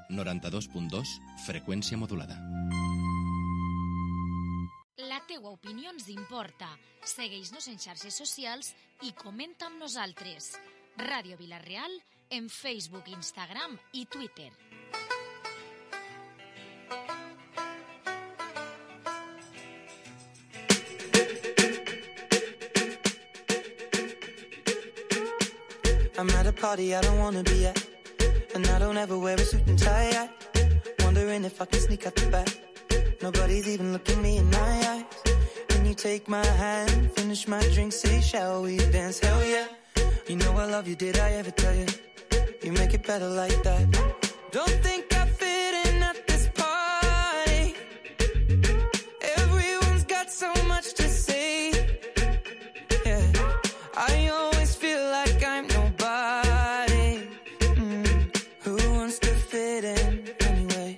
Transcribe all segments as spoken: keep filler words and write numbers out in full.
noranta-dos punt dos, freqüència modulada. La teua opinió ens importa. Segueix-nos en xarxes socials i comenta amb nosaltres. Ràdio Vila-real en Facebook, Instagram i Twitter. I'm at a party I don't wanna be at, and I don't ever wear a suit and tie. I wondering if I can sneak out the back. Nobody's even looking me in my eyes. Can you take my hand, finish my drink, say shall we dance? Hell yeah. You know I love you, did I ever tell you? You make it better like that. Don't think I fit in at this party. Everyone's got so much to say. Yeah, I always feel like I'm nobody. Mm. Who wants to fit in anyway?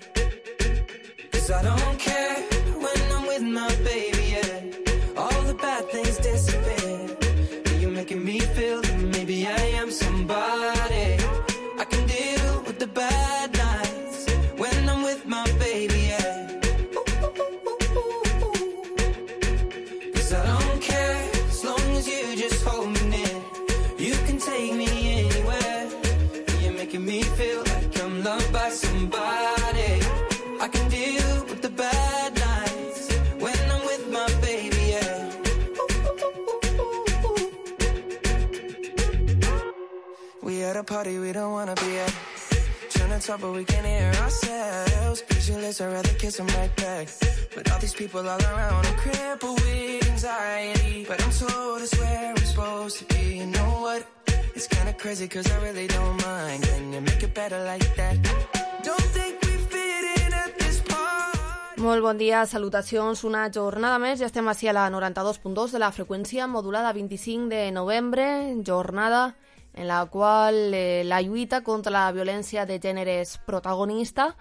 'Cause I don't care when I'm with my baby, yeah. All the bad things disappear. You're making me feel that maybe I am somebody. I can deal with the bad nights when I'm with my baby, yeah. 'Cause I don't care as long as you just hold me near. You can take me anywhere. You're making me feel like I'm loved by somebody. I can deal with the bad nights when I'm with my baby, yeah. We at a party we don't wanna be at. Trying to talk but we can't hear ourselves. Pictureless, I'd rather kiss them right back. But all these people all around, I'm crippled with anxiety. But I'm told it's where I'm supposed to be. You know what? It's kinda crazy cause I really don't mind. Can you make it better like that? Don't think we fit in at this party. Molt bon dia, salutacions, una jornada més. Ja estem així a la noranta-dos punt dos de la freqüència modulada, vint-i-cinc de novembre, jornada en la qual eh, la lluita contra la violència de gènere és protagonista.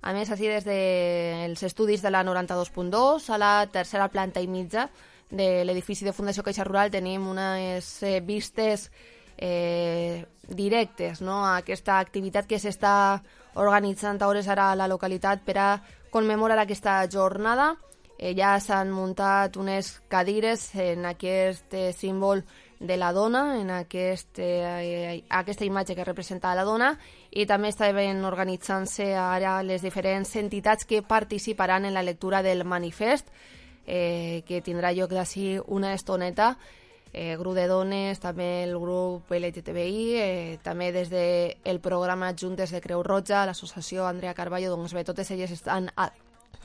A més, així des dels estudis de la noranta-dos punt dos, a la tercera planta i mitja de l'edifici de Fundació Caixa Rural tenim unes eh, vistes eh, directes, no?, a aquesta activitat que s'està organitzant a hores ara a la localitat per a commemorar aquesta jornada. Eh, ja s'han muntat unes cadires en aquest eh, símbol de la dona, en aquest, eh, aquesta imatge que representa la dona, i també estaven organitzant-se ara les diferents entitats que participaran en la lectura del manifest, eh, que tindrà lloc d'ací una estoneta. Eh, grup de dones, també el grup L G T B I, eh, també des del programa Juntes de Creu Roja, l'associació Andrea Carballo, doncs bé, totes elles estan a,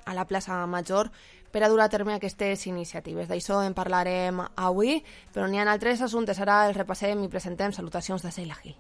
a la plaça Major per a dur a terme aquestes iniciatives. D'això en parlarem avui, però n'hi ha altres assumptes. Ara els repassem i presentem. Salutacions de Sheila Gil.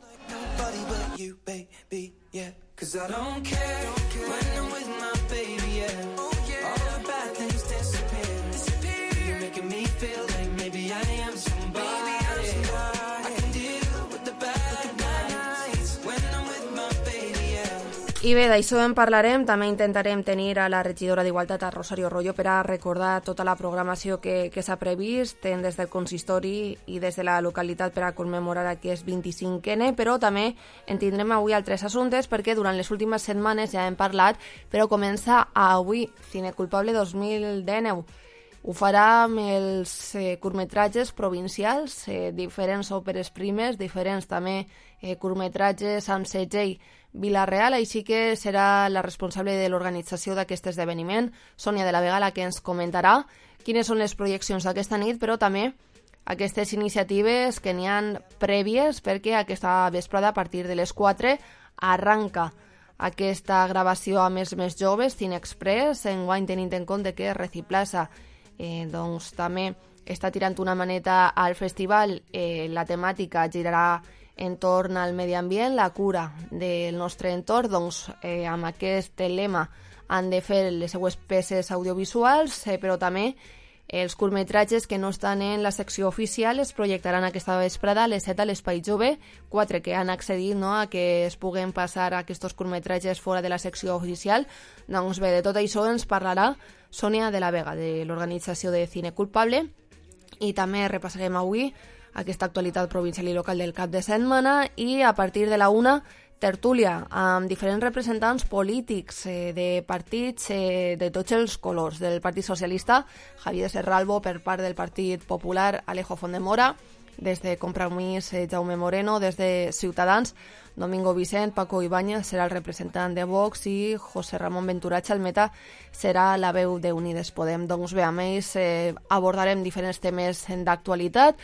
I bé, d'això en parlarem. També intentarem tenir a la regidora d'Igualtat, a Rosario Royo, per a recordar tota la programació que, que s'ha previst des del consistori i des de la localitat per a commemorar aquest vint-i-cinquè, però també en tindrem avui altres assumptes perquè durant les últimes setmanes ja hem parlat, però comença avui Cine Culpable dos mil dinou. Ho farà amb els eh, curtmetratges provincials, eh, diferents òperes primes, diferents també eh, curtmetratges amb segell Vila-real, així que serà la responsable de l'organització d'aquest esdeveniment, Sònia de la Vega, la que ens comentarà quines són les projeccions d'aquesta nit, però també aquestes iniciatives que n'hi han prèvies, perquè aquesta vesprada a partir de les quatre arranca aquesta gravació amb els més joves, Cine Express, enguany tenint en compte que Reciplaza eh, doncs, també està tirant una maneta al festival. Eh, la temàtica girarà entorn al medi ambient, la cura del nostre entorn, doncs eh, amb aquest lema han de fer les seues peces audiovisuals, eh, però també els curtmetratges que no estan en la secció oficial es projectaran aquesta vesprada a les set a l'Espai Jove, quatre que han accedit, no?, a que es puguen passar aquests curtmetratges fora de la secció oficial. Doncs bé, de tot això ens parlarà Sònia de la Vega, de l'organització de Cine Culpable, i també repassarem avui aquesta actualitat provincial i local del cap de setmana, i a partir de la una tertúlia amb diferents representants polítics eh, de partits eh, de tots els colors, del Partit Socialista, Javier Serralbo per part del Partit Popular, Alejo Fondemora, des de Compromís, eh, Jaume Moreno, des de Ciutadans, Domingo Vicent, Paco Ibáñez serà el representant de Vox i José Ramon Ventura Chalmeta serà la veu d'Unides Podem. Doncs bé, amb ells eh, abordarem diferents temes d'actualitat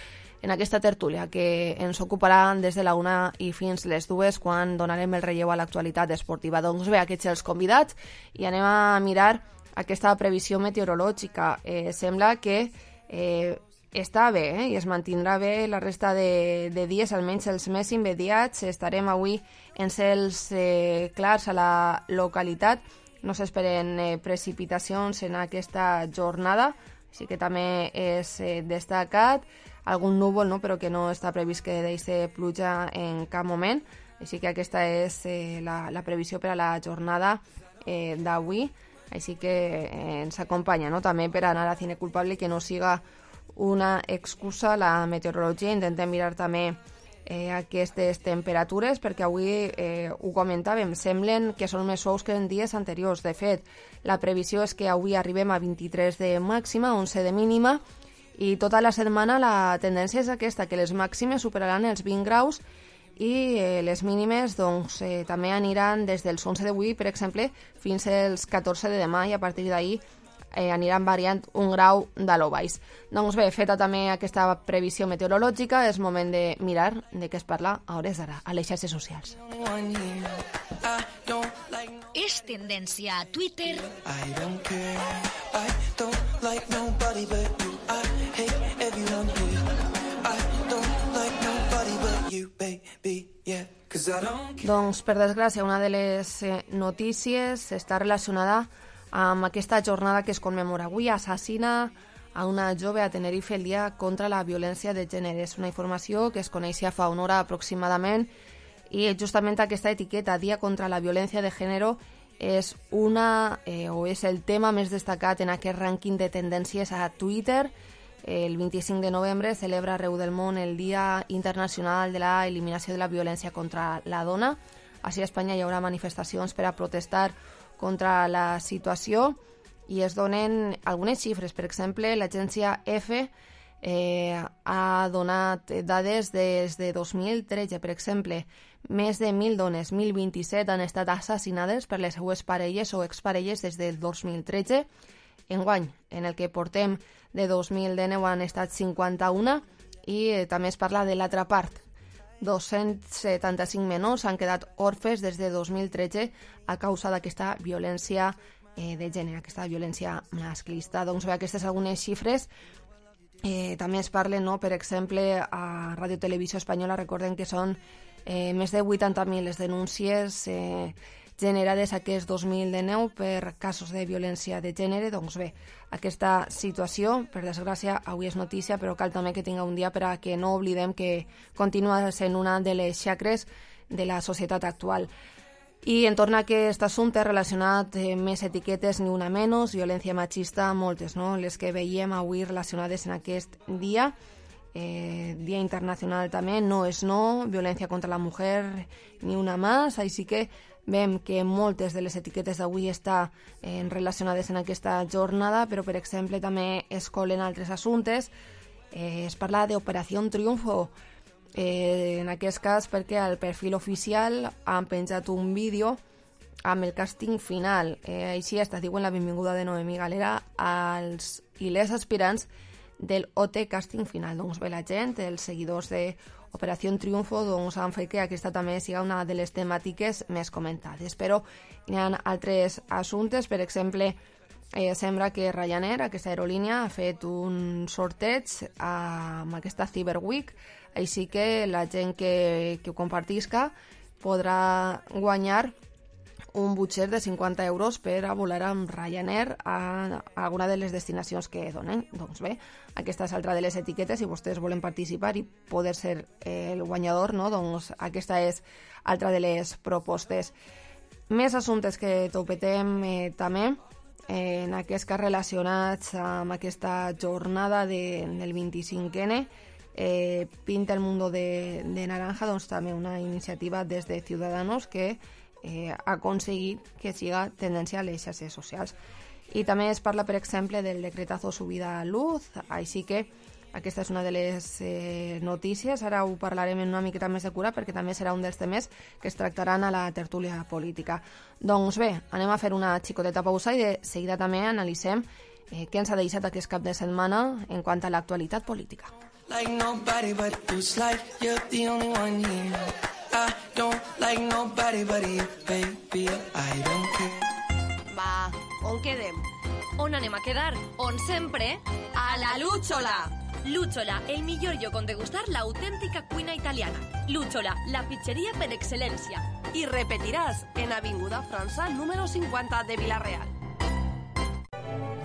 en aquesta tertúlia que ens ocuparà des de la una i fins les dues quan donarem el relleu a l'actualitat esportiva. Doncs bé, aquests els convidats i anem a mirar aquesta previsió meteorològica. Eh, sembla que eh, està bé eh? I es mantindrà bé la resta de, de dies, almenys els més immediats. Estarem avui en cels eh, clars a la localitat. No s'esperen eh, precipitacions en aquesta jornada, així que també és eh, destacat. Algun núvol, no? Però que no està previst que deixi pluja en cap moment. Així que aquesta és eh, la, la previsió per a la jornada eh, d'avui. Així que eh, ens acompanya, no? També per anar a Cine Culpable, que no siga una excusa la meteorologia. Intentem mirar també eh, aquestes temperatures, perquè avui eh, ho comentàvem, semblen que són més suaus que en dies anteriors. De fet, la previsió és que avui arribem a vint-i-tres de màxima, onze de mínima, i tota la setmana la tendència és aquesta, que les màximes superaran els vint graus i eh, les mínimes doncs, eh, també aniran des dels onze d'avui, per exemple, fins als catorze de demà, i a partir d'ahir eh, aniran variant un grau de lo baix. Doncs bé, feta també aquesta previsió meteorològica, és moment de mirar de què es parla a hores d'ara, a les xarxes socials. És tendència a Twitter. I don't care, I don't like nobody but you. I hate everyone here. I don't like nobody but you, baby, yeah. Cause I don't care. Doncs, per desgràcia, una de les eh, notícies està relacionada amb aquesta jornada que es commemora avui. Assassina a una jove a Tenerife el dia contra la violència de gènere. És una informació que es coneixia fa una hora aproximadament, i justament aquesta etiqueta, Dia contra la Violència de Gènere, és una eh, o és el tema més destacat en aquest rànquing de tendències a Twitter. El vint-i-cinc de novembre celebra arreu del món el Dia Internacional de la Eliminació de la Violència contra la Dona. Així a Espanya hi haurà manifestacions per a protestar contra la situació i es donen algunes xifres. Per exemple, l'agència F eh, ha donat dades des de dos mil tretze. Per exemple, més de mil dones, mil vint-i-set, han estat assassinades per les seues parelles o exparelles des del dos mil tretze. Enguany, en el que portem de dos mil dinou, han estat cinquanta-una, i eh, també es parla de l'altra part. dos-cents setanta-cinc menors han quedat orfes des de dos mil tretze a causa d'aquesta violència eh, de gènere, aquesta violència masclista. Doncs bé, aquestes algunes xifres. Eh, també es parlen, no? Per exemple, a Ràdio Televisió Espanyola, recordem que són eh, més de vuitanta mil les denúncies eh, generades aquest dos mil dinou per casos de violència de gènere. Doncs bé, aquesta situació, per desgràcia, avui és notícia, però cal també que tinga un dia per a que no oblidem que continua sent una de les xacres de la societat actual. I en torno a aquest assumpte relacionat amb més etiquetes, ni una menys, violència machista, moltes, no? Les que veiem avui relacionades en aquest dia. Eh, dia internacional també, no és no, violència contra la mujer, ni una més, així que veiem que moltes de les etiquetes d'avui estan eh, relacionades en aquesta jornada, però per exemple també es colen altres assumptes. Eh, es parla d'Operació Triunfo, eh, en aquest cas perquè al perfil oficial han penjat un vídeo amb el càsting final. Eh, així està, diuen la benvinguda de Noemí Galera als i les aspirants del O T Casting Final. Doncs bé, la gent, els seguidors de Operació Triunfo, doncs han fet que aquesta també siga una de les temàtiques més comentades. Però hi ha altres assumptes, per exemple, eh, sembla que Ryanair, aquesta aerolínia, ha fet un sorteig amb aquesta Cyber Week, així que la gent que, que ho compartisca podrà guanyar un budget de cinquanta euros per a volar amb Ryanair a alguna de les destinacions que donen. Doncs bé, aquesta és altra de les etiquetes, si vostès volen participar i poder ser el guanyador, no? Doncs aquesta és altra de les propostes. Més assumptes que topetem eh, també, eh, en aquest cas relacionats amb aquesta jornada de, del vint-i-cinc ene, eh, pinta el mundo de, de naranja, doncs també una iniciativa des de Ciudadanos que eh, ha aconseguit que siga tendència a les xarxes socials. I també es parla, per exemple, del decretazo subida a luz, així que aquesta és una de les eh, notícies. Ara ho parlarem en una miqueta més de cura perquè també serà un dels temes que es tractaran a la tertúlia política. Doncs bé, anem a fer una xicoteta pausa i de seguida també analitzem eh, què ens ha deixat aquest cap de setmana en quant a l'actualitat política. Like nobody but you, like you're the only one here. I don't like nobody but you, baby, I don't care. Va, on quedem? On anem a quedar? On sempre? A la Lúchola! Lúchola, el millor lloc on degustar l'autèntica cuina italiana. Lúchola, la pizzeria per excel·lència. I repetiràs en Avinguda França, número cinquanta de Vila-real.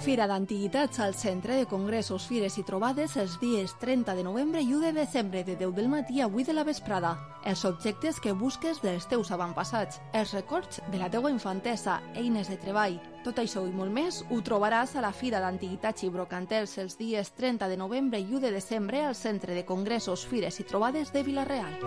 Fira d'Antiguitats al Centre de Congressos, Fires i Trobades els dies trenta de novembre i u de desembre de deu del matí a vuit de la vesprada. Els objectes que busques dels teus avantpassats, els records de la teua infantesa, eines de treball. Tot això i molt més ho trobaràs a la Fira d'Antiguitats i Brocantels els dies trenta de novembre i u de desembre al Centre de Congressos, Fires i Trobades de Vila-real.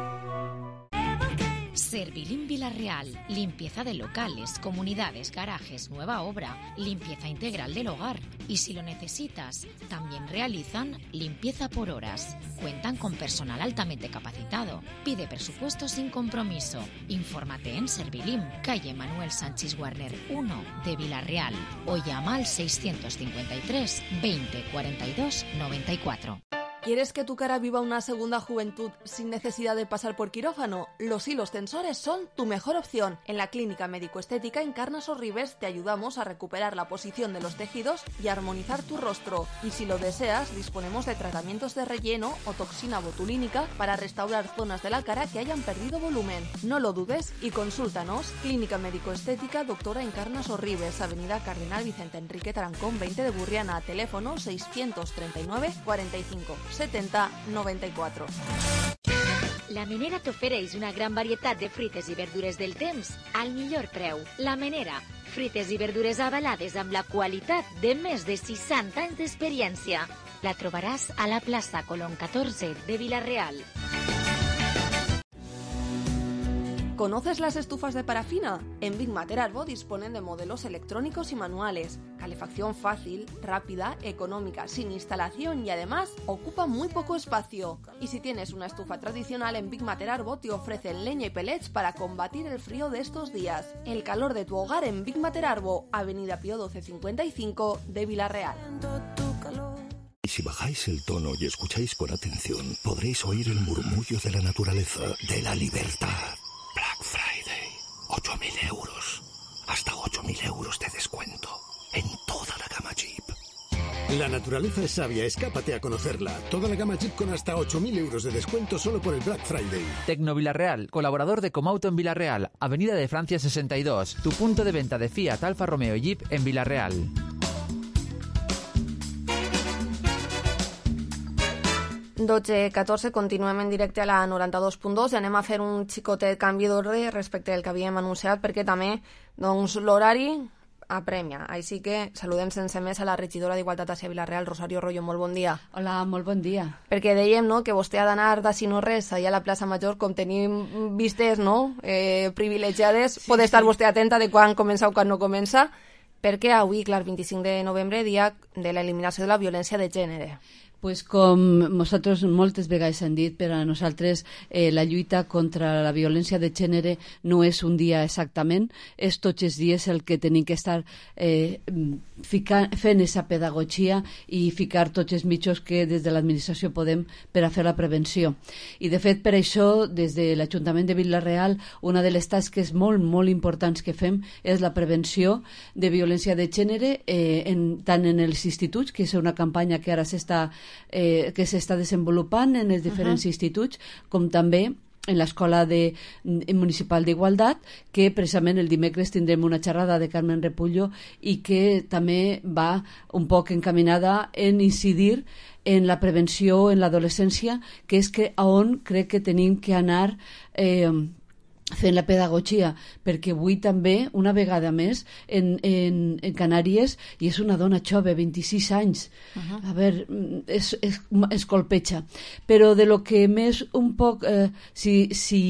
Servilim Vila-real, limpieza de locales, comunidades, garajes, nueva obra, limpieza integral del hogar. Y si lo necesitas, también realizan limpieza por horas. Cuentan con personal altamente capacitado. Pide presupuesto sin compromiso. Infórmate en Servilim, calle Manuel Sánchez Warner uno de Vila-real o llama al seiscientos cincuenta y tres veinte cuarenta y dos noventa y cuatro. ¿Quieres que tu cara viva una segunda juventud sin necesidad de pasar por quirófano? Los hilos tensores son tu mejor opción. En la Clínica Médico-Estética Encarnas Sorribes te ayudamos a recuperar la posición de los tejidos y armonizar tu rostro. Y si lo deseas, disponemos de tratamientos de relleno o toxina botulínica para restaurar zonas de la cara que hayan perdido volumen. No lo dudes y consúltanos. Clínica Médico-Estética Doctora Encarnas Sorribes, Avenida Cardenal Vicente Enrique Tarancón veinte de Burriana, teléfono seiscientos treinta y nueve cuarenta y cinco setenta noventa y cuatro. La Menera t'ofereix una gran varietat de fruites i verdures del temps al millor preu. La Menera, fruites i verdures avalades amb la qualitat de més de seixanta anys d'experiència. La trobaràs a la plaça Colón catorze de Vila-real. ¿Conoces las estufas de parafina? En Big Mater Arbo disponen de modelos electrónicos y manuales, calefacción fácil, rápida, económica, sin instalación y además ocupa muy poco espacio. Y si tienes una estufa tradicional, en Big Mater Arbo te ofrecen leña y pellets para combatir el frío de estos días. El calor de tu hogar en Big Mater Arbo, Avenida Pío doce cincuenta y cinco de Vila-real. Y si bajáis el tono y escucháis con atención, podréis oír el murmullo de la naturaleza, de la libertad. Black Friday, ocho mil euros. Hasta ocho mil euros de descuento en toda la gama Jeep. La naturaleza es sabia, escápate a conocerla. Toda la gama Jeep con hasta ocho mil euros de descuento solo por el Black Friday. Tecno Vila-real, colaborador de Comauto en Vila-real, Avenida de Francia sesenta y dos, tu punto de venta de Fiat, Alfa Romeo y Jeep en Vila-real. dotze catorze, continuem en directe a la noranta-dos punt dos i anem a fer un xicotet canvi d'ordre respecte al que havíem anunciat perquè també doncs, l'horari apremia. Així que saludem sense més a la regidora d'Igualtat a Vila-real, Rosario Royo. Molt bon dia. Hola, molt bon dia. Perquè dèiem no, que vostè ha d'anar d'ací no res allà a la plaça Major, com tenim vistes no, eh, privilegiades, sí, pot estar sí. Vostè atenta de quan comença o quan no comença, perquè avui, clar, vint-i-cinc de novembre, dia de l'eliminació de la violència de gènere. Pues com nosaltres moltes vegades hem dit, per a nosaltres eh, la lluita contra la violència de gènere no és un dia exactament, és tots els dies el que tenim que estar eh, ficar, fent aquesta pedagogia i ficar tots els mitjans que des de l'administració podem per a fer la prevenció. I de fet per això des de l'Ajuntament de Vila-real una de les tasques molt molt importants que fem és la prevenció de violència de gènere eh, en, tant en els instituts, que és una campanya que ara s'està Eh, que s'està desenvolupant en els diferents uh-huh. instituts, com també en l'Escola de, Municipal d'Igualtat, que precisament el dimecres tindrem una xerrada de Carmen Repullo i que també va un poc encaminada en incidir en la prevenció en l'adolescència, que és que a on crec que tenim que anar eh, fent la pedagogia, perquè avui també, una vegada més, en, en, en Canàries, i és una dona jove, vint-i-sis anys, uh-huh. a veure, es, es, es colpeja. Però de lo que més un poc, eh, si, si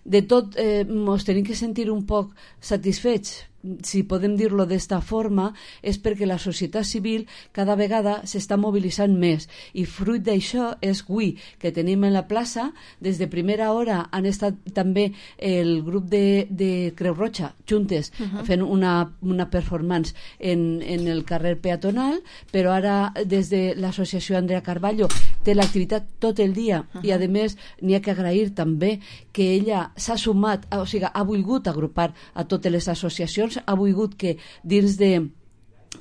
de tot eh, mos tenim que sentir un poc satisfets, si podem dir-lo d'esta forma, és perquè la societat civil cada vegada s'està mobilitzant més, i fruit d'això és avui que tenim en la plaça, des de primera hora han estat també el grup de, de Creu Roja juntes, uh-huh. fent una, una performance en, en el carrer peatonal, però ara des de l'associació Andrea Carballo té l'activitat tot el dia, uh-huh. i a més n'hi ha que agrair també que ella s'ha sumat, o sigui, ha volgut agrupar a totes les associacions, ha volgut que dins de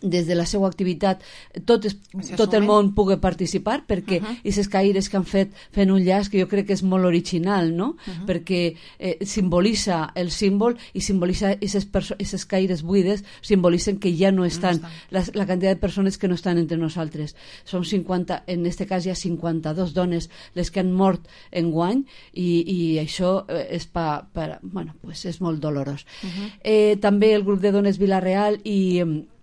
des de la seva activitat tot, es, tot el món pugui participar, perquè uh-huh. aquestes caires que han fet fent un llaç que jo crec que és molt original, no? Uh-huh. perquè eh, simbolitza el símbol i simbolitza aquestes caires buides, simbolitzen que ja no estan, no estan. La, la quantitat de persones que no estan entre nosaltres. Som cinquanta, en este cas hi ha cinquanta-dos dones les que han mort enguany, i, i això és, pa, pa, bueno, pues és molt dolorós. Uh-huh. Eh, també el grup de dones Vila-real i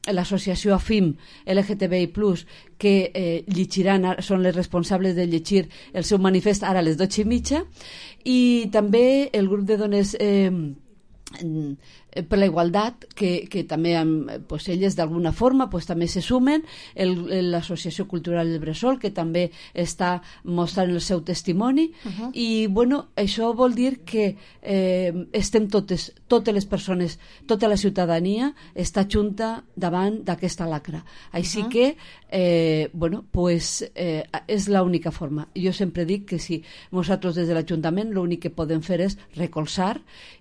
l'associació A F I M L G T B I plus, que eh, llegiran, són les responsables de llegir el seu manifest ara a les dotze i mitja, i també el grup de dones eh, per la igualtat, que, que també pues, elles d'alguna forma pues, també se sumen, l'Associació Cultural del Bressol, que també està mostrant el seu testimoni, uh-huh. i bueno, això vol dir que eh, estem totes, totes les persones, tota la ciutadania està junta davant d'aquesta lacra. Així uh-huh. que eh, bueno, pues, eh, és l'única forma. Jo sempre dic que si nosaltres des de l'Ajuntament l'únic que podem fer és recolzar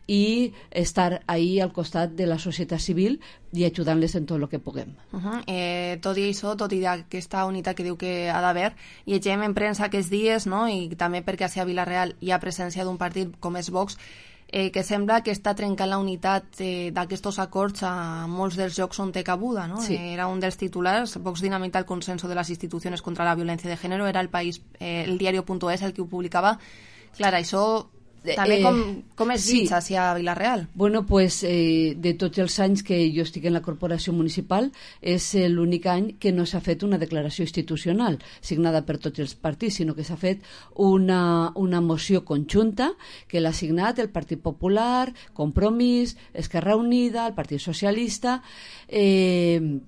i estar ahí al costat de la societat civil i ajudant-les en tot el que puguem. Uh-huh. eh, tot i això, tot i aquesta unitat que diu que ha d'haver, llegem en premsa aquests dies, no? I també perquè a Vila-real hi ha presència d'un partit com és Vox, eh, que sembla que està trencant la unitat eh, d'aquests acords a molts dels llocs on té cabuda, no? Sí. Eh, era un dels titulars, Vox dinamita el consenso de las instituciones contra la violencia de género, era el país, eh, el diario.es el que ho publicava. Clar, això també com, com és sí. vist hacia Vila-real? Bueno, pues eh, de tots els anys que jo estic en la corporació municipal és l'únic any que no s'ha fet una declaració institucional signada per tots els partits, sinó que s'ha fet una, una moció conjunta que l'ha signat el Partit Popular, Compromís, Esquerra Unida, el Partit Socialista, eh,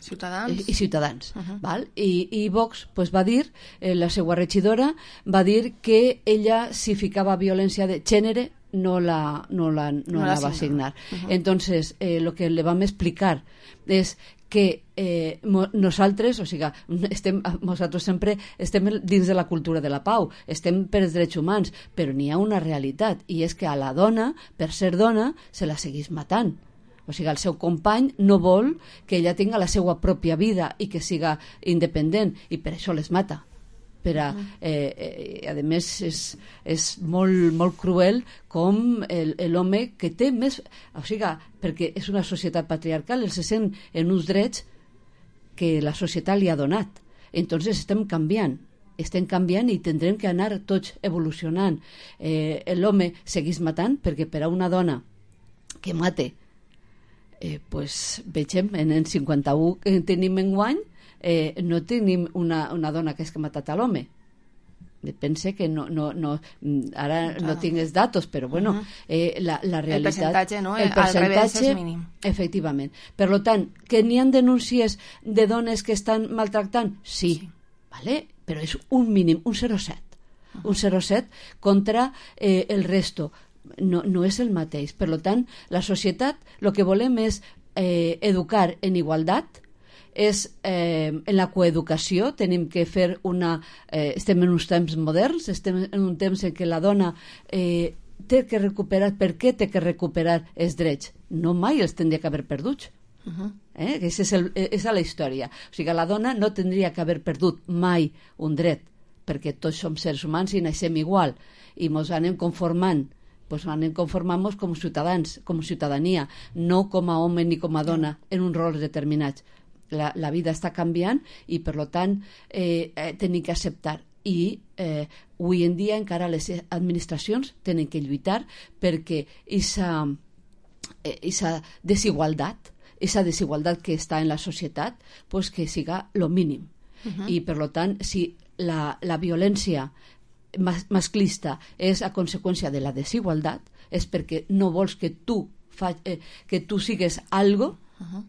Ciutadans. I, i Ciutadans. Uh-huh. Val? I, i Vox pues, va dir, eh, la seva regidora va dir que ella si ficava violència de gènere no la, no la, no no la la va signar. Uh-huh. Entonces, eh, lo que le vam explicar és que eh, mo, nosaltres, o sigui, estem, nosaltres sempre estem dins de la cultura de la pau, estem per els drets humans, però n'hi ha una realitat, i és que a la dona, per ser dona, se la seguís matant. O sigui, el seu company no vol que ella tinga la seva pròpia vida i que siga independent, i per això les mata. Per a, eh, eh, a més, és, és molt, molt cruel com l'home que té més... O sigui, perquè és una societat patriarcal, el se sent en uns drets que la societat li ha donat. Entonces estem canviant. estem canviant i tindrem que anar tots evolucionant. Eh, l'home seguís matant perquè per a una dona que mate Eh, pues, vegem, en el cinquanta-u que tenim enguany, eh, no tenim una, una dona que és que ha matat a l'home. Pense que no, no, no, ara no ah. tinc els datos, però bueno, uh-huh. eh, la, la realitat... El percentatge, no? El percentatge, al revés és mínim. Efectivament. Per tant, que n'hi ha denúncies de dones que estan maltractant? Sí, sí. Vale? Però és un mínim, un zero coma set. Uh-huh. Un zero coma set contra eh, el resto. No, no és el mateix. Per tant, la societat el que volem és eh, educar en igualtat, és eh, en la coeducació, tenim que fer una... Eh, estem en uns temps moderns, estem en un temps en què la dona eh, té que recuperar... Per què té que recuperar els drets? No mai els tindria que haver perduts. Uh-huh. Eh? Aquesta és, el, és la història. O sigui, la dona no tindria que haver perdut mai un dret, perquè tots som seres humans i naixem igual, i ens anem conformant pues anem conformant-nos com ciutadans, com ciutadania, no com a home ni com a dona en uns rols determinats. La, la vida està canviant i per tant eh, eh, tenim que acceptar. i eh, avui en dia encara les administracions tenen que lluitar perquè aquesta eh, desigualtat, aquesta desigualtat que està en la societat, pues que siga lo mínim. Uh-huh. I, per tant, si la, la violència mas, masclista és a conseqüència de la desigualtat, és perquè no vols que tu, fa, eh, que tu sigues algo, uh-huh.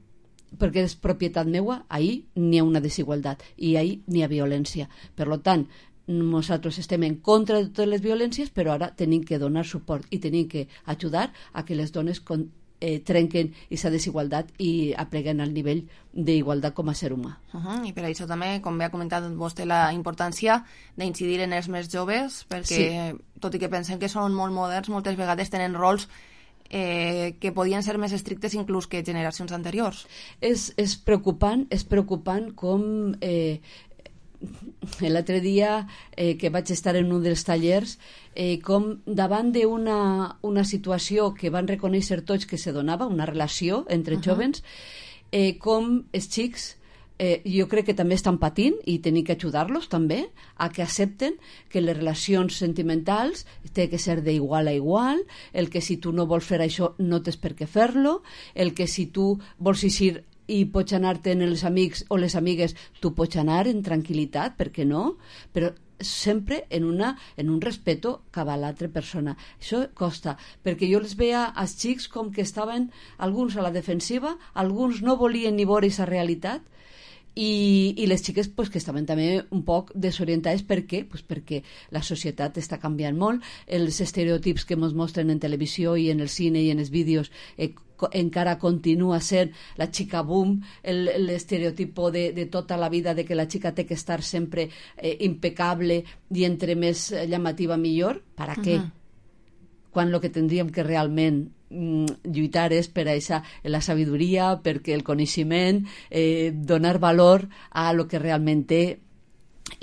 perquè és propietat meua, ahí n'hi ha una desigualtat i ahí n'hi ha violència. Per tant, nosaltres estem en contra de totes les violències, però ara tenim que donar suport i tenim que ajudar a que les dones con, eh, trenquen aquesta desigualtat i apleguen al nivell d'igualtat com a ser humà. Uh-huh. I per això també, com bé ha comentat vostè, la importància d'incidir en els més joves, perquè sí. tot i que pensem que són molt moderns, moltes vegades tenen rols eh, que podien ser més estrictes inclús que generacions anteriors. És, és preocupant, és preocupant com eh, l'altre dia eh, que vaig estar en un dels tallers, eh, com davant d'una una situació que van reconèixer tots que se donava, una relació entre uh-huh. jóvens, eh, com els xics eh, jo crec que també estan patint i tenim que ajudar-los també a que accepten que les relacions sentimentals té que ser d'igual a igual, el que si tu no vols fer això no tens per què fer-lo, el que si tu vols eixir i pots anar-te'n els amics o les amigues, tu pots anar en tranquil·litat, per què no? Però sempre en, una, en un respeto cap a l'altra persona. Això costa, perquè jo les veia als xics com que estaven alguns a la defensiva, alguns no volien ni veure aquesta realitat, i, i les xiques pues, que estaven també un poc desorientades. Per què? Pues perquè la societat està canviant molt, els estereotips que ens mostren en televisió i en el cine i en els vídeos eh, encara continua sent la xica boom, l'estereotipo de, de tota la vida de que la xica té que estar sempre eh, impecable i entre més llamativa millor. Per a què? Uh-huh. Quan el que tindríem que realment mm, lluitar és per a esa, la sabidoria, perquè el coneixement, eh, donar valor a lo que realment té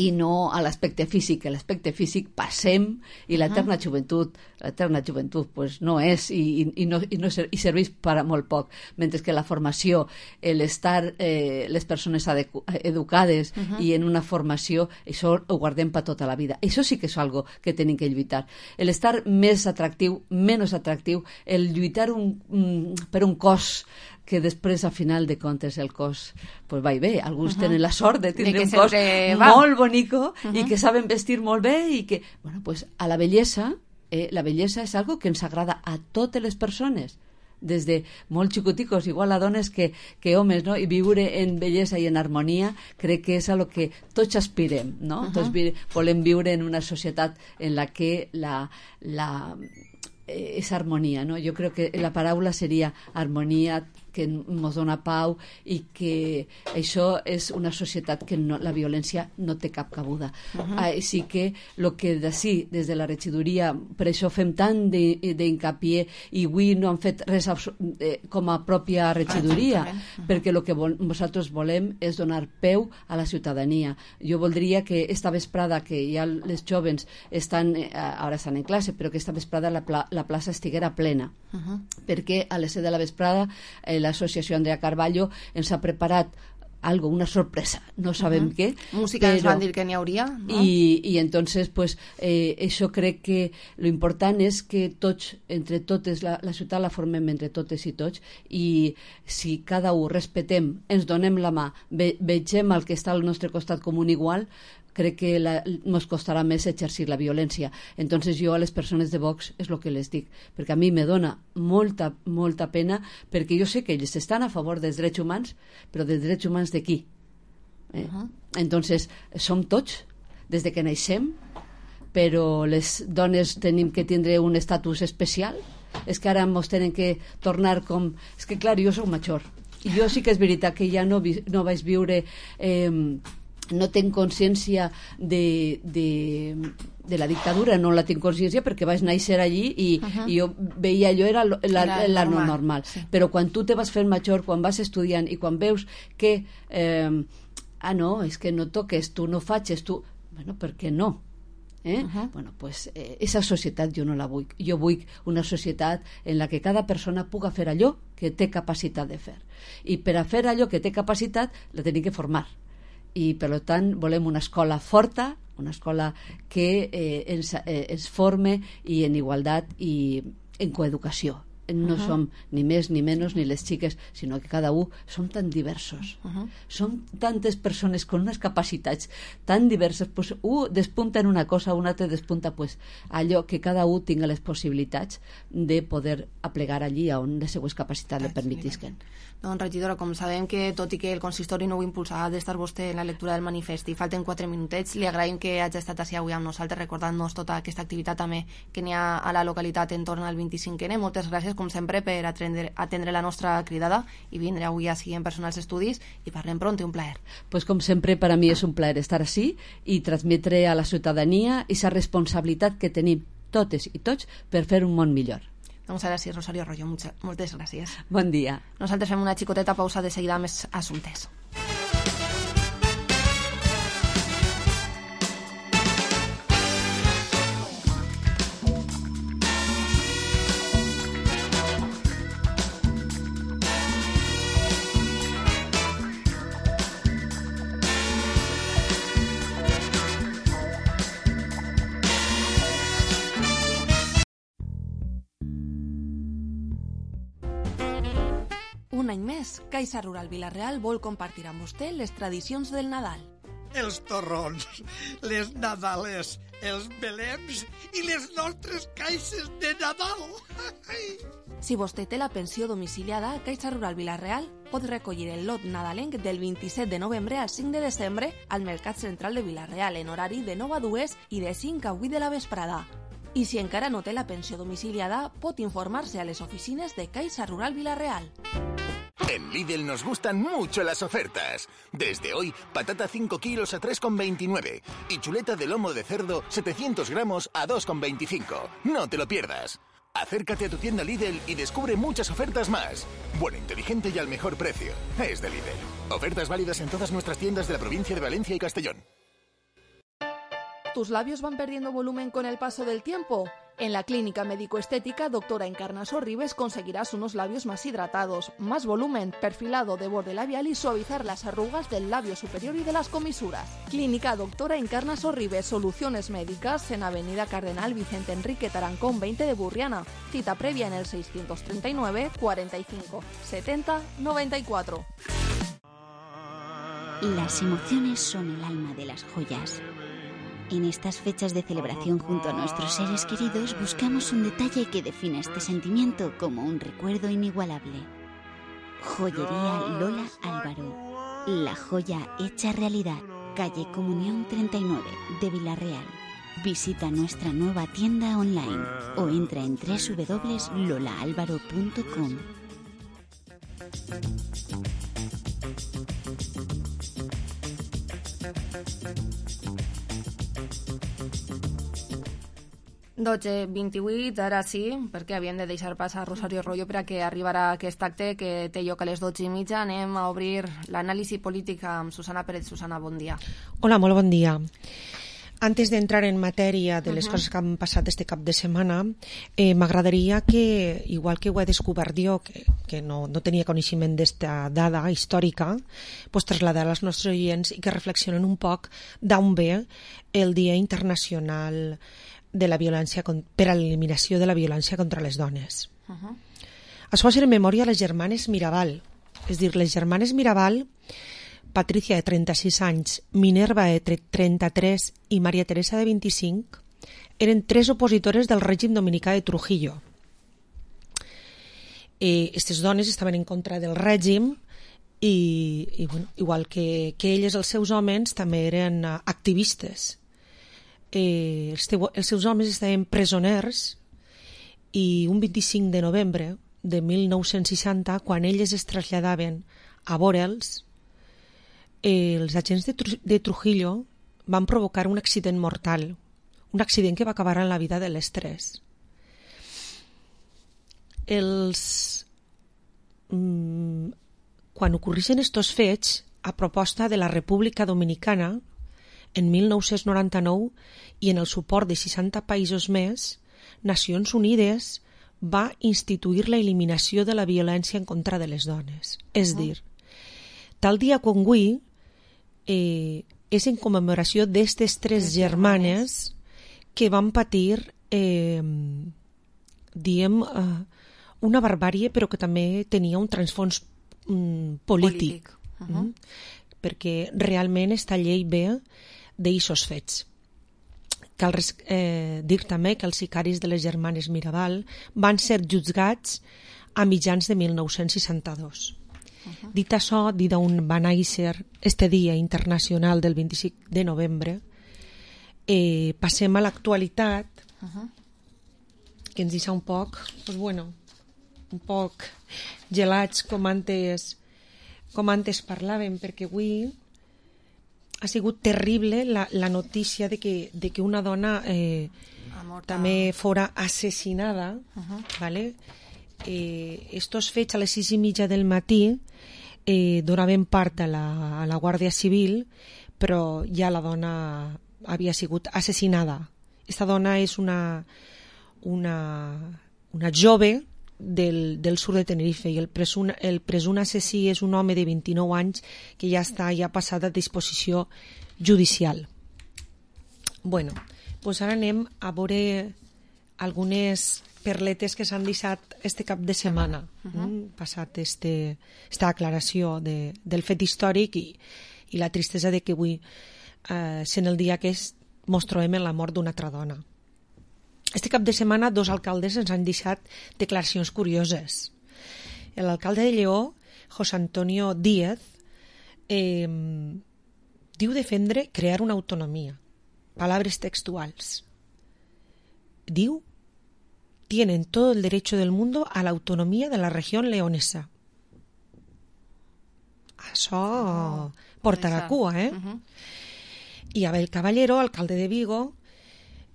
i no a l'aspecte físic. L'aspecte físic passem i l'eterna joventut, l'eterna joventut pues no és i, i, i, no, i, no ser, i serveix per a molt poc, mentre que la formació, l'estar eh, les persones adecu- educades uh-huh. i en una formació, això ho guardem per tota la vida. Això sí que és algo que tenim que lluitar. L'estar més atractiu, menys atractiu, el lluitar un, un, per un cos que després, a final de comptes, el cos pues va i bé. Alguns uh-huh. tenen la sort de tindre un cos va. molt bonico uh-huh. i que saben vestir molt bé i que, bueno, pues a la bellesa, eh, la bellesa és algo que ens agrada a totes les persones, des de molt xicoticos, igual a dones que, que homes, no? I viure en bellesa i en harmonia crec que és a lo que tots aspirem, no? Uh-huh. Tots vi- volem viure en una societat en la que la... la és harmonia, no? Jo crec que la paraula seria harmonia, que ens dona pau i que això és una societat que no, la violència no té cap cabuda. Uh-huh. Així que el que d'ací, des de la regidoria, per això fem tant d'incapié i avui no han fet res eh, com a pròpia regidoria, uh-huh. perquè el que vol, nosaltres volem és donar peu a la ciutadania. Jo voldria que esta vesprada, que ja les jovens estan, eh, ara estan en classe, però que esta vesprada la, pla, la plaça estiguera plena, uh-huh. perquè a les set de la vesprada eh, l'associació Andrea Carballo ens ha preparat algo, una sorpresa, no sabem uh-huh. què. Música però... ens van dir que n'hi hauria, no? I, i entonces, pues, eh, això crec que lo important és que tots, entre totes, la, la ciutat la formem entre totes i tots, i si cada un respetem, ens donem la mà, ve, vegem el que està al nostre costat com un igual, crec que la, nos costarà més exercir la violència. Entonces jo a les persones de Vox és el que les dic, perquè a mi me dona molta, molta pena, perquè jo sé que ells estan a favor dels drets humans, però dels drets humans de qui? Eh? Uh-huh. Entonces som tots, des de que naixem, però les dones tenim que tindre un estatus especial. És que ara ens tenen que tornar com... És que clar, jo soc major, i jo sí que és veritat que ja no, vi, no vaig viure... Eh, no tenc consciència de, de, de la dictadura, no la tinc consciència perquè vaig néixer allí i, uh-huh. i jo veia allò era la, la, la, la normal, normal. Sí. Però quan tu te vas fent major, quan vas estudiant i quan veus que eh, ah no, és que no toques, tu no faig tu, bueno, per què no? Eh? Uh-huh. Bueno, pues eh, esa societat jo no la vull. Jo vull una societat en la que cada persona puga fer allò que té capacitat de fer, i per a fer allò que té capacitat la tenim que formar. I per tant volem una escola forta, una escola que eh, ens, eh, ens forme i en igualtat i en coeducació. No uh -huh. som ni més ni menys ni les xiques, sinó que cada un som tan diversos. Uh -huh. Som tantes persones con unes capacitats tan diverses, pues, un despunta en una cosa, un altre despunta pues, allò que cada un tinga les possibilitats de poder aplegar allí on les seues capacitats le permetisquen. Doncs, regidora, com sabem que tot i que el consistori no ho impulsarà d'estar vostè en la lectura del manifest i falten quatre minutets, li agraïm que hagi estat així avui amb nosaltres recordant-nos tota aquesta activitat també que n'hi ha a la localitat entorn al vint-i-cinquè ene. Moltes gràcies, com sempre, per atendre, atendre la nostra cridada i vindre avui així en persona als estudis i parlem pront, un plaer. Pues com sempre, per a mi és un plaer estar així i transmetre a la ciutadania aquesta responsabilitat que tenim totes i tots per fer un món millor. Doncs ara sí, Rosario Arroyo, muchas, moltes gràcies. Bon dia. Nosaltres fem una xicoteta pausa, de seguida més assumptes. Un any més, Caixa Rural Vila-real vol compartir amb vostè les tradicions del Nadal. Els torrons, les nadales, els belems i les nostres caixes de Nadal. Si vostè té la pensió domiciliada, Caixa Rural Vila-real pot recollir el lot nadalenc del vint-i-set de novembre al cinc de desembre al Mercat Central de Vila-real en horari de nou a dues i de cinc a vuit de la vesprada. I si encara no té la pensió domiciliada, pot informar-se a les oficines de Caixa Rural Vila-real. En Lidl nos gustan mucho las ofertas. Desde hoy, patata cinco kilos a tres con veintinueve y chuleta de lomo de cerdo setecientos gramos a dos con veinticinco. No te lo pierdas. Acércate a tu tienda Lidl y descubre muchas ofertas más. Bueno, inteligente y al mejor precio. Es de Lidl. Ofertas válidas en todas nuestras tiendas de la provincia de Valencia y Castellón. ¿Tus labios van perdiendo volumen con el paso del tiempo? En la clínica médico-estética Doctora Encarnaso Ribes conseguirás unos labios más hidratados, más volumen, perfilado de borde labial y suavizar las arrugas del labio superior y de las comisuras. Clínica Doctora Encarnaso Ribes, soluciones médicas en Avenida Cardenal Vicente Enrique Tarancón veinte de Burriana. Cita previa en el seiscientos treinta y nueve, cuarenta y cinco, setenta, noventa y cuatro. Las emociones son el alma de las joyas. En estas fechas de celebración junto a nuestros seres queridos buscamos un detalle que defina este sentimiento como un recuerdo inigualable. Joyería Lola Álvaro. La joya hecha realidad. Calle Comunión treinta y nueve de Vila-real. Visita nuestra nueva tienda online o entra en doble u doble u doble u punto lola álvaro punto com. dotze vint-i-vuit, ara sí, perquè havíem de deixar pas a Rosario Arroyo per a que arribarà aquest acte que té lloc a les dotze i mitja. Anem a obrir l'anàlisi política amb Susana Pérez. Susana, bon dia. Hola, molt bon dia. Antes de entrar en matèria de les uh-huh. coses que han passat este cap de setmana, eh, m'agradaria que, igual que ho he descobert jo, que, que no, no tenia coneixement d'esta dada històrica, pues traslladar als nostres oients i que reflexionen un poc d'on ve el Dia Internacional de la violència per a l'eliminació de la violència contra les dones. Uh-huh. Es fa en memòria a les germanes Mirabal. És dir, les germanes Mirabal, Patricia, de trenta-sis anys, Minerva, de trenta-tres i Maria Teresa, de vint-i-cinc, eren tres opositores del règim dominicà de Trujillo. Aquestes dones estaven en contra del règim i, i bueno, igual que, que elles, els seus homes, també eren activistes. Eh, els, teu, els seus homes estaven presoners i un vint-i-cinc de novembre de mil nou-cents seixanta, quan elles es traslladaven a veure'ls, eh, els agents de, Tru de Trujillo van provocar un accident mortal, un accident que va acabar en la vida de les tres. Els... Mm, quan ocorreixen estos fets, a proposta de la República Dominicana, en mil nou-cents noranta-nou, i en el suport de seixanta països més, Nacions Unides va instituir la eliminació de la violència en contra de les dones. És dir, tal dia com avui, eh, és en commemoració d'estes tres germanes que van patir, eh, diem, eh, una barbàrie, però que també tenia un transfons mm, polític. polític. Uh -huh. mm? Perquè realment esta llei ve d'eixos fets. Cal eh, dir també que els sicaris de les germanes Mirabal van ser jutjats a mitjans de mil nou-cents seixanta-dos. Uh-huh. Dit això, dit on va néixer este dia internacional del vint-i-cinc de novembre, eh, passem a l'actualitat, uh-huh. que ens deixa un poc, pues bueno, un poc gelats com antes, com antes parlàvem, perquè avui ha sigut terrible la, la notícia de que, de que una dona eh, també fora assassinada, uh-huh. ¿vale? Eh, estos fets a les sis i mitja del matí eh, donaven part a la, a la Guàrdia Civil, però ja la dona havia sigut assassinada. Esta dona és una, una, una jove del, del sud de Tenerife i el presum, el presum assassí és un home de vint-i-nou anys que ja està ja passat a disposició judicial. Bueno, doncs ara anem a veure algunes perletes que s'han deixat este cap de setmana, uh -huh. mm, passat este, esta aclaració de, del fet històric i, i la tristesa de que avui, eh, sent el dia que és, mos trobem en la mort d'una altra dona. Este cap de setmana dos alcaldes ens han deixat declaracions curioses. L'alcalde de Lleó, José Antonio Díaz, eh, diu defendre crear una autonomia. Palabras textuals. Diu: tienen todo el derecho del mundo a la autonomía de la región leonesa. Això oh, portarà cua, eh? Uh-huh. I Abel Caballero, alcalde de Vigo,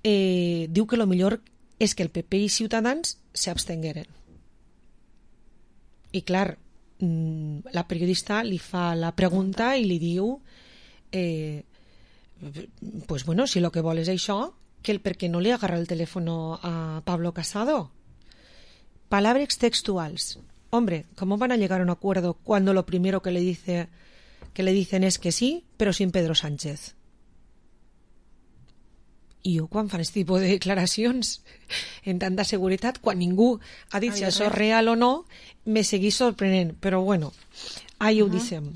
eh, diu que lo millor és que el P P i Ciutadans s'abstengueren. I clar, la periodista li fa la pregunta i li diu eh, pues bueno, si lo que vol és això, que el per qué no le agarra el teléfono a Pablo Casado. Palabras textuales. Hombre, ¿cómo van a llegar a un acuerdo cuando lo primero que le dice que le dicen es que sí, pero sin Pedro Sánchez? I jo, quan fan aquest tipus de declaracions en tanta seguretat, quan ningú ha dit si això és real o no, me seguís sorprenent. Però bueno, ahí ho uh-huh. deixem.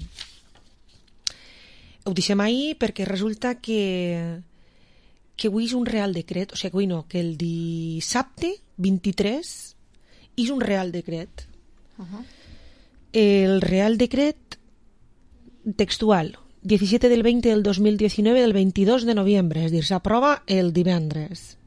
Ho deixem ahí perquè resulta que que avui és un real decret, o sigui, avui no, que el dissabte vint-i-tres és un real decret. Uh-huh. El real decret textual diecisiete del veinte del dos mil diecinueve del veintidós de noviembre, es decir, se aprueba el divendres,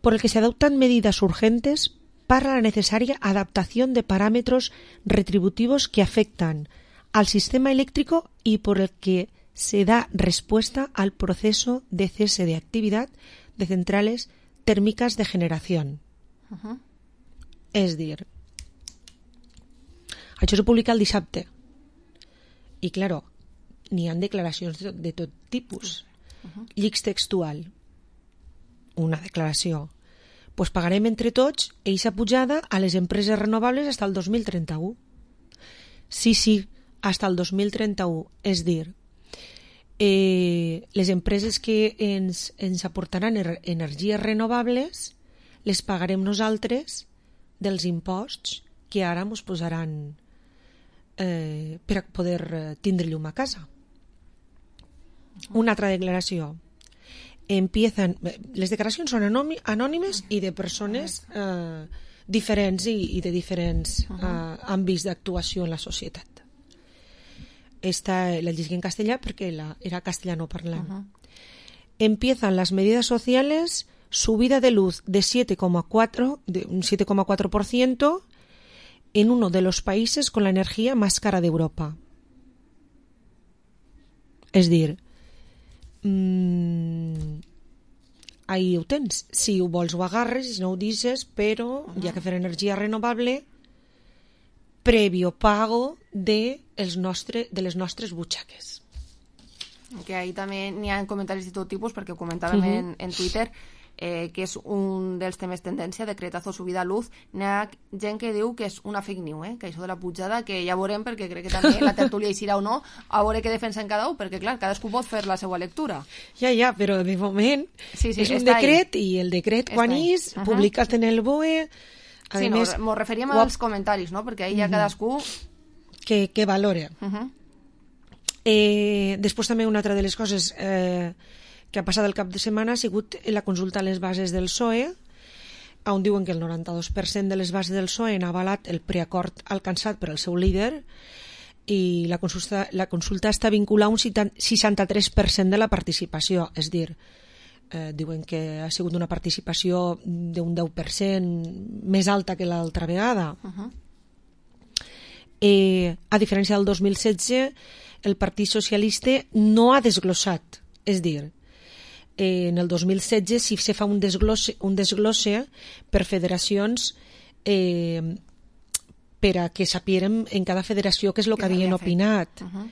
por el que se adoptan medidas urgentes para la necesaria adaptación de parámetros retributivos que afectan al sistema eléctrico y por el que se da respuesta al proceso de cese de actividad de centrales térmicas de generación. Uh-huh. És dir, això se publica el dissabte i, claro, n'hi ha declaracions de, de tot tipus. Uh-huh. Llics textual, una declaració. Pues pagarem entre tots eixa pujada a les empreses renovables fins al dos mil trenta-u. Sí, sí, fins al dos mil trenta-u. És dir, eh, les empreses que ens, ens aportaran er, energies renovables les pagarem nosaltres dels imposts que ara ens posaran eh, per a poder tindre llum a casa. Una altra declaració. Empiezan, les declaracions són anònimes i de persones eh, diferents i, i de diferents eh, àmbits d'actuació en la societat. Esta la llegiré en castellà perquè la, era castellano parlant. Uh-huh. Empiezan las medidas sociales, subida de luz de siete coma cuatro de un siete coma cuatro por ciento en uno de los países con la energía más cara de Europa. És dir, Mm, ahí ho tens, si ho vols ho agarres i si no ho deixes, però uh-huh. hi ha que fer energia renovable previo pago de, els nostre, de les nostres butxaques. Que ahí també n'hi ha comentaris de tot tipus, perquè ho comentàvem uh-huh. en, en Twitter. eh, que és un dels temes tendència, decretazo subida a luz, n'hi ha gent que diu que és una fake news, eh? Que això de la pujada, que ja veurem, perquè crec que també la tertúlia hi serà o no, a veure què defensen cada un, perquè clar, cadascú pot fer la seva lectura. Ja, ja, però de moment sí, sí, és un decret ahí. I el decret està quan és, uh -huh. publicat en el B O E... A sí, més, no, mos referíem als comentaris, no? Perquè ahí ja uh -huh. cadascú... Que, que valora. Uh -huh. eh, després també una altra de les coses... Eh, que ha passat el cap de setmana ha sigut la consulta a les bases del P S O E, on diuen que el noranta-dos per cent de les bases del P S O E han avalat el preacord alcançat per el seu líder i la consulta, la consulta està vinculada a un seixanta-tres per cent de la participació, és a dir, eh, diuen que ha sigut una participació d'un deu per cent més alta que l'altra vegada. Uh-huh. eh, a diferència del dos mil setze, el Partit Socialista no ha desglossat, és a dir, en el dos mil setze si se fa un desglosse, un desglosse per federacions eh, per a que sapierem en cada federació què és el que havien opinat. Uh -huh.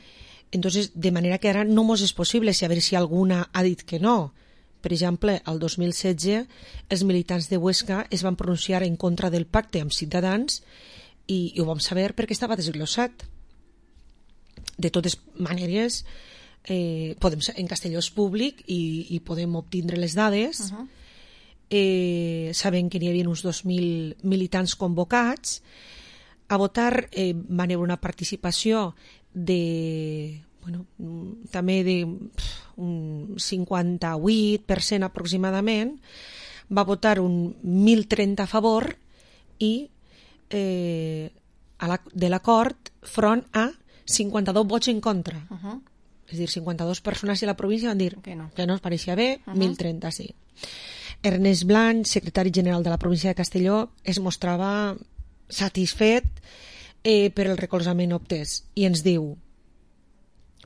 Entonces, de manera que ara no mos és possible saber si alguna ha dit que no. Per exemple, el dos mil setze els militants de Huesca es van pronunciar en contra del pacte amb Ciutadans i, i ho vam saber perquè estava desglossat. De totes maneres, Eh, podem, en Castelló és públic i, i podem obtindre les dades. Uh -huh. eh, sabem que n'hi havia uns dos mil militants convocats a votar. Eh, van haver una participació de bueno, també de pff, un cinquanta-vuit per cent aproximadament. Va votar un mil trenta a favor i eh, a la, de l'acord front a cinquanta-dos vots en contra. Uh -huh. És a dir, cinquanta-dues persones de la província van dir que no, que no es pareixia bé, uh -huh. mil trenta sí. Ernest Blanch, secretari general de la província de Castelló, es mostrava satisfet eh, per el recolzament obtès i ens diu,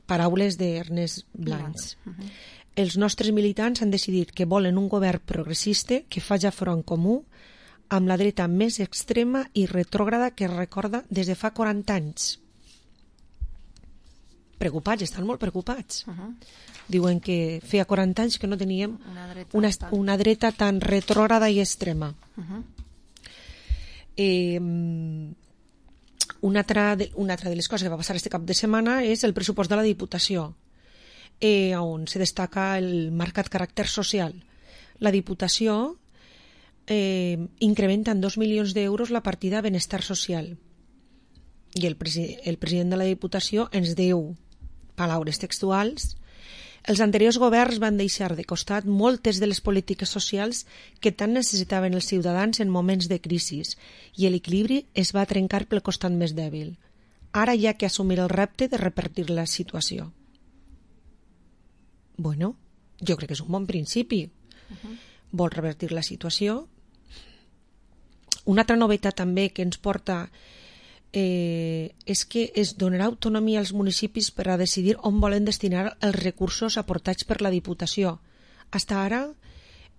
paraules d'Ernest Blanch, uh -huh. els nostres militants han decidit que volen un govern progressista que faci front comú amb la dreta més extrema i retrògrada que es recorda des de fa quaranta anys. Preocupats, estan molt preocupats. Uh -huh. Diuen que feia quaranta anys que no teníem una dreta, una, tan... una dreta tan retrògrada i extrema. Uh -huh. eh, una, altra de, una altra de les coses que va passar este cap de setmana és el pressupost de la Diputació, eh, on se destaca el marcat caràcter social. La Diputació eh, incrementa en dos milions d'euros la partida Benestar Social i el, presi el president de la Diputació ens diu, paraules textuals, els anteriors governs van deixar de costat moltes de les polítiques socials que tant necessitaven els ciutadans en moments de crisi i l'equilibri es va trencar pel costat més dèbil. Ara hi ha que assumir el repte de repartir la situació. Bueno, jo crec que és un bon principi. Uh-huh. Vol revertir la situació. Una altra novetat també que ens porta Eh, és que es donarà autonomia als municipis per a decidir on volen destinar els recursos aportats per la Diputació. Hasta ara,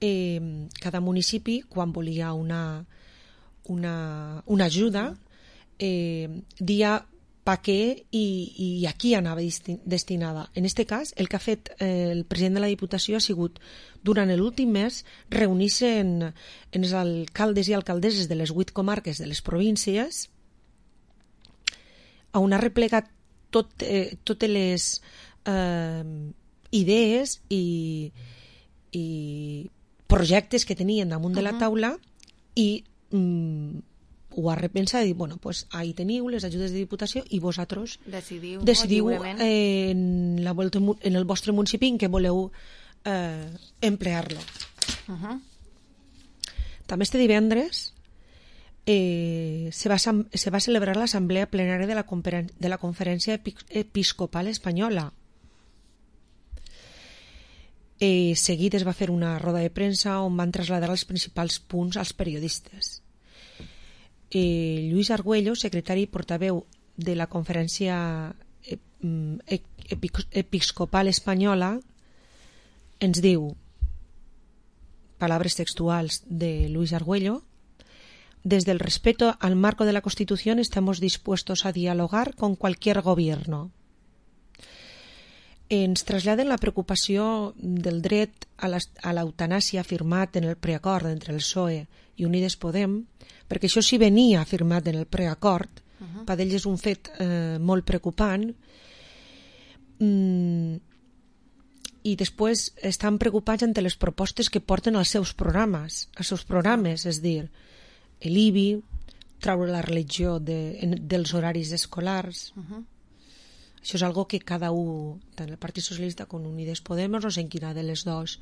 eh, cada municipi, quan volia una, una, una ajuda, eh, dia pa què i, i a qui anava destinada. En aquest cas, el que ha fet eh, el president de la Diputació ha sigut, durant l'últim mes, reunir-se en, en els alcaldes i alcaldesses de les vuit comarques de les províncies, on ha replegat tot, eh, totes les eh, idees i, i projectes que tenien damunt uh-huh. de la taula i mm, ho ha repensat i dit, bueno, pues ahí teniu les ajudes de Diputació i vosaltres decidiu, decidiu no, eh, en, la, en el vostre municipi en què voleu eh, emplear-lo. Uh-huh. També este divendres Eh, se, va, se va celebrar l'assemblea plenària de la, de la Conferència Episcopal Espanyola. Eh, seguit es va fer una roda de premsa on van traslladar els principals punts als periodistes. Eh, Lluís Argüello, secretari i portaveu de la Conferència Episcopal Espanyola, ens diu, palabras textuals de Luis Argüello: desde el respeto al marco de la Constitución estamos dispuestos a dialogar con cualquier gobierno. ens traslladen la preocupació del dret a l'eutanàsia firmat en el preacord entre el P S O E i Unides Podem, perquè això sí venia firmat en el preacord, uh-huh. per ells és un fet eh, molt preocupant, mm, i després estan preocupats ante les propostes que porten als seus programes, als seus programes, és dir, l'I B I, traure la religió de, en, dels horaris escolars. Uh-huh. Això és algo que cada un, tant el Partit Socialista com Unides Podemos, no sé en quina de les dos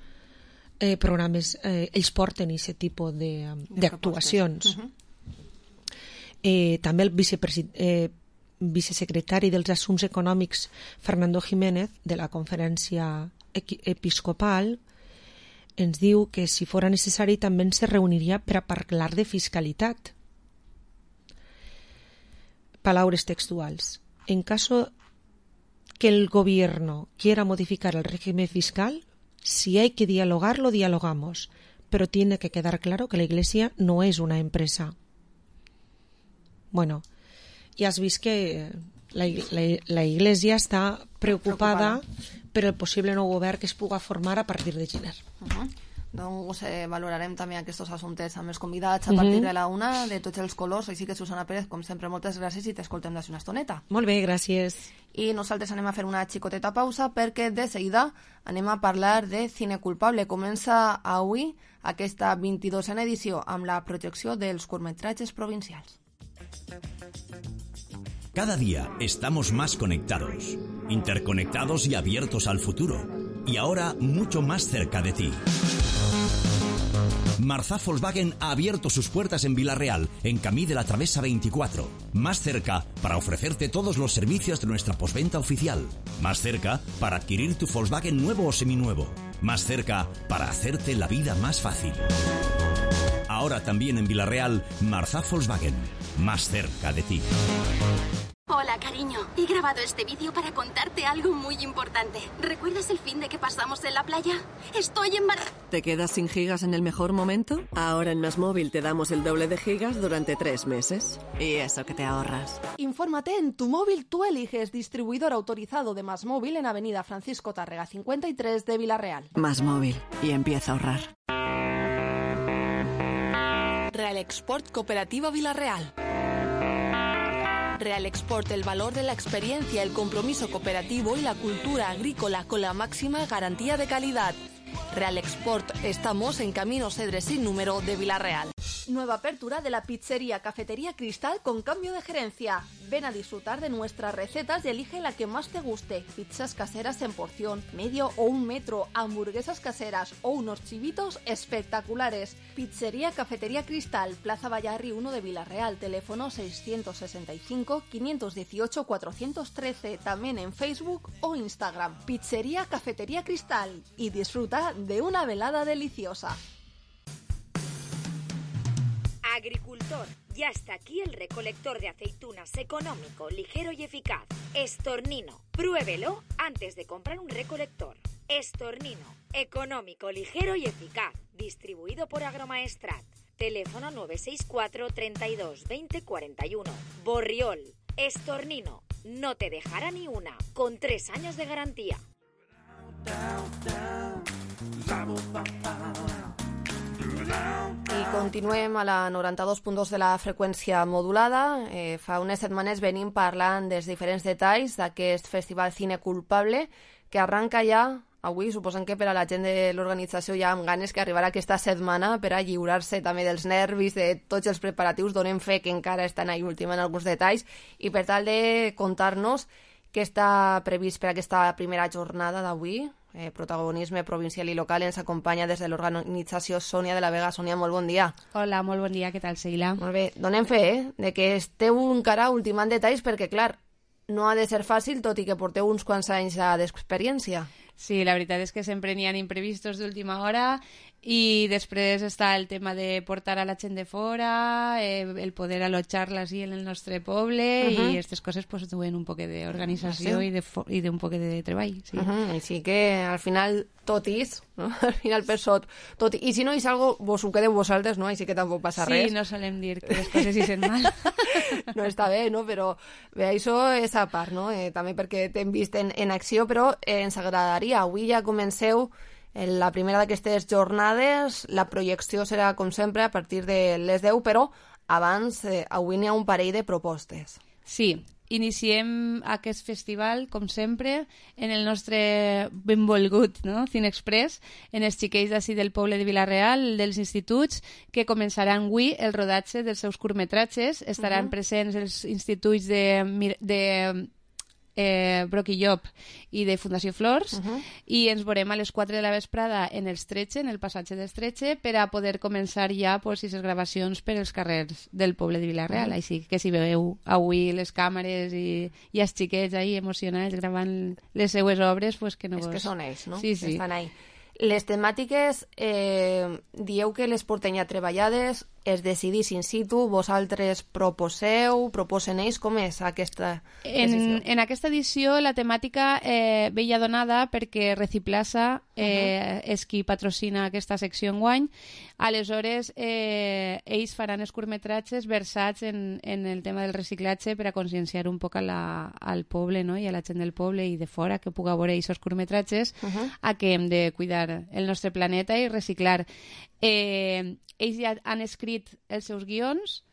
eh, programes, eh, ells porten aquest tipus d'actuacions. Uh-huh. eh, també el vicepresident, eh, vicesecretari dels Assumptes Econòmics, Fernando Jiménez, de la Conferència Episcopal, ens diu que si fora necessari també se reuniria per a parlar de fiscalitat. Palabras textuals. En caso que el gobierno quiera modificar el régimen fiscal, si hay que dialogar, lo dialogamos, pero tiene que quedar claro que la Iglesia no es una empresa. Bueno, ja has vist que la, la, la Iglesia està preocupada, preocupada per el possible nou govern que es puga formar a partir de gener. Uh-huh. Doncs eh, valorarem també aquests assumptes amb els convidats a partir uh-huh. de la una, de tots els colors. Així que, Susana Pérez, com sempre, moltes gràcies i t'escoltem d'ací una estoneta. Molt bé, gràcies. I nosaltres anem a fer una xicoteta pausa perquè de seguida anem a parlar de Cine Culpable. Comença avui aquesta vint-i-dosena edició amb la projecció dels curtmetratges provincials. Cada día estamos más conectados, interconectados y abiertos al futuro. Y ahora mucho más cerca de ti. Marzá Volkswagen ha abierto sus puertas en Vila-real, en Camí de la Travesa veinticuatro. Más cerca para ofrecerte todos los servicios de nuestra postventa oficial. Más cerca para adquirir tu Volkswagen nuevo o seminuevo. Más cerca para hacerte la vida más fácil. Ahora también en Vila-real, Marzá Volkswagen. Más cerca de ti. Hola, cariño. He grabado este vídeo para contarte algo muy importante. ¿Recuerdas el fin de que pasamos en la playa? Estoy embarazada. ¿Te quedas sin gigas en el mejor momento? Ahora en MásMóvil te damos el doble de gigas durante tres meses. Y eso que te ahorras. Infórmate en Tu Móvil Tú Eliges, distribuidor autorizado de MásMóvil en Avenida Francisco Tárrega cincuenta y tres de Vila-real. MásMóvil. Y empieza a ahorrar. Real Export Cooperativa Vila-real. Real Export, el valor de la experiencia, el compromiso cooperativo y la cultura agrícola con la máxima garantía de calidad. Real Export, estamos en Camino Cedre sin número de Vila-real. Nueva apertura de la pizzería Cafetería Cristal con cambio de gerencia. Ven a disfrutar de nuestras recetas y elige la que más te guste. Pizzas caseras en porción, medio o un metro, hamburguesas caseras o unos chivitos espectaculares. Pizzería Cafetería Cristal, Plaza Vallarri uno de Vila-real, teléfono seiscientos sesenta y cinco, quinientos dieciocho, cuatrocientos trece, también en Facebook o Instagram. Pizzería Cafetería Cristal y disfruta de una velada deliciosa. Agricultor, ya está aquí el recolector de aceitunas económico, ligero y eficaz. Estornino, pruébelo antes de comprar un recolector. Estornino, económico, ligero y eficaz. Distribuido por Agromaestrat. Teléfono nueve seis cuatro, treinta y dos, veinte, cuarenta y uno. Borriol, Estornino, no te dejará ni una, con tres años de garantía. I continuem a la noranta-dos punt dos de la freqüència modulada. Eh, fa unes setmanes venim parlant dels diferents detalls d'aquest festival Cine Culpable que arranca ja avui. Suposem que per a la gent de l'organització ja amb ganes que arribarà aquesta setmana per a lliurar-se també dels nervis, de tots els preparatius. Donem fe que encara estan ahí ultimant alguns detalls i per tal de contar-nos què està previst per aquesta primera jornada d'avui. Eh, protagonisme provincial i local ens acompanya des de l'organització Sònia de la Vega. Sònia, molt bon dia. Hola, molt bon dia, què tal, Sheila? Molt bé, donem fe, eh, de que esteu encara ultimant detalls perquè, clar, no ha de ser fàcil, tot i que porteu uns quants anys d'experiència. Sí, la veritat és que sempre n'hi ha imprevistos d'última hora i després està el tema de portar a la gent de fora, eh, el poder allotjar-la així en el nostre poble uh -huh. i aquestes coses pues, duen un poc d'organització sí. i, de i d'un poc de treball. Sí. Uh -huh. Així que al final tot és, no? Al final per sot tot. I si no és algo, vos ho quedeu vosaltres, no? Així que tampoc passa sí, res. Sí, no solem dir que les coses hi sent mal. No està bé, no? Però bé, això és a part, no? Eh, també perquè t'hem vist en, en acció, però eh, ens agradaria. Avui ja comenceu en la primera d'aquestes jornades. La projecció serà, com sempre, a partir de les deu, però abans, eh, avui n'hi ha un parell de propostes. Sí, iniciem aquest festival, com sempre, en el nostre benvolgut no? Cine Express, en els xiquets d'ací del poble de Vila-real, dels instituts, que començaran avui el rodatge dels seus curtmetratges. Estaran uh -huh. presents els instituts de... de eh, Broc i Llop i de Fundació Flors uh -huh. i ens veurem a les quatre de la vesprada en el Estretxe, en el passatge d'Estretxe, per a poder començar ja pues, les gravacions per als carrers del poble de Vila-real. Uh -huh. Així que si veieu avui les càmeres i, i els xiquets ahí emocionats gravant les seues obres, pues que no vos... És que són ells, no? Sí, sí. Estan ahí. Les temàtiques, eh, dieu que les porten ja treballades, es decidís in situ, vosaltres proposeu, proposen ells, com és aquesta decisió? En, en aquesta edició la temàtica eh, ve ja donada perquè Reciplaza eh, uh-huh. és qui patrocina aquesta secció enguany. Aleshores, eh, ells faran els curtmetratges versats en, en el tema del reciclatge per a conscienciar un poc a la, al poble no? I a la gent del poble i de fora que puga veure aquests curtmetratges uh-huh. a que hem de cuidar el nostre planeta i reciclar. Eh, ells ja han escrit els seus guions,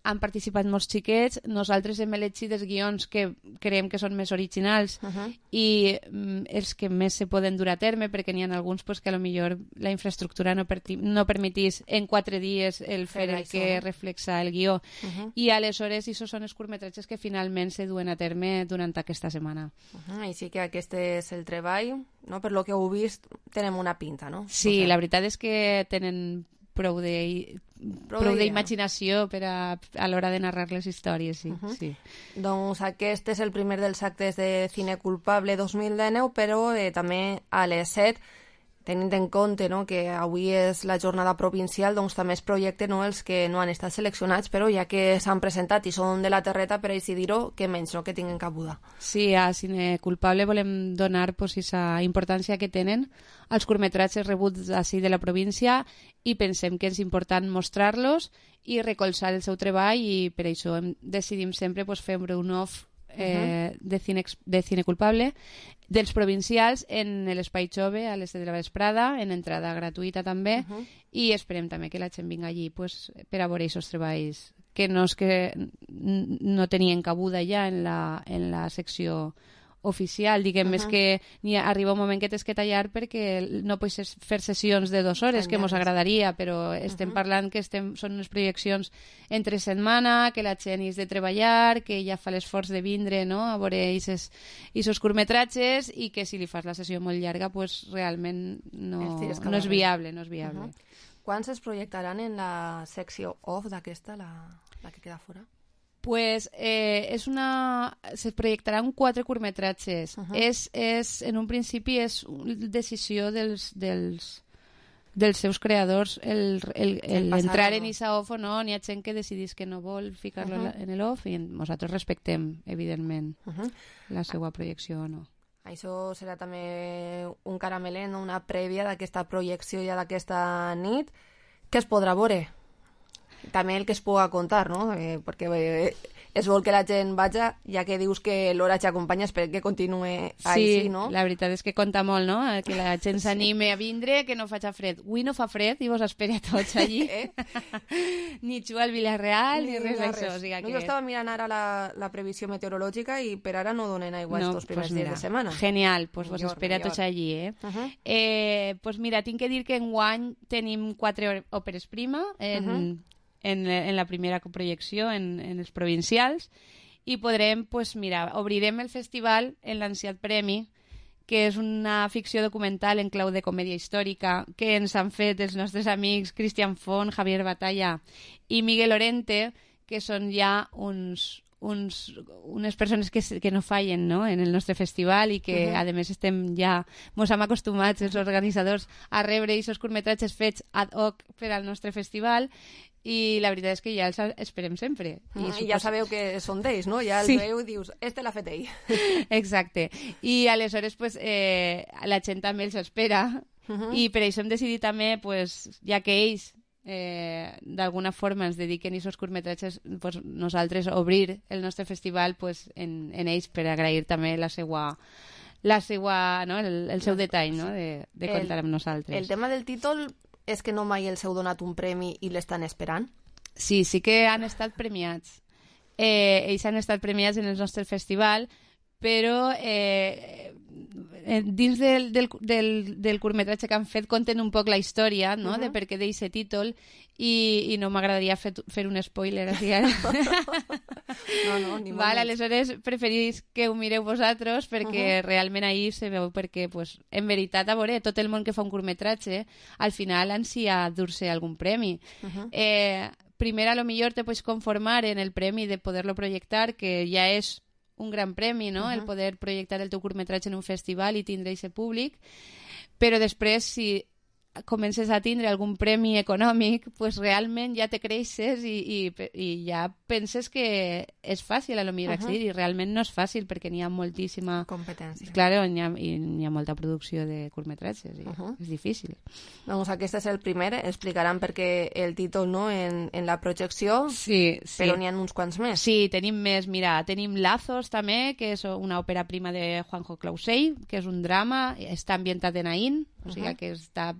han participat molts xiquets, nosaltres hem elegit els guions que creiem que són més originals uh-huh. i mm, els que més se poden dur a terme, perquè n'hi ha alguns pues, que a lo millor la infraestructura no, per no permetís en quatre dies el fer el que reflexa el guió. Uh-huh. I aleshores aquests són els curtmetratges que finalment se duen a terme durant aquesta setmana. Uh-huh. Així que aquest és el treball, no? Per lo que heu vist, tenem una pinta, no? Sí, o sea... la veritat és que tenen prou de prou d'imaginació per a, a l'hora de narrar les històries, sí, uh-huh. sí. Doncs aquest és el primer dels actes de Cine Culpable dos mil dinou, però eh, també a les set, tenint en compte no, que avui és la jornada provincial, doncs també es projecten no, els que no han estat seleccionats, però ja que s'han presentat i són de la terreta, per així dir-ho, que menys no, que tinguin cabuda. Sí, a Cine Culpable volem donar pues, esa importància que tenen als curtmetratges rebuts així de la província i pensem que és important mostrar-los i recolzar el seu treball i per això hem, decidim sempre pues, fer un off eh, uh-huh. de, cine, de Cine Culpable dels provincials en l'Espai Jove a les de la vesprada, en entrada gratuïta també uh-huh. i esperem també que la gent vinga allí pues, per a veure aquests treballs que no és que no tenien cabuda ja en la, en la secció oficial, diguem, uh-huh. és que ni arriba un moment que tens que tallar perquè no pots fer sessions de dues hores, que mos agradaria, però estem uh-huh. parlant que estem, són unes projeccions entre setmana, que la gent és de treballar, que ja fa l'esforç de vindre no? A veure aquests curtmetratges i que si li fas la sessió molt llarga, pues, realment no, no és viable. No és viable. Uh-huh. Quants es projectaran en la secció off d'aquesta, la, la que queda fora? Pues eh, és una... se projectaran quatre curtmetratges. Uh-huh. és, és, en un principi és una decisió dels, dels, dels seus creadors el, el, el, el entrar en aquesta off o no. N'hi ha gent que decidís que no vol ficar-lo uh-huh. en l'off i nosaltres respectem, evidentment, uh-huh. la seva projecció o no. Això serà també un caramelet, no? Una prèvia d'aquesta projecció ja d'aquesta nit. Què es podrà veure? També el que es puga contar, no? Eh, perquè eh, és vol que la gent vaja, ja que dius que l'hora t'acompanya, espero que continuï així, sí, no? Sí, la veritat és que compta molt, no? Que la gent s'anime a vindre, que no faci fred. Avui no fa fred i vos espera tots allí. Eh? Ni juga al Villarreal, ni, ni res d'això. O sigui que... no, jo estava mirant ara la, la previsió meteorològica i per ara no donen aigua no, estos primers pues mira, dies de setmana. Genial, pues millor, vos espera millor. Tots allí, eh? Uh-huh. eh? Pues mira, tinc que dir que enguany tenim quatre òperes prima en... Uh-huh. En, en la primera projecció en, en els provincials i podrem, pues mira, obrirem el festival en l'Anciat Premi, que és una ficció documental en clau de comèdia històrica que ens han fet els nostres amics Cristian Font, Javier Batalla i Miguel Lorente, que són ja uns, uns, unes persones que, que no fallen, no?, en el nostre festival i que, uh-huh. a més, estem ja, mos hem acostumats, els organitzadors, a rebre aquests curtmetratges fets ad hoc per al nostre festival, i la veritat és que ja els esperem sempre. I, mm, supos... I ja sabeu que són d'ells, no? Ja els sí. veu i dius, este l'ha fet ell. Exacte. I aleshores, pues, eh, la gent també els espera, uh-huh. i per això hem decidit també, pues, ja que ells eh, d'alguna forma ens dediquen a aquests curtmetratges, pues, nosaltres obrir el nostre festival pues, en, en ells per agrair també la seva... la seva, no? el, el seu detall, no? de, de comptar amb nosaltres. El tema del títol és que no mai els heu donat un premi i l'estan esperant? Sí, sí que han estat premiats. Eh, ells han estat premiats en el nostre festival, però eh, dins del, del, del, del curtmetratge que han fet conten un poc la història, no? Uh-huh. De per què d'aquest títol, i, i no m'agradaria fer, fer un spoiler així ara. No, no, ni Val, aleshores preferís que ho mireu vosaltres perquè uh-huh. realment ahir se veu perquè, pues, en veritat, a veure, tot el món que fa un curtmetratge al final ansia dur-se algun premi. Uh-huh. Eh, primer, a lo millor te pots conformar en el premi de poder-lo projectar, que ja és un gran premi, no? Uh-huh. El poder projectar el teu curtmetratge en un festival i tindre aquest públic, però després, si comences a tindre algun premi econòmic, pues realment ja te creixes i, i, i ja penses que és fàcil a lo millor uh-huh. accedir, i realment no és fàcil perquè n'hi ha moltíssima competència. Claro, n'hi ha, i n'hi ha molta producció de curtmetratges i uh-huh. és difícil. Doncs aquest és el primer, explicaran per què el títol, no?, en, en la projecció, sí, sí. Però n'hi ha uns quants més. Sí, tenim més, mira, tenim Lazos també, que és una òpera prima de Juanjo Clausell, que és un drama, està ambientat en Aín, o sigui uh-huh. que està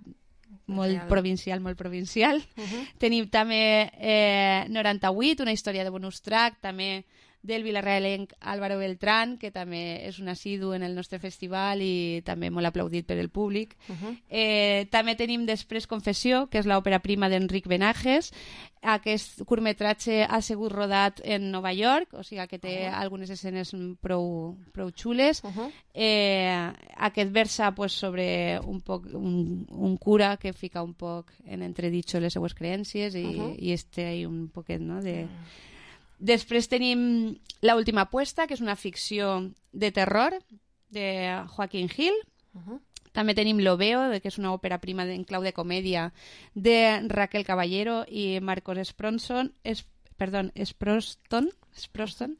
molt Real. provincial, molt provincial. Uh-huh. Tenim també eh, noranta-vuit, una història de bonus track, també del vilarrealenc Álvaro Beltrán, que també és un assidu en el nostre festival i també molt aplaudit per el públic. Uh-huh. Eh, també tenim després Confessió, que és l'òpera prima d'Enric Benages. Aquest curtmetratge ha sigut rodat en Nova York, o sigui que té uh-huh. algunes escenes prou, prou xules. Uh-huh. Eh, aquest versa pues, sobre un, poc, un, un cura que fica un poc en entreditxo les seues creències i, uh-huh. i este hi un poquet, no?, de... Uh-huh. Després tenim La última apuesta, que és una ficció de terror de Joaquín Gil. Uh-huh. També tenim L'Oveo, que és una òpera prima en clau de comèdia de Raquel Caballero i Marcos Spronson, es, perdó, Sproston. Sproston.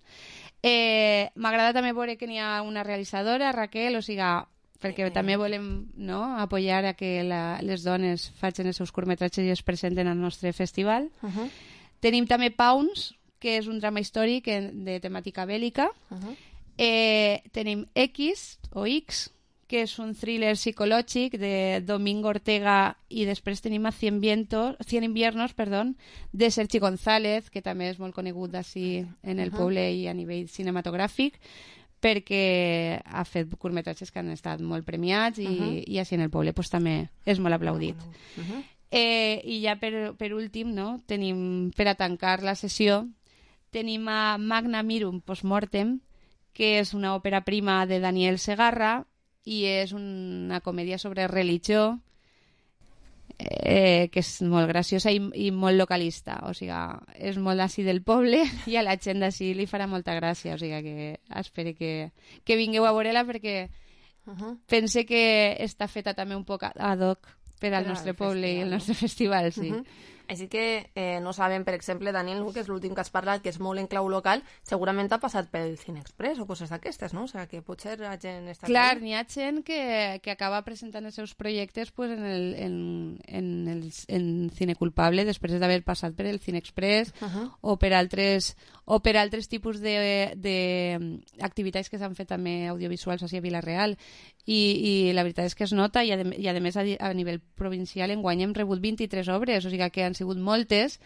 Eh, M'agrada també veure que n'hi ha una realitzadora, Raquel, o sigui, perquè també volem, no?, apoyar a que la, les dones facin els seus curtmetratges i es presenten al nostre festival. Uh-huh. Tenim també Pounds, que és un drama històric de temàtica bèl·lica. Uh-huh. Eh, tenim X, o X, que és un thriller psicològic de Domingo Ortega, i després tenim a Cien, Vientos, Cien Inviernos, perdó, de Sergi González, que també és molt conegut així en el uh-huh. poble i a nivell cinematogràfic, perquè ha fet curtmetratges que han estat molt premiats i, uh-huh. i així en el poble pues, també és molt aplaudit. Uh-huh. Eh, I ja per, per últim, no, tenim, per a tancar la sessió, tenim a Magna Mirum Postmortem, que és una òpera prima de Daniel Segarra i és una comèdia sobre religió eh, que és molt graciosa i, i molt localista. O sigui, és molt d'ací del poble i a la gent d'ací li farà molta gràcia. O sigui que espero que, que vingueu a veure-la perquè uh-huh. pense que està feta també un poc ad hoc per al nostre poble i el nostre festival, sí. Uh-huh. Així que eh, no sabem, per exemple, Daniel, que és l'últim que has parlat, que és molt en clau local, segurament ha passat pel Cine Express o coses d'aquestes, no? O sigui, que potser la gent està... Clar, n'hi ha gent que, que acaba presentant els seus projectes pues, en, el, en, en, el, en Cine Culpable després d'haver passat per el Cine Express uh-huh. o per altres o per altres tipus d'activitats que s'han fet també audiovisuals així a Vila-real. I, i la veritat és que es nota i a, de, i a més a, a nivell provincial enguany hem rebut vint-i-tres obres, o sigui que han sigut moltes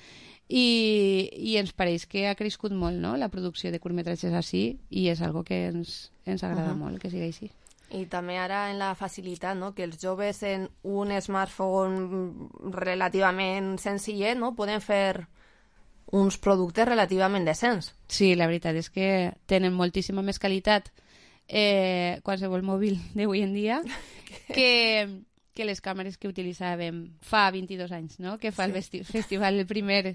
i, i ens pareix que ha crescut molt, no?, la producció de curtmetratges així i és algo que ens, ens agrada uh-huh. molt que sigui així. I també ara en la facilitat, no?, que els joves en un smartphone relativament senzillet, no?, poden fer uns productes relativament decents. Sí, la veritat és que tenen moltíssima més qualitat eh, qualsevol mòbil d'avui en dia que, que les càmeres que utilitzàvem fa vint-i-dos anys, no? Que fa sí. el festival, el primer,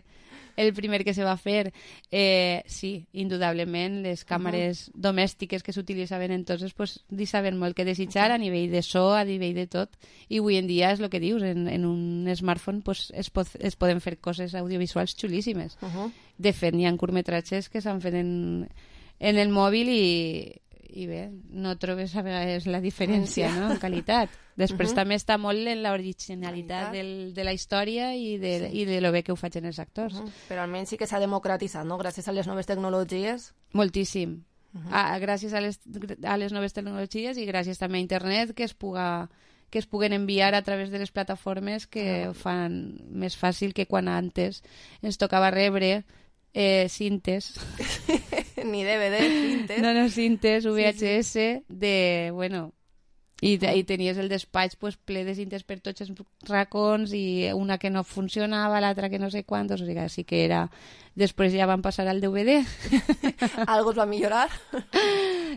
el primer que se va fer. Eh, sí, indudablement, les càmeres uh -huh. domèstiques que s'utilitzaven entonces pues, deixaven molt que desitjar uh -huh. a nivell de so, a nivell de tot. I avui en dia és el que dius, en, en un smartphone pues, es, pot, es poden fer coses audiovisuals xulíssimes. Uh -huh. De fet, n'hi ha curtmetratges que s'han fet en, en el mòbil i i bé, no trobes a vegades la diferència, no?, en qualitat. Després uh -huh. també està molt en l'originalitat del, de la història i de, sí. i de lo bé que ho facin els actors. Uh -huh. Però almenys sí que s'ha democratitzat, no?, gràcies a les noves tecnologies. Moltíssim. Uh -huh. a, gràcies a les, a les noves tecnologies i gràcies també a internet que es puga que es puguen enviar a través de les plataformes que ho fan més fàcil que quan antes ens tocava rebre eh, cintes. Ni D V D, cintes. No, no, cintes, V H S, sí, sí. de, bueno... I, i tenies el despatx pues, ple de cintes per tots els racons i una que no funcionava, l'altra que no sé quantos, o sigui, així que era... Després ja van passar al D V D. Algo es va millorar.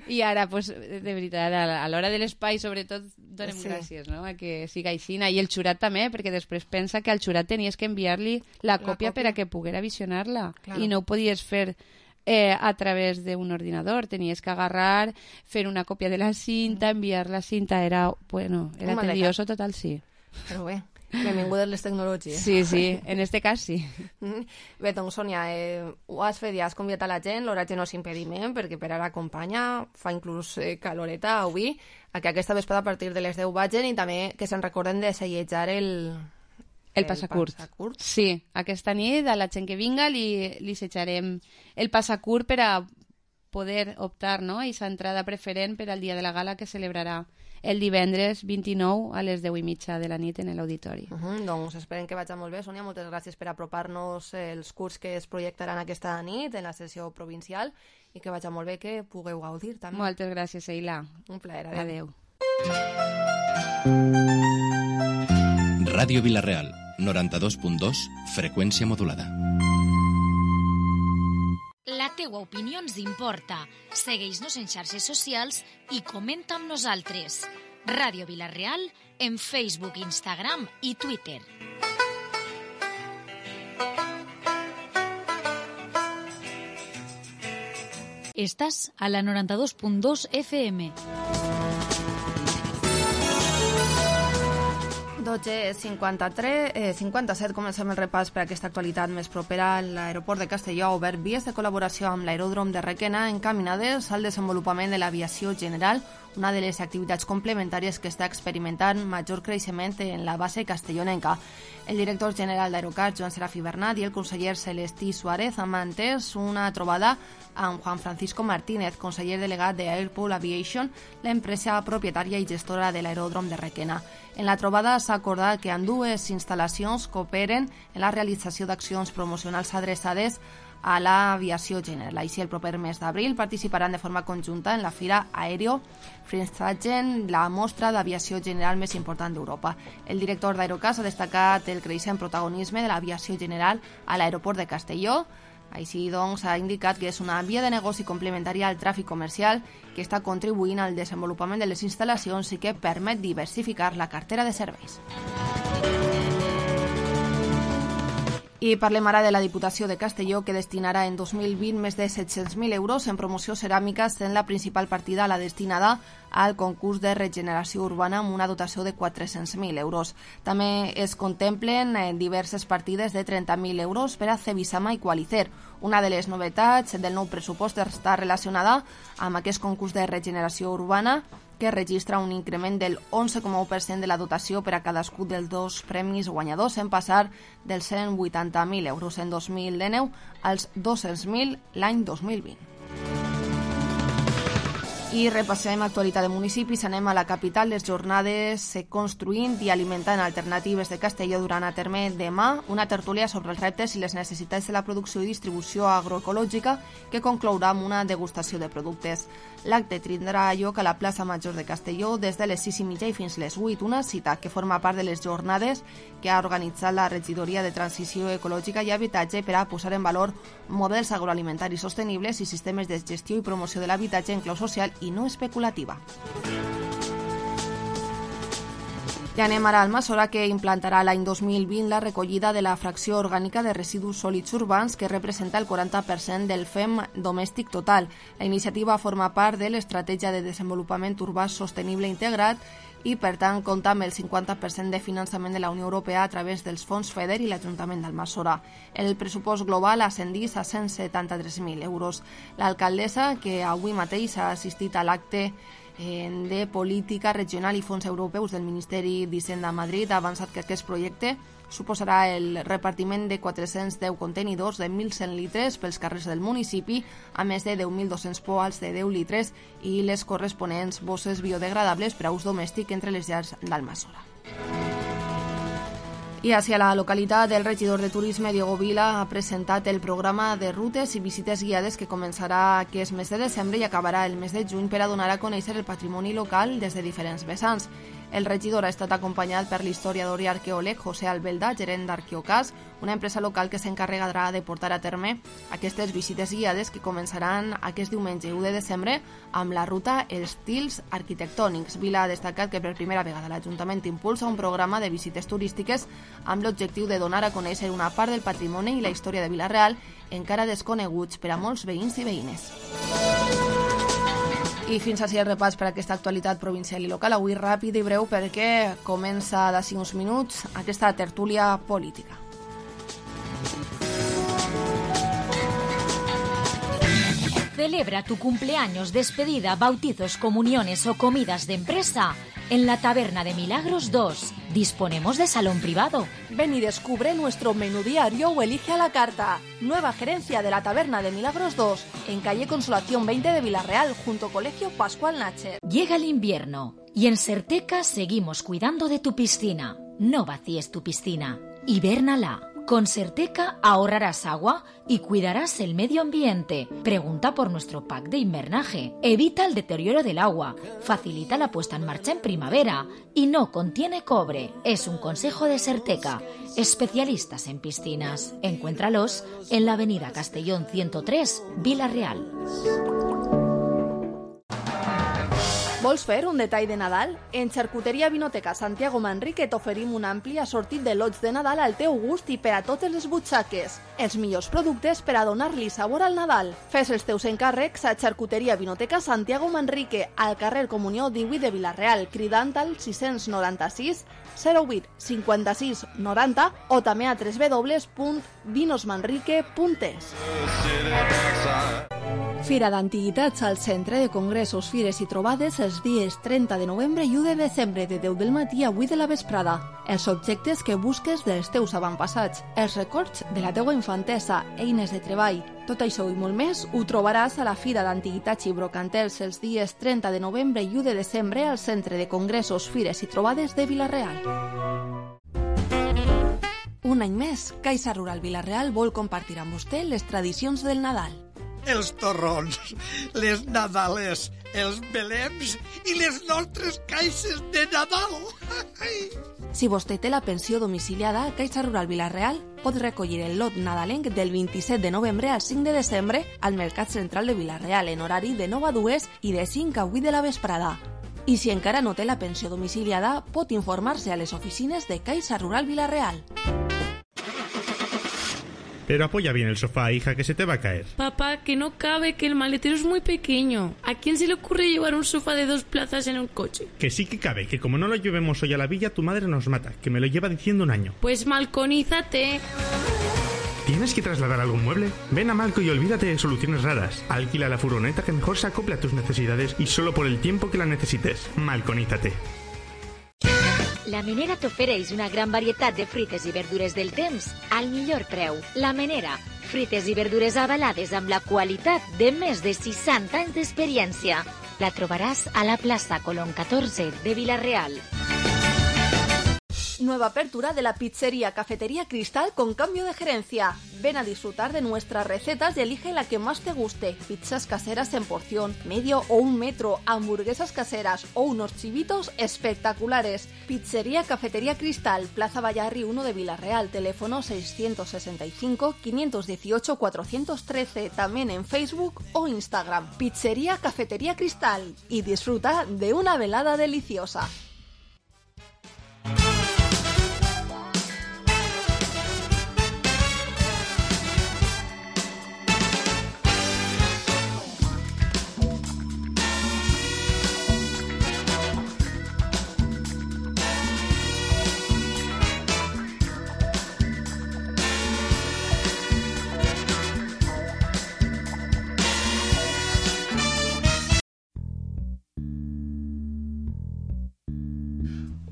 I ara, pues, de veritat, a l'hora de l'espai, sobretot, donem sí. gràcies, no?, a que siga així. I el xurat també, perquè després pensa que al xurat tenies que enviar-li la, la còpia, còpia per a que poguera visionar-la. Claro. I no ho podies fer... Eh, a través d'un ordinador, tenies que agarrar, fer una còpia de la cinta, enviar la cinta, era, bueno, era tedioso total, sí. Però bé, benvingudes les tecnologies. Sí, sí, en este cas sí. Bé, doncs, Sònia, eh, ho has fet, ja has convidat a la gent, l'horatge no és impediment, perquè per ara acompanya, fa inclús eh, caloreta avui, a que aquesta vesprada a partir de les deu vagin i també que se'n recorden de sellejar el... El passacurt. el passacurt. Sí, aquesta nit a la gent que vinga li, li setjarem el passacurt per a poder optar, no?, a aquesta entrada preferent per al dia de la gala que celebrarà el divendres vint-i-nou a les deu i mitja de la nit en l'auditori. Uh -huh, doncs esperem que vagi molt bé. Sònia, moltes gràcies per apropar-nos els curts que es projectaran aquesta nit en la sessió provincial i que vagi molt bé, que pugueu gaudir també. Moltes gràcies, Eila. Un plaer. Adéu. Adéu. Ràdio Vila-real, noranta-dos punt dos, freqüència modulada. La teua opinió ens importa. Segueix-nos en xarxes socials i comenta amb nosaltres. Ràdio Vila-real en Facebook, Instagram i Twitter. Estàs a la noranta-dos punt dos F M. dotze cinquanta-tres, eh, cinquanta-set, comencem el repàs per aquesta actualitat més propera. L'aeroport de Castelló ha obert vies de col·laboració amb l'aeròdrom de Requena encaminades al desenvolupament de l'aviació general, una de les activitats complementàries que està experimentant major creixement en la base castellonenca. El director general d'Aerocat, Joan Serafí Bernat, i el conseller Celestí Suárez han mantès una trobada amb Juan Francisco Martínez, conseller delegat de Airport Aviation, l'empresa propietària i gestora de l'aeròdrom de Requena. En la trobada s'ha acordat que ambdues instal·lacions cooperen en la realització d'accions promocionals adreçades a l'aviació general. Així, el proper mes d'abril participaran de forma conjunta en la Fira Aéreo Frinsagen, la mostra d'aviació general més important d'Europa. El director d'Aerocas ha destacat el creixent protagonisme de l'aviació general a l'aeroport de Castelló. Així, doncs, ha indicat que és una via de negoci complementària al tràfic comercial que està contribuint al desenvolupament de les instal·lacions i que permet diversificar la cartera de serveis. I parlem ara de la Diputació de Castelló, que destinarà en dos mil vint més de set-cents mil euros en promoció ceràmica, sent la principal partida la destinada al concurs de regeneració urbana amb una dotació de quatre-cents mil euros. També es contemplen diverses partides de trenta mil euros per a Cebisama i Qualicer. Una de les novetats del nou pressupost està relacionada amb aquest concurs de regeneració urbana, que registra un increment del onze coma u per cent de la dotació per a cadascun dels dos premis guanyadors, en passar dels cent vuitanta mil euros en dos mil dinou als dos-cents mil l'any dos mil vint. I repassem actualitat de municipis, anem a la capital. Les jornades Construint i alimentant alternatives de Castelló duran a terme demà una tertúlia sobre els reptes i les necessitats de la producció i distribució agroecològica que conclourà amb una degustació de productes. L'acte tindrà lloc a la plaça Major de Castelló des de les sis i mitja i fins les vuit, una cita que forma part de les jornades que ha organitzat la Regidoria de Transició Ecològica i Habitatge per a posar en valor models agroalimentaris sostenibles i sistemes de gestió i promoció de l'habitatge en clau social i no especulativa. I anem ara al Almassora, que implantarà l'any dos mil vint la recollida de la fracció orgànica de residus sòlids urbans, que representa el quaranta per cent del F E M domèstic total. La iniciativa forma part de l'Estratègia de Desenvolupament Urbà Sostenible Integrat i, per tant, compta amb el cinquanta per cent de finançament de la Unió Europea a través dels fons FEDER i l'Ajuntament d'Almassora. El pressupost global ascendís a cent setanta-tres mil euros. L'alcaldessa, que avui mateix ha assistit a l'acte de Política Regional i Fons Europeus del Ministeri d'Hisenda a Madrid, ha avançat que aquest projecte suposarà el repartiment de quatre-cents deu contenidors de mil cent litres pels carrers del municipi, a més de deu mil dos-cents poals de deu litres i les corresponents bosses biodegradables per a ús domèstic entre les llars d'Almassora. I hacia la localitat, el regidor de Turisme, Diego Vila, ha presentat el programa de rutes i visites guiades que començarà aquest mes de desembre i acabarà el mes de juny per a donar a conèixer el patrimoni local des de diferents vessants. El regidor ha estat acompanyat per l'historiador i arqueòleg José Albelda, gerent d'Arqueocas, una empresa local que s'encarregarà de portar a terme aquestes visites guiades que començaran aquest diumenge u de desembre amb la ruta Estils Arquitectònics. Vila ha destacat que per primera vegada l'Ajuntament impulsa un programa de visites turístiques amb l'objectiu de donar a conèixer una part del patrimoni i la història de Vila-real encara desconeguts per a molts veïns i veïnes. I fins així el repàs per a aquesta actualitat provincial i local. Avui ràpid i breu perquè comença d'ací uns minuts aquesta tertúlia política. Celebra tu cumpleaños, despedida, bautizos, comuniones o comidas de empresa en la Taberna de Milagros dos. Disponemos de salón privado. Ven y descubre nuestro menú diario o elige a la carta. Nueva gerencia de la Taberna de Milagros dos, en calle Consolación veinte de Vila-real, junto Colegio Pascual Nacher. Llega el invierno y en Serteca seguimos cuidando de tu piscina. No vacíes tu piscina. Hibérnala. Con Serteca ahorrarás agua y cuidarás el medio ambiente. Pregunta por nuestro pack de invernaje. Evita el deterioro del agua. Facilita la puesta en marcha en primavera. Y no contiene cobre. Es un consejo de Serteca. Especialistas en piscinas. Encuéntralos en la avenida Castellón ciento tres, Vila-real. Vols fer un detall de Nadal? En Xarcuteria Vinoteca Santiago Manrique t'oferim un ampli assortit de lots de Nadal al teu gust i per a totes les butxaques. Els millors productes per a donar-li sabor al Nadal. Fes els teus encàrrecs a Xarcuteria Vinoteca Santiago Manrique, al carrer Comunió divuit de Vila-real, cridant al sis noranta-sis zero vuit cinquanta-sis noranta o també a w w w punt vinosmanrique punt es. Fira d'Antiguitats al Centre de Congressos, Fires i Trobades els dies trenta de novembre i u de desembre de deu del matí a vuit de la vesprada. Els objectes que busques dels teus avantpassats, els records de la teua infantesa, eines de treball. Tot això i molt més ho trobaràs a la Fira d'Antiguitats i Brocantels els dies trenta de novembre i u de desembre al Centre de Congressos, Fires i Trobades de Vila-real. Un any més, Caixa Rural Vila-real vol compartir amb vostè les tradicions del Nadal. Els torrons, les nadales, els belems i les nostres caixes de Nadal. Si vostè té la pensió domiciliada, Caixa Rural Vila-real pot recollir el lot nadalenc del vint-i-set de novembre al cinc de desembre al Mercat Central de Vila-real en horari de nou a dues i de cinc a vuit de la vesprada. I si encara no té la pensió domiciliada, pot informar-se a les oficines de Caixa Rural Vila-real. Pero apoya bien el sofá, hija, que se te va a caer. Papá, que no cabe, que el maletero es muy pequeño. ¿A quién se le ocurre llevar un sofá de dos plazas en un coche? Que sí que cabe, que como no lo llevemos hoy a la villa, tu madre nos mata, que me lo lleva diciendo un año. Pues malconízate. ¿Tienes que trasladar algún mueble? Ven a Malco y olvídate de soluciones raras. Alquila la furgoneta que mejor se acople a tus necesidades y solo por el tiempo que la necesites. Malconízate. La Menera t'ofereix una gran varietat de fruites i verdures del temps al millor preu. La Menera, fruites i verdures avalades amb la qualitat de més de seixanta anys d'experiència. La trobaràs a la plaça Colón catorze de Vila-real. Nueva apertura de la pizzería Cafetería Cristal con cambio de gerencia. Ven a disfrutar de nuestras recetas y elige la que más te guste. Pizzas caseras en porción, medio o un metro, hamburguesas caseras o unos chivitos espectaculares. Pizzería Cafetería Cristal, Plaza Vallarri uno de Vila-real, teléfono seiscientos sesenta y cinco, quinientos dieciocho, cuatrocientos trece, también en Facebook o Instagram. Pizzería Cafetería Cristal y disfruta de una velada deliciosa.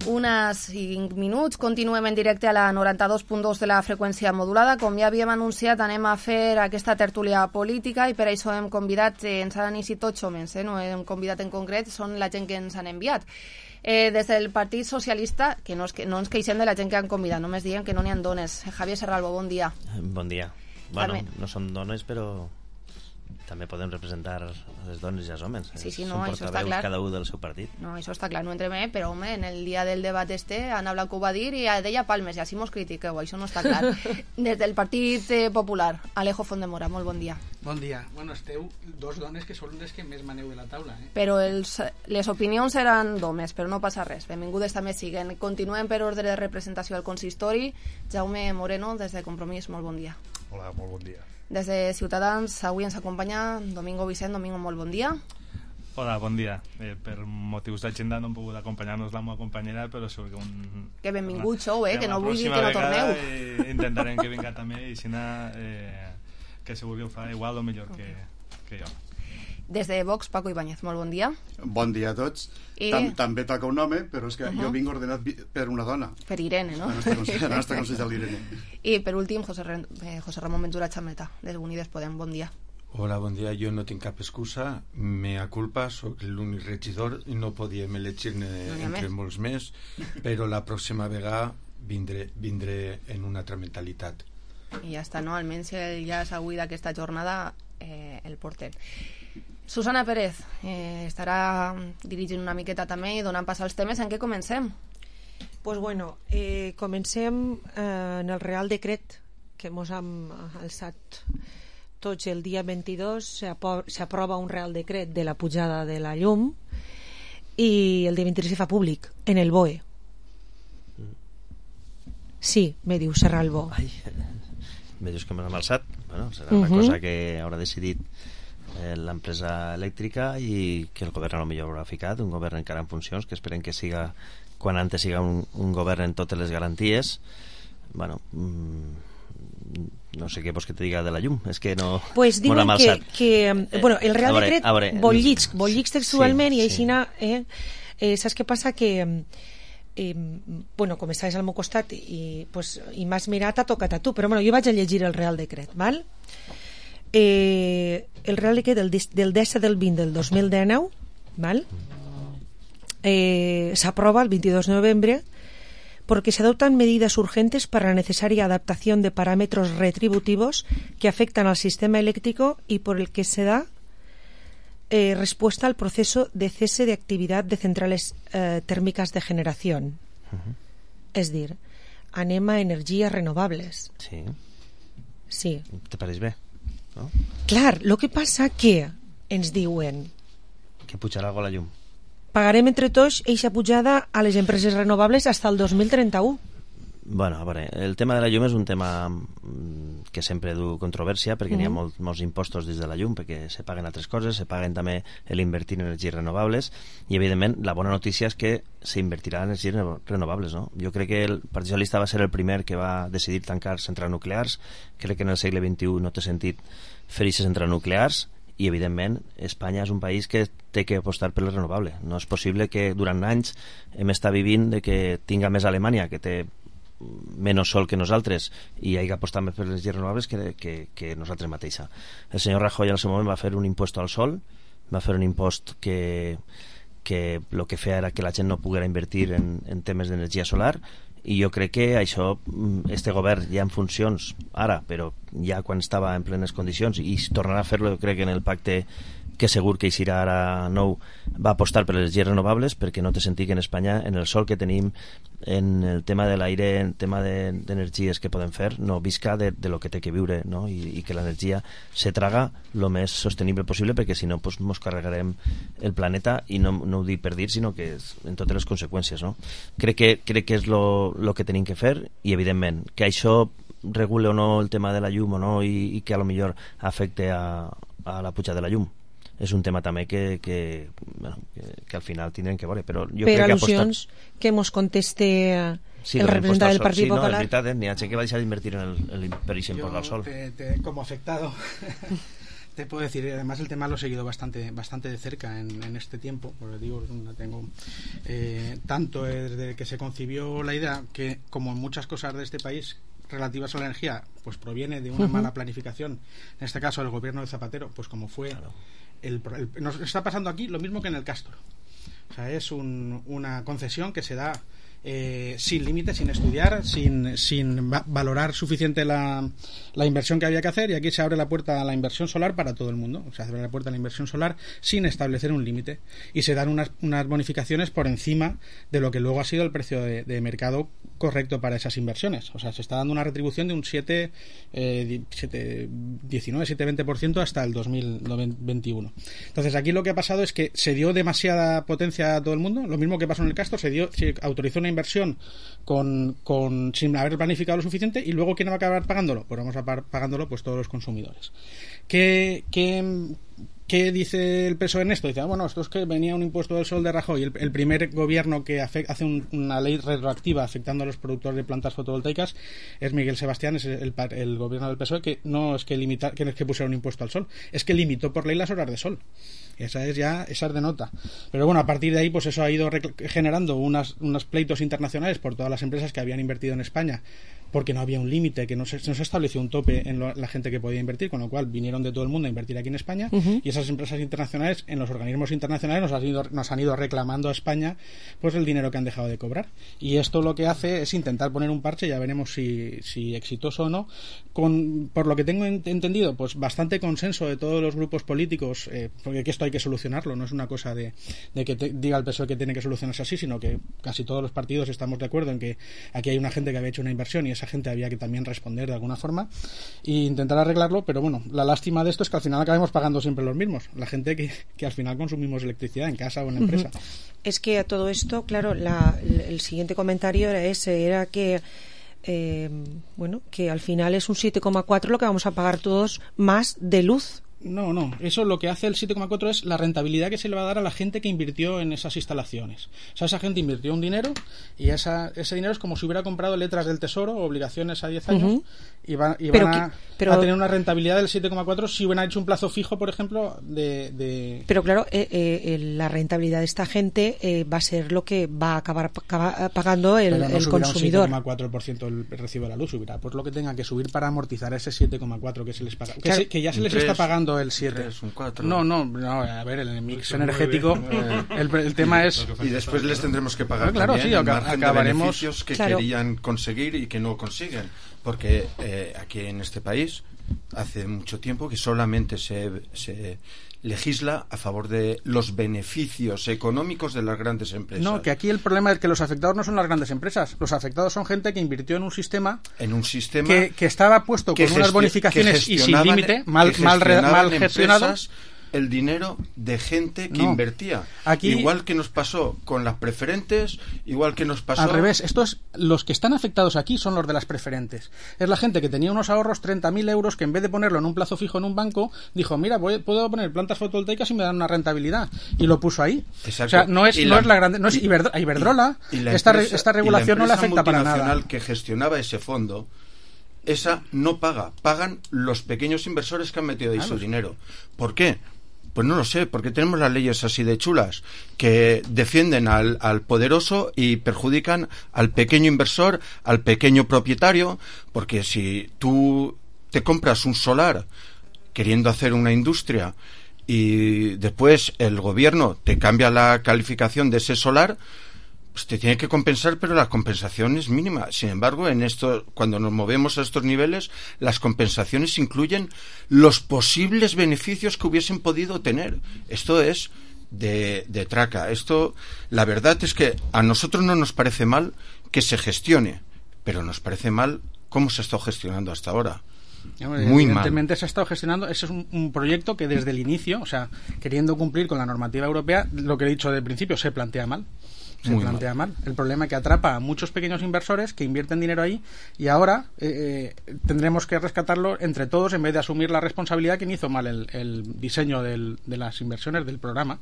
Unes cinc minuts, continuem en directe a la noranta-dos punt dos de la freqüència modulada. Com ja havíem anunciat, anem a fer aquesta tertúlia política i per això hem convidat, eh, ens han iniciat tots homes, eh, no hem convidat en concret, són la gent que ens han enviat. Eh, des del Partit Socialista, que no, es, que no ens queixem de la gent que han convidat, només diem que no n'hi ha dones. Javier Serralbo, bon dia. Bon dia. Bueno, També. no som dones, però també podem representar les dones i els homes. Sí, sí, no, Són això està portaveus clar. cada un del seu partit. No, això està clar, no entrem, eh? Però home, en el dia del debat este, Ana Blanco ho va dir i deia palmes, i així mos critiqueu, això no està clar. Des del Partit eh, Popular, Alejo Fondemora, molt bon dia. Bon dia. Bueno, esteu dos dones que són les que més maneu de la taula, eh? Però els, les opinions eren d'homes, però no passa res. Benvingudes també siguen. Continuem per ordre de representació al consistori. Jaume Moreno, des de Compromís, molt bon dia. Hola, molt bon dia. Des de Ciutadans, avui ens acompanya Domingo Vicent. Domingo, molt bon dia. Hola, bon dia. Eh, per motius d'agenda no hem pogut acompanyar-nos la meva companyera, però segur que un... Que benvingut sou, eh? Que no vull dir la que no pròxima torneu. vegada, eh, intentarem que vinga també i si no, eh, que segur que ho fa igual o millor que, que jo. Des de Vox, Paco Ibáñez, molt bon dia. Bon dia a tots. I- Tam També toca un home, però és que Uh-huh. jo vinc ordenat vi- per una dona. Per Irene, no? La nostra, conse- la nostra consellera l'Irene. I per últim, José, Ren- eh, José Ramón Ventura Chameta, des Unides Podem, bon dia. Hola, bon dia. Jo no tinc cap excusa. Mea culpa, sóc l'únic regidor i no podíem elegir-ne No n'hi ha entre més. molts més, però la pròxima vegada vindré, vindré en una altra mentalitat. I ja està, no? Almenys el ja és avui d'aquesta jornada eh, el porter. Susana Pérez eh, estarà dirigint una miqueta també i donant pas als temes. En què comencem? Pues bueno, eh, comencem eh, en el Real Decret que mos hem alçat tots el dia vint-i-dos. S'aprova un Real Decret de la pujada de la llum i el dia vint-i-tres se fa públic en el B O E. Sí, me diu Serralbo. Ai, me dius que me l'hem alçat. Bueno, serà Uh-huh. una cosa que haurà decidit eh, l'empresa elèctrica i que el govern a lo millor haurà ficat, un govern encara en funcions, que esperem que siga, quan antes siga un, un govern en totes les garanties. Bueno, mm, no sé què vols que te diga de la llum, és que no... Pues me diuen l'hem que, alçat. que eh, bueno, el Real a veure, Decret a veure, bollics, bollics textualment sí, i així sí. eh, eh, saps què passa? Que eh, bueno, com estaves al meu costat i, pues, i m'has mirat, ha tocat a tu, però bueno, jo vaig a llegir el Real Decret, val? Eh, el Real Decret del, del disset del vint del dos mil dinou, val? Eh, s'aprova el veintidós de noviembre porque se adoptan medidas urgentes para la necesaria adaptación de parámetros retributivos que afectan al sistema eléctrico y por el que se da eh, respuesta al proceso de cese de actividad de centrales eh, térmicas de generación. Uh-huh. Es dir, anem a energies renovables. Sí. Sí. Te pareix bé? No? Clar, lo que passa que ens diuen Que pujarà algo a la llum. pagarem entre tots eixa pujada a les empreses renovables fins al dos mil trenta-u. Bueno, a veure, el tema de la llum és un tema mm, que sempre du controvèrsia perquè n'hi ha Mhm. molt, molts impostos dins de la llum, perquè se paguen altres coses, se paguen també l'invertir en energies renovables i evidentment la bona notícia és que s'invertirà en energies reno- renovables, no? Jo crec que el Partit Socialista va ser el primer que va decidir tancar centrals nuclears. Crec que en el segle vint-i-u no té sentit fer aquestes centrals nuclears i evidentment Espanya és un país que té que apostar per el renovable. No és possible que durant anys hem estat vivint de que tinga més Alemanya, que té menys sol que nosaltres, i hi ha que apostar més per les energies renovables que, que, que nosaltres mateixa. El senyor Rajoy al seu moment va fer un impost al sol, va fer un impost que que el que feia era que la gent no poguera invertir en, en temes d'energia solar, i jo crec que això, este govern ja en funcions ara, però ja quan estava en plenes condicions, i tornarà a fer-lo, jo crec que en el pacte que segur que eixirà ara nou, va apostar per les energies renovables, perquè no té sentit que en Espanya, en el sol que tenim, en el tema de l'aire, en el tema d'energies que podem fer, no visca de, de lo que té que viure, no? I, i que l'energia se traga lo més sostenible possible, perquè si no pues, mos carregarem el planeta, i no, no ho dic per dir, sinó que és en totes les conseqüències, no? Crec que, crec que és lo, lo que tenim que fer, i evidentment que això regule o no el tema de la llum o no, i, i que a lo millor afecte a, a la puja de la llum, és un tema també que, que, bueno, que, que al final tindrem que veure, però jo per crec que al·lusions apostar... que mos conteste Sí, el representant del Partit sí, no, Popular. és veritat, eh? N'hi ha gent que va deixar d'invertir en el, el, per aquest impost al sol. Te, te, como afectado Te puedo decir, además el tema lo he seguido bastante bastante de cerca en, en este tiempo, porque digo, tengo eh, tanto desde que se concibió la idea, que como en muchas cosas de este país relativas a la energía, pues proviene de una uh-huh. mala planificación, en este caso el gobierno de Zapatero, pues como fue claro. el, el, nos está pasando aquí lo mismo que en el Castor. O sea, es un, una concesión que se da Eh, sin límites, sin estudiar, sin, sin va- valorar suficiente la, la inversión que había que hacer, y aquí se abre la puerta a la inversión solar para todo el mundo. O sea, se abre la puerta a la inversión solar sin establecer un límite, y se dan unas, unas bonificaciones por encima de lo que luego ha sido el precio de, de mercado correcto para esas inversiones. O sea, se está dando una retribución de un siete, eh, siete, diecinueve, siete, veinte por ciento hasta el dos mil veintiuno. Entonces aquí lo que ha pasado es que se dio demasiada potencia a todo el mundo, lo mismo que pasó en el Castor, se dio, se autorizó una inversión con, con sin haber planificado lo suficiente, y luego ¿quién va a acabar pagándolo? Pues vamos a pagar pagándolo pues todos los consumidores. ¿Qué, qué, qué dice el P S O E en esto? Dice, ah, bueno, esto es que venía un impuesto del sol de Rajoy, el, el primer gobierno que hace, hace un, una ley retroactiva afectando a los productores de plantas fotovoltaicas es Miguel Sebastián, es el, el, el gobierno del P S O E, que no es que limita, que no es que pusiera un impuesto al sol, es que limitó por ley las horas de sol. Esa es ya, esa es de nota. Pero bueno, a partir de ahí, pues eso ha ido rec- generando unas, unos pleitos internacionales por todas las empresas que habían invertido en España, porque no había un límite, que no se, no se estableció un tope en lo, la gente que podía invertir, con lo cual vinieron de todo el mundo a invertir aquí en España, uh-huh. y esas empresas internacionales, en los organismos internacionales, nos han, ido, nos han ido reclamando a España pues el dinero que han dejado de cobrar. Y esto lo que hace es intentar poner un parche, ya veremos si, si exitoso o no, con, por lo que tengo entendido, pues bastante consenso de todos los grupos políticos, eh, porque que esto hay que solucionarlo, no es una cosa de, de que te, diga el P S O E que tiene que solucionarse así, sino que casi todos los partidos estamos de acuerdo en que aquí hay una gente que había hecho una inversión y esa gente había que también responder de alguna forma e intentar arreglarlo. Pero bueno, la lástima de esto es que al final acabemos pagando siempre los mismos, la gente que, que al final consumimos electricidad en casa o en la empresa. Uh-huh. Es que a todo esto, claro, la, el siguiente comentario era ese, era que eh, bueno, que al final es un siete coma cuatro lo que vamos a pagar todos más de luz. No, no, eso lo que hace el siete coma cuatro es la rentabilidad que se le va a dar a la gente que invirtió en esas instalaciones. O sea, esa gente invirtió un dinero y esa, ese dinero es como si hubiera comprado letras del Tesoro o obligaciones a diez años, uh-huh. y, va, y van a, que, pero, a tener una rentabilidad del siete coma cuatro si hubieran hecho un plazo fijo, por ejemplo, de... de... Pero claro, eh, eh, la rentabilidad de esta gente eh, va a ser lo que va a acabar acaba, pagando el, pero no el consumidor. Un siete coma cuatro por ciento el recibo de la luz, subirá pues lo que tenga que subir para amortizar ese siete coma cuatro que se les paga. Que, claro, se, que ya se les tres, está pagando el siete. tres, un cuatro. No, no, no, a ver, el mix energético, el, el tema es... Y después les tendremos que pagar, claro, también sí, el margen acabaremos... de beneficios que claro. querían conseguir y que no consiguen. Porque eh, aquí en este país hace mucho tiempo que solamente se, se legisla a favor de los beneficios económicos de las grandes empresas. No, que aquí el problema es que los afectados no son las grandes empresas. Los afectados son gente que invirtió en un sistema... En un sistema... Que, que estaba puesto con unas bonificaciones y sin límite, mal, mal, mal gestionado. El dinero de gente que no. invertía. Aquí, igual que nos pasó con las preferentes, igual que nos pasó... Al revés, esto es, los que están afectados aquí son los de las preferentes. Es la gente que tenía unos ahorros, treinta mil euros, que en vez de ponerlo en un plazo fijo en un banco, dijo, mira, voy, puedo poner plantas fotovoltaicas y me dan una rentabilidad. Y lo puso ahí. Exacto. O sea, no es, y no la, es la grande... No es y, Iberdrola, Iberdrola y, y la esta, empresa, esta regulación no le afecta para nada. La multinacional que gestionaba ese fondo, esa no paga. Pagan los pequeños inversores que han metido ahí ah, su los... dinero. ¿Por qué? Pues no lo sé, porque tenemos las leyes así de chulas que defienden al, al poderoso y perjudican al pequeño inversor, al pequeño propietario, porque si tú te compras un solar queriendo hacer una industria y después el gobierno te cambia la calificación de ese solar, pues te tiene que compensar, pero la compensación es mínima. Sin embargo, en esto, cuando nos movemos a estos niveles, las compensaciones incluyen los posibles beneficios que hubiesen podido tener. Esto es de, de traca. Esto, la verdad es que a nosotros no nos parece mal que se gestione, pero nos parece mal cómo se ha estado gestionando hasta ahora. Muy Evidentemente mal. se ha estado gestionando. Ese es un, un proyecto que desde el inicio, o sea, queriendo cumplir con la normativa europea, lo que he dicho del principio, se plantea mal. Se Muy plantea mal. mal. El problema es que atrapa a muchos pequeños inversores que invierten dinero ahí y ahora eh, tendremos que rescatarlo entre todos en vez de asumir la responsabilidad quien hizo mal el, el diseño del, de las inversiones del programa.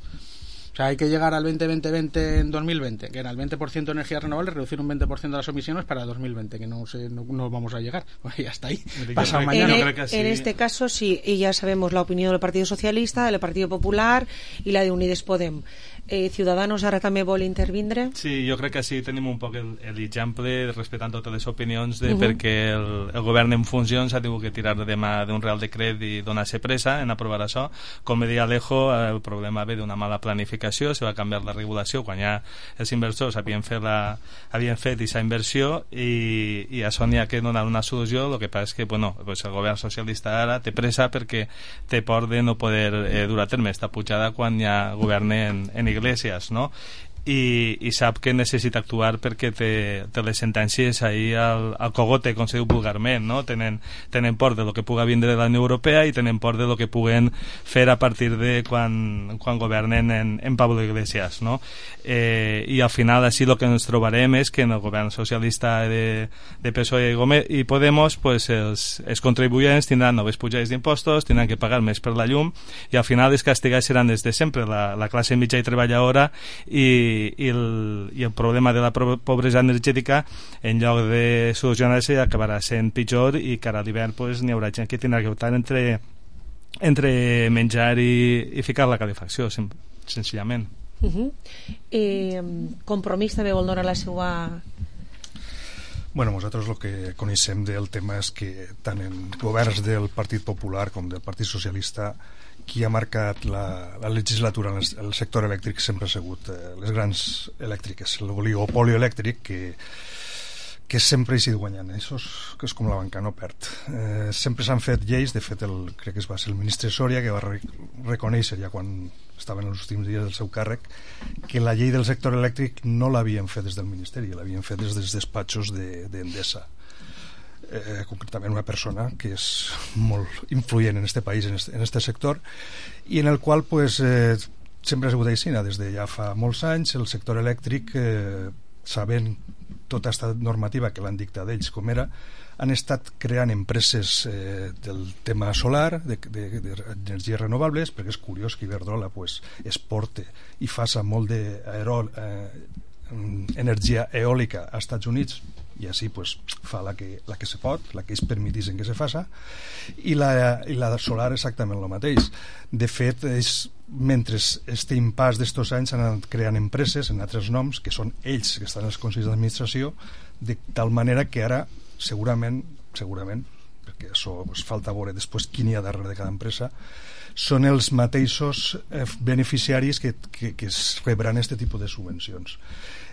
O sea, hay que llegar al veinte veinte veinte en dos mil veinte, que era el veinte por ciento de energías renovables, reducir un veinte por ciento de las emisiones para dos mil veinte, que no sé, no, no vamos a llegar. Pues ya está ahí. Pasado mañana. En, e, en este caso sí, y ya sabemos la opinión del Partido Socialista, del Partido Popular i la de Unides Podem. Eh, Ciudadanos ara també vol intervindre? Sí, jo crec que sí tenim un poc l'exemple respectant totes les opinions de Uh-huh. perquè el, el govern en funcions ha tingut que tirar demà d'un real decret i donar-se pressa en aprovar això. Com deia Alejo, el problema ve d'una mala planificació, se va canviar la regulació quan ja els inversors havien fet la, havien fet aquesta inversió i, i a això n'hi ha que donar una solució. El que passa és que bueno, pues el govern socialista ara té pressa perquè té por de no poder eh, dur a terme esta pujada quan ja governen en, en Iglesias, no? I, i sap que necessita actuar perquè té, té les sentències ahí al, al cogote, com se diu vulgarment, no? Tenen, tenen por de lo que puga vindre de la Unió Europea i tenen por de lo que puguen fer a partir de quan, quan governen en, en Pablo Iglesias, no? Eh, i al final així el que ens trobarem és que en el govern socialista de, de P S O E i, Gómez, i Podemos pues els, els contribuents tindran noves pujades d'impostos, tindran que pagar més per la llum i al final els castigats seran des de sempre la, la classe mitja i treballadora i i el, i el problema de la pobresa energètica en lloc de solucionar-se acabarà sent pitjor i cara a l'hivern pues, n'hi haurà gent que tindrà que optar entre, entre menjar i, i ficar la calefacció sen, senzillament. Uh-huh. eh, Compromís també vol donar la seva... Bueno, nosaltres el que coneixem del tema és que tant en governs del Partit Popular com del Partit Socialista qui ha marcat la, la legislatura en el, el sector elèctric sempre ha sigut eh, les grans elèctriques, l'oligopoli elèctric que, que sempre hi sigut guanyant. Això és, que és com la banca, no perd. Eh, sempre s'han fet lleis, de fet el, crec que es va ser el ministre Soria que va re, reconèixer ja quan estava en els últims dies del seu càrrec que la llei del sector elèctric no l'havien fet des del Ministeri, l'havien fet des dels despatxos d'Endesa. De, Eh, concretament una persona que és molt influent en este país, en este, en este sector, i en el qual pues, eh, sempre ha sigut així, des de ja fa molts anys el sector elèctric, eh, sabent tota aquesta normativa que l'han dictat ells com era, han estat creant empreses eh, del tema solar, d'energies renovables, perquè és curiós que Iberdrola pues, exporte i faça molt d'energia eh, eòlica als Estats Units i així pues, fa la que, la que se pot, la que ells permetissin que se faça, i la, i la solar exactament el mateix. De fet, ells, mentre este impàs d'estos anys han anat creant empreses en altres noms, que són ells que estan als consells d'administració, de tal manera que ara segurament, segurament perquè això pues, falta veure després qui n'hi ha darrere de cada empresa, són els mateixos eh, beneficiaris que, que, que es rebran aquest tipus de subvencions.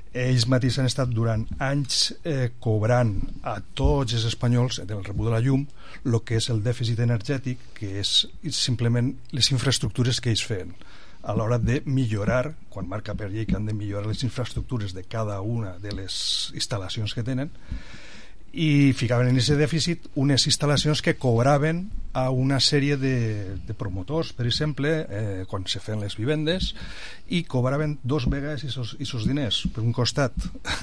Ells mateixos han estat durant anys eh, cobrant a tots els espanyols del rebut de la llum el que és el dèficit energètic, que és simplement les infraestructures que ells feien a l'hora de millorar, quan marca per llei que han de millorar les infraestructures de cada una de les instal·lacions que tenen, i ficaven en aquest dèficit unes instal·lacions que cobraven a una sèrie de, de promotors, per exemple, eh, quan se feien les vivendes, i cobraven dos vegades aquests diners. Per un costat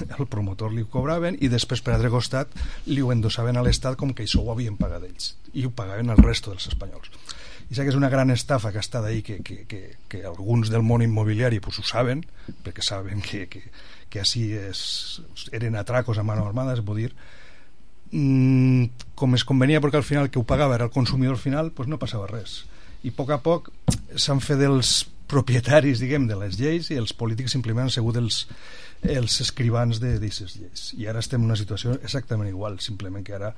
el promotor li cobraven i després per altre costat li ho endossaven a l'Estat com que això ho havien pagat ells i ho pagaven al resto dels espanyols. I sé que és una gran estafa que està d'ahir, que, que, que, que alguns del món immobiliari pues, ho saben, perquè saben que, que, que així es, eren atracos a mano armada, es pot dir, Mm, com es convenia, perquè al final el que ho pagava era el consumidor final, pues no passava res, i a poc a poc s'han fet els propietaris, diguem, de les lleis, i els polítics simplement han sigut els, els escrivans d'aquestes lleis, i ara estem en una situació exactament igual, simplement que ara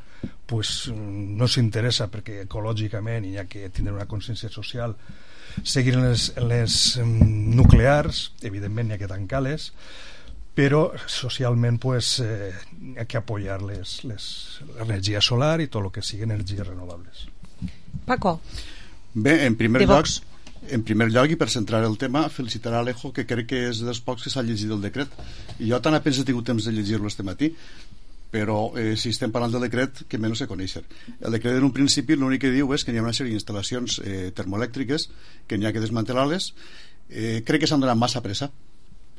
pues, no s'interessa perquè ecològicament hi ha que tindre una consciència social, seguir les, les um, nuclears, evidentment hi ha que tancar-les, però socialment pues, eh, hi ha que apoyar l'energia solar i tot el que sigui energies renovables. Paco. Bé, en primer lloc, en primer lloc i per centrar el tema, felicitar a Alejo, que crec que és dels pocs que s'ha llegit el decret, i jo tan apenas he tingut temps de llegir-lo este matí, però eh, si estem parlant del decret, que menys sé conèixer. El decret en un principi l'únic que diu és que hi ha una sèrie d'instal·lacions eh, termoelèctriques que n'hi ha que desmantelar-les. Eh, crec que s'han donat massa pressa,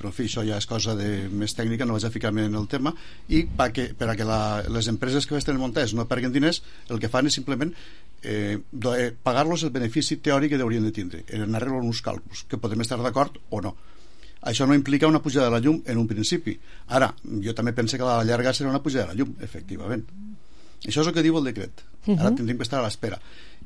però en fi, això ja és cosa de, més tècnica, no vaig a ficar-me en el tema, i per a que, per a que la, les empreses que estan muntades no perguen diners, el que fan és simplement eh, pagar-los el benefici teòric que haurien de tindre, en arreglo uns càlculs, que podem estar d'acord o no, Això no implica una pujada de la llum en un principi. Ara, jo també penso que a la llarga serà una pujada de la llum, efectivament. Això és el que diu el decret. Ara tindríem que estar a l'espera.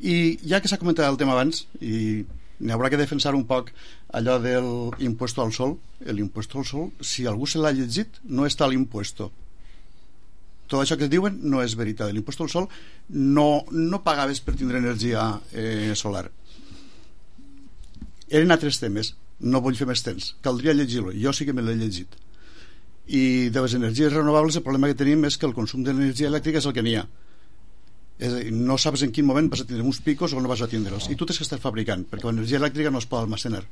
I ja que s'ha comentat el tema abans, i n'hi haurà que defensar un poc allò del impuesto al sol, l'impuesto al sol, si algú se l'ha llegit, no està l'impuesto. Tot això que diuen no és veritat. L'impuesto al sol no, no pagaves per tindre energia eh, solar. Eren altres temes. No vull fer més temps. Caldria llegir-lo. Jo sí que me l'he llegit. I de les energies renovables el problema que tenim és que el consum d'energia elèctrica és el que n'hi ha. És a dir, no saps en quin moment vas a tindre uns picos o no vas a tindre'ls. I tu tens que estar fabricant, perquè l'energia elèctrica no es pot almacenar.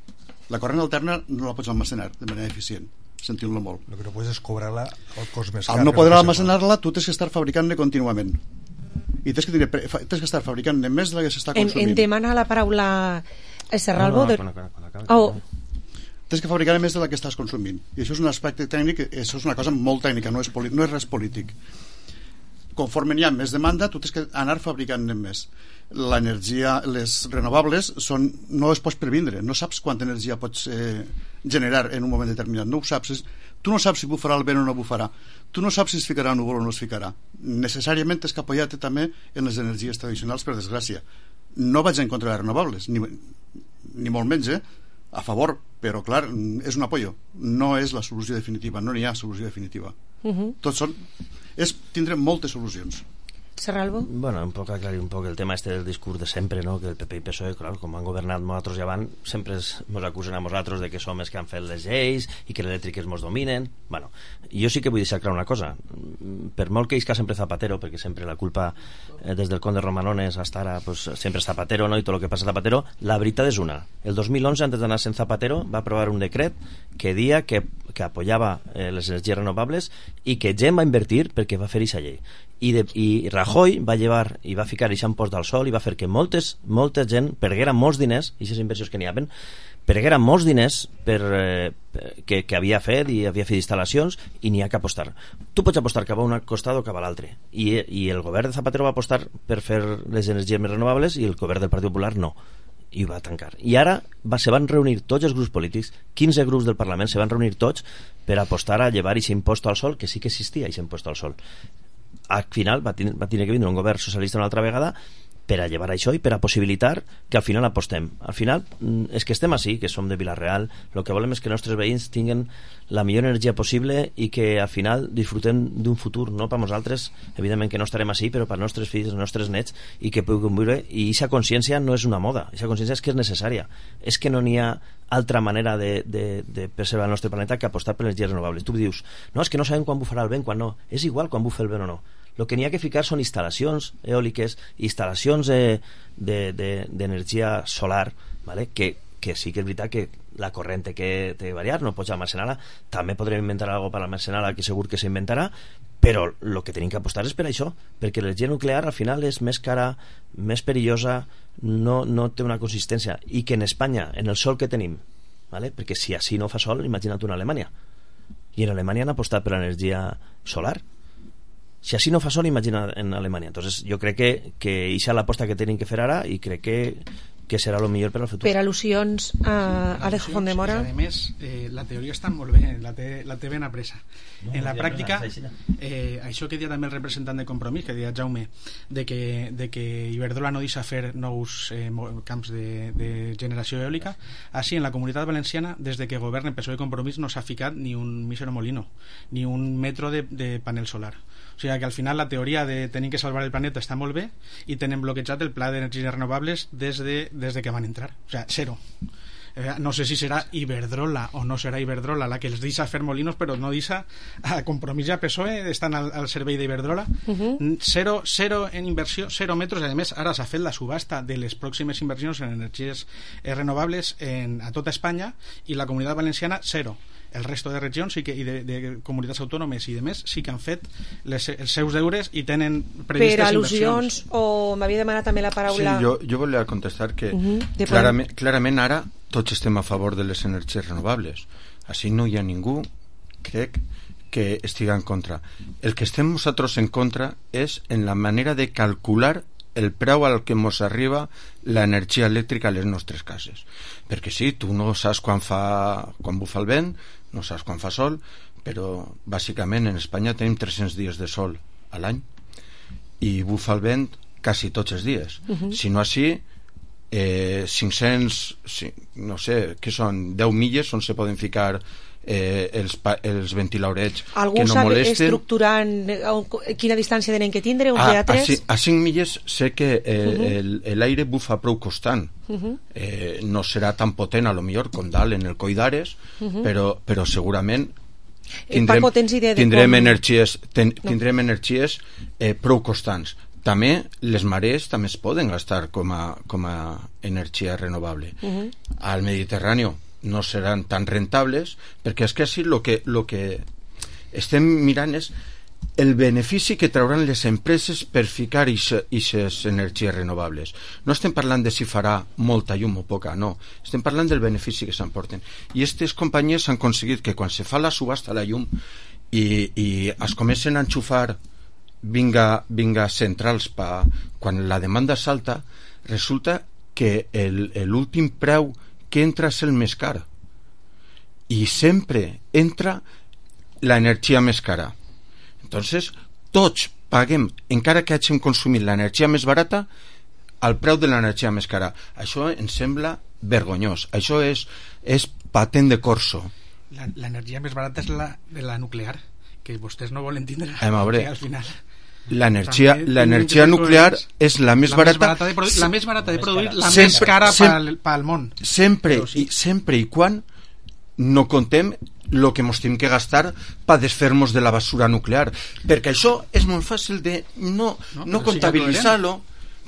La corrent alterna no la pots almacenar de manera eficient, sentint-lo molt. Lo que no puedes es cobrar-la al cost més car. Al no poder almacenar-la, tu tens que estar fabricant-ne contínuament. I tens que, tindre, tens que estar fabricant-ne més de la que s'està consumint. En, en demana la paraula Serralvo. No, no, no, no, no, no, oh. Tens que fabricar més de la que estàs consumint. I això és un aspecte tècnic, això és una cosa molt tècnica, no és, no és res polític. Conforme n'hi ha més demanda, tu tens que anar fabricant més. L'energia, les renovables són, no es pots previndre, no saps quanta energia pots eh, generar en un moment determinat, no ho saps. Tu no saps si bufarà el vent o no bufarà, tu no saps si es ficarà núvol o no es ficarà. Necessàriament tens que apoyar-te també en les energies tradicionals, per desgràcia. No vaig en contra de les renovables, ni, ni molt menys, eh? A favor, però clar, és un apoyo, no és la solució definitiva, no n'hi ha solució definitiva. Uh-huh. Tots són, és tindre moltes solucions. Serralvo? Bueno, un poc aclarir un poc el tema este del discurs de sempre, no? Que el P P i P S O E, clar, com han governat nosaltres ja van, sempre ens acusen a nosaltres de que som els que han fet les lleis i que les elèctriques ens dominen. Bueno, jo sí que vull deixar clar una cosa. Per molt que isca sempre Zapatero, perquè sempre la culpa eh, des del conde Romanones hasta ara pues, sempre és Zapatero, no? I tot el que passa a Zapatero, la veritat és una. El dos mil onze, antes d'anar en Zapatero, va aprovar un decret que dia que, que apoyava eh, les energies renovables i que gent va invertir perquè va fer aquesta llei. I, de, i Rajoy va llevar i va ficar aquest impost al sol i va fer que moltes, molta gent perguera molts diners, i aquestes inversions que n'hi havia, perguera molts diners per, eh, que, que havia fet i havia fet instal·lacions i n'hi ha que apostar. Tu pots apostar cap a un costat o cap a l'altre. I, I el govern de Zapatero va apostar per fer les energies més renovables i el govern del Partit Popular no. I va tancar. I ara va, se van reunir tots els grups polítics, quinze grups del Parlament se van reunir tots per apostar a llevar aquest impost al sol, que sí que existia aquest impost al sol. Al final va tenir, va tenir que vindre un govern socialista una altra vegada per a llevar això i per a possibilitar que al final apostem. Al final és que estem així, que som de Vila-real, el que volem és que els nostres veïns tinguin la millor energia possible i que al final disfrutem d'un futur, no per nosaltres, evidentment que no estarem així, però per als nostres fills, els nostres nets, i que puguin viure. I aquesta consciència no és una moda, aquesta consciència és que és necessària, és que no n'hi ha altra manera de, de, de preservar el nostre planeta que apostar per les energies renovables. Tu dius, no, és que no sabem quan bufarà el vent, quan no. És igual quan bufa el vent o no. El que n'hi ha que ficar són instal·lacions eòliques, instal·lacions d'energia de, de, solar, ¿vale? que, que sí que és veritat que la corrent té que, té que variar, no pots almacenar-la, també podrem inventar alguna cosa per almacenar-la, que segur que s'inventarà, però el que tenim que apostar és per això, perquè l'energia nuclear al final és més cara, més perillosa, no, no té una consistència, i que en Espanya, en el sol que tenim, ¿vale? Perquè si així no fa sol, imagina't una Alemanya, i en Alemanya han apostat per l'energia solar. Si així no fa sol, imagina en Alemanya. Entonces, jo crec que, que això és l'aposta que tenim que fer ara i crec que, que serà el millor per al futur. Per al·lusions a Alejo Fondemora. A més, eh, la teoria està molt bé, la té, la té ben apresa. No, en la pràctica, eh, això que deia també el representant de Compromís, que deia Jaume, de que, de que Iberdrola no deixa fer nous eh, camps de, de generació eòlica, així en la Comunitat Valenciana, des de que governa P S O E i Compromís, no s'ha ficat ni un mísero molino, ni un metro de, de panel solar. O sigui que al final la teoria de tenir que salvar el planeta està molt bé i tenen bloquejat el pla d'energies renovables des de, des de que van entrar. O sigui, zero. Eh, no sé si serà Iberdrola o no serà Iberdrola la que els deixa fer molinos, però no deixa a Compromís i a P S O E, estan al, al servei d'Iberdrola. Uh-huh. Zero, zero en inversió, zero metros. A més, ara s'ha fet la subhasta de les pròximes inversions en energies eh, renovables en, a tota Espanya, i la Comunitat Valenciana, zero. El resto de regions sí que, i de, de comunitats autònomes i de més sí que han fet les, els seus deures i tenen previstes per al·lusions inversions. O m'havia demanat també la paraula. Sí, jo, jo volia contestar que uh-huh. clarament, clarament ara tots estem a favor de les energies renovables, així no hi ha ningú, crec, que estiga en contra. El que estem nosaltres en contra és en la manera de calcular el preu al que ens arriba l'energia elèctrica a les nostres cases. Perquè sí, tu no saps quan fa quan bufa el vent, no saps quan fa sol, però bàsicament en Espanya tenim tres-cents dies de sol a l'any i bufa el vent quasi tots els dies. Uh-huh. Si no així, eh, cinc-cents, no sé, què són, deu milles on se poden ficar eh, els, els ventilaurets algú que no sap molesten. Estructurant quina distància tenen que tindre, uns a, de a tres? A, a cinc milles sé que eh, uh-huh. l'aire bufa prou constant. Uh-huh. eh, no serà tan potent a lo millor com dalt en el Coll d'Ares, uh-huh. però, però segurament tindrem, Paco, tens idea de tindrem com... energies, ten, no. tindrem energies eh, prou constants. També les marees també es poden gastar com a, com a energia renovable. Uh-huh. Al Mediterrani no seran tan rentables, perquè és que així el que, lo que estem mirant és el benefici que trauran les empreses per ficar aquestes energies renovables. No estem parlant de si farà molta llum o poca, no. Estem parlant del benefici que s'emporten. I aquestes companyies han aconseguit que quan se fa la subhasta a la llum i, i es comencen a enxufar vinga, vinga centrals pa, quan la demanda salta, resulta que l'últim preu que entra és el més car, i sempre entra l'energia més cara. Entonces tots paguem, encara que hàgim consumit l'energia més barata, al preu de l'energia més cara. Això ens sembla vergonyós. Això és, és patent de corso. L'energia més barata és la de la nuclear, que vostès no volen tindre. A veure, al final l'energia l'energia nuclear és la més la barata, més barata de produir, la més barata de produir, la sempre, més cara sempre, pel món. Sempre, sí. i, sempre i quan no contem el que ens hem que gastar per desfer-nos de la basura nuclear, perquè això és molt fàcil de no, no, no comptabilitzar-lo,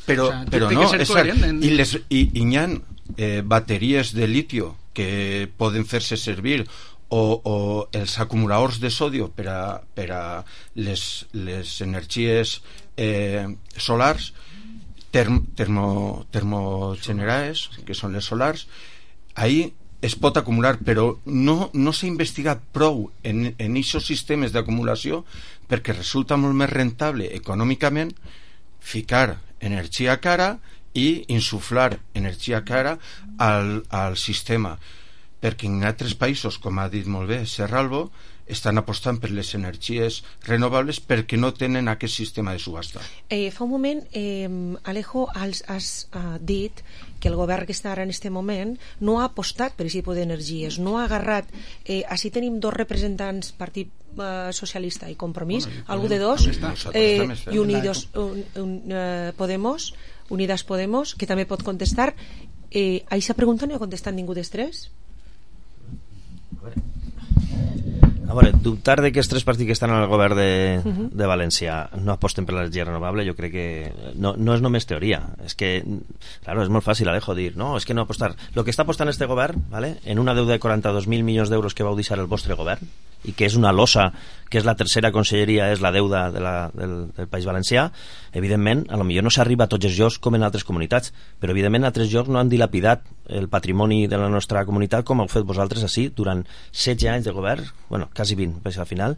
però, o sea, però no, és cert. En... I, les, i, i hi ha eh, bateries de litio que poden fer-se servir o, o els acumuladors de sodio per a, per a les, les energies eh, solars term, termo, termogenerades, que són les solars. Ahí es pot acumular, però no, no s'ha investigat prou en aquests sistemes d'acumulació, perquè resulta molt més rentable econòmicament ficar energia cara i insuflar energia cara al, al sistema, perquè en altres països, com ha dit molt bé Serralvo, estan apostant per les energies renovables perquè no tenen aquest sistema de subhasta. Eh, fa un moment, eh, Alejo, has, has uh, dit que el govern que està ara en aquest moment no ha apostat per aquest tipus d'energies, no ha agarrat... Eh, així tenim dos representants, Partit uh, Socialista i Compromís, bueno, algú de dos, eh, i Unidos, un, un, uh, Podemos, Unidas Podemos, que també pot contestar. Eh, a aquesta pregunta no ha contestat ningú dels tres? A veure, dubtar de que els tres partits que estan al govern de, uh-huh. de València no aposten per l'energia renovable, jo crec que no, no és només teoria, és que claro, és molt fàcil, Alejo, dir no, és que no apostar, el que està apostant este govern, ¿vale? En una deuda de quaranta-dos mil milions d'euros que vau deixar el vostre govern i que és una losa, que és la tercera conselleria, és la deuda de la, del, del País Valencià, evidentment, a lo millor no s'arriba a tots els llocs com en altres comunitats, però evidentment altres llocs no han dilapidat el patrimoni de la nostra comunitat com heu fet vosaltres així durant setze anys de govern, bueno, quasi vint, perquè al final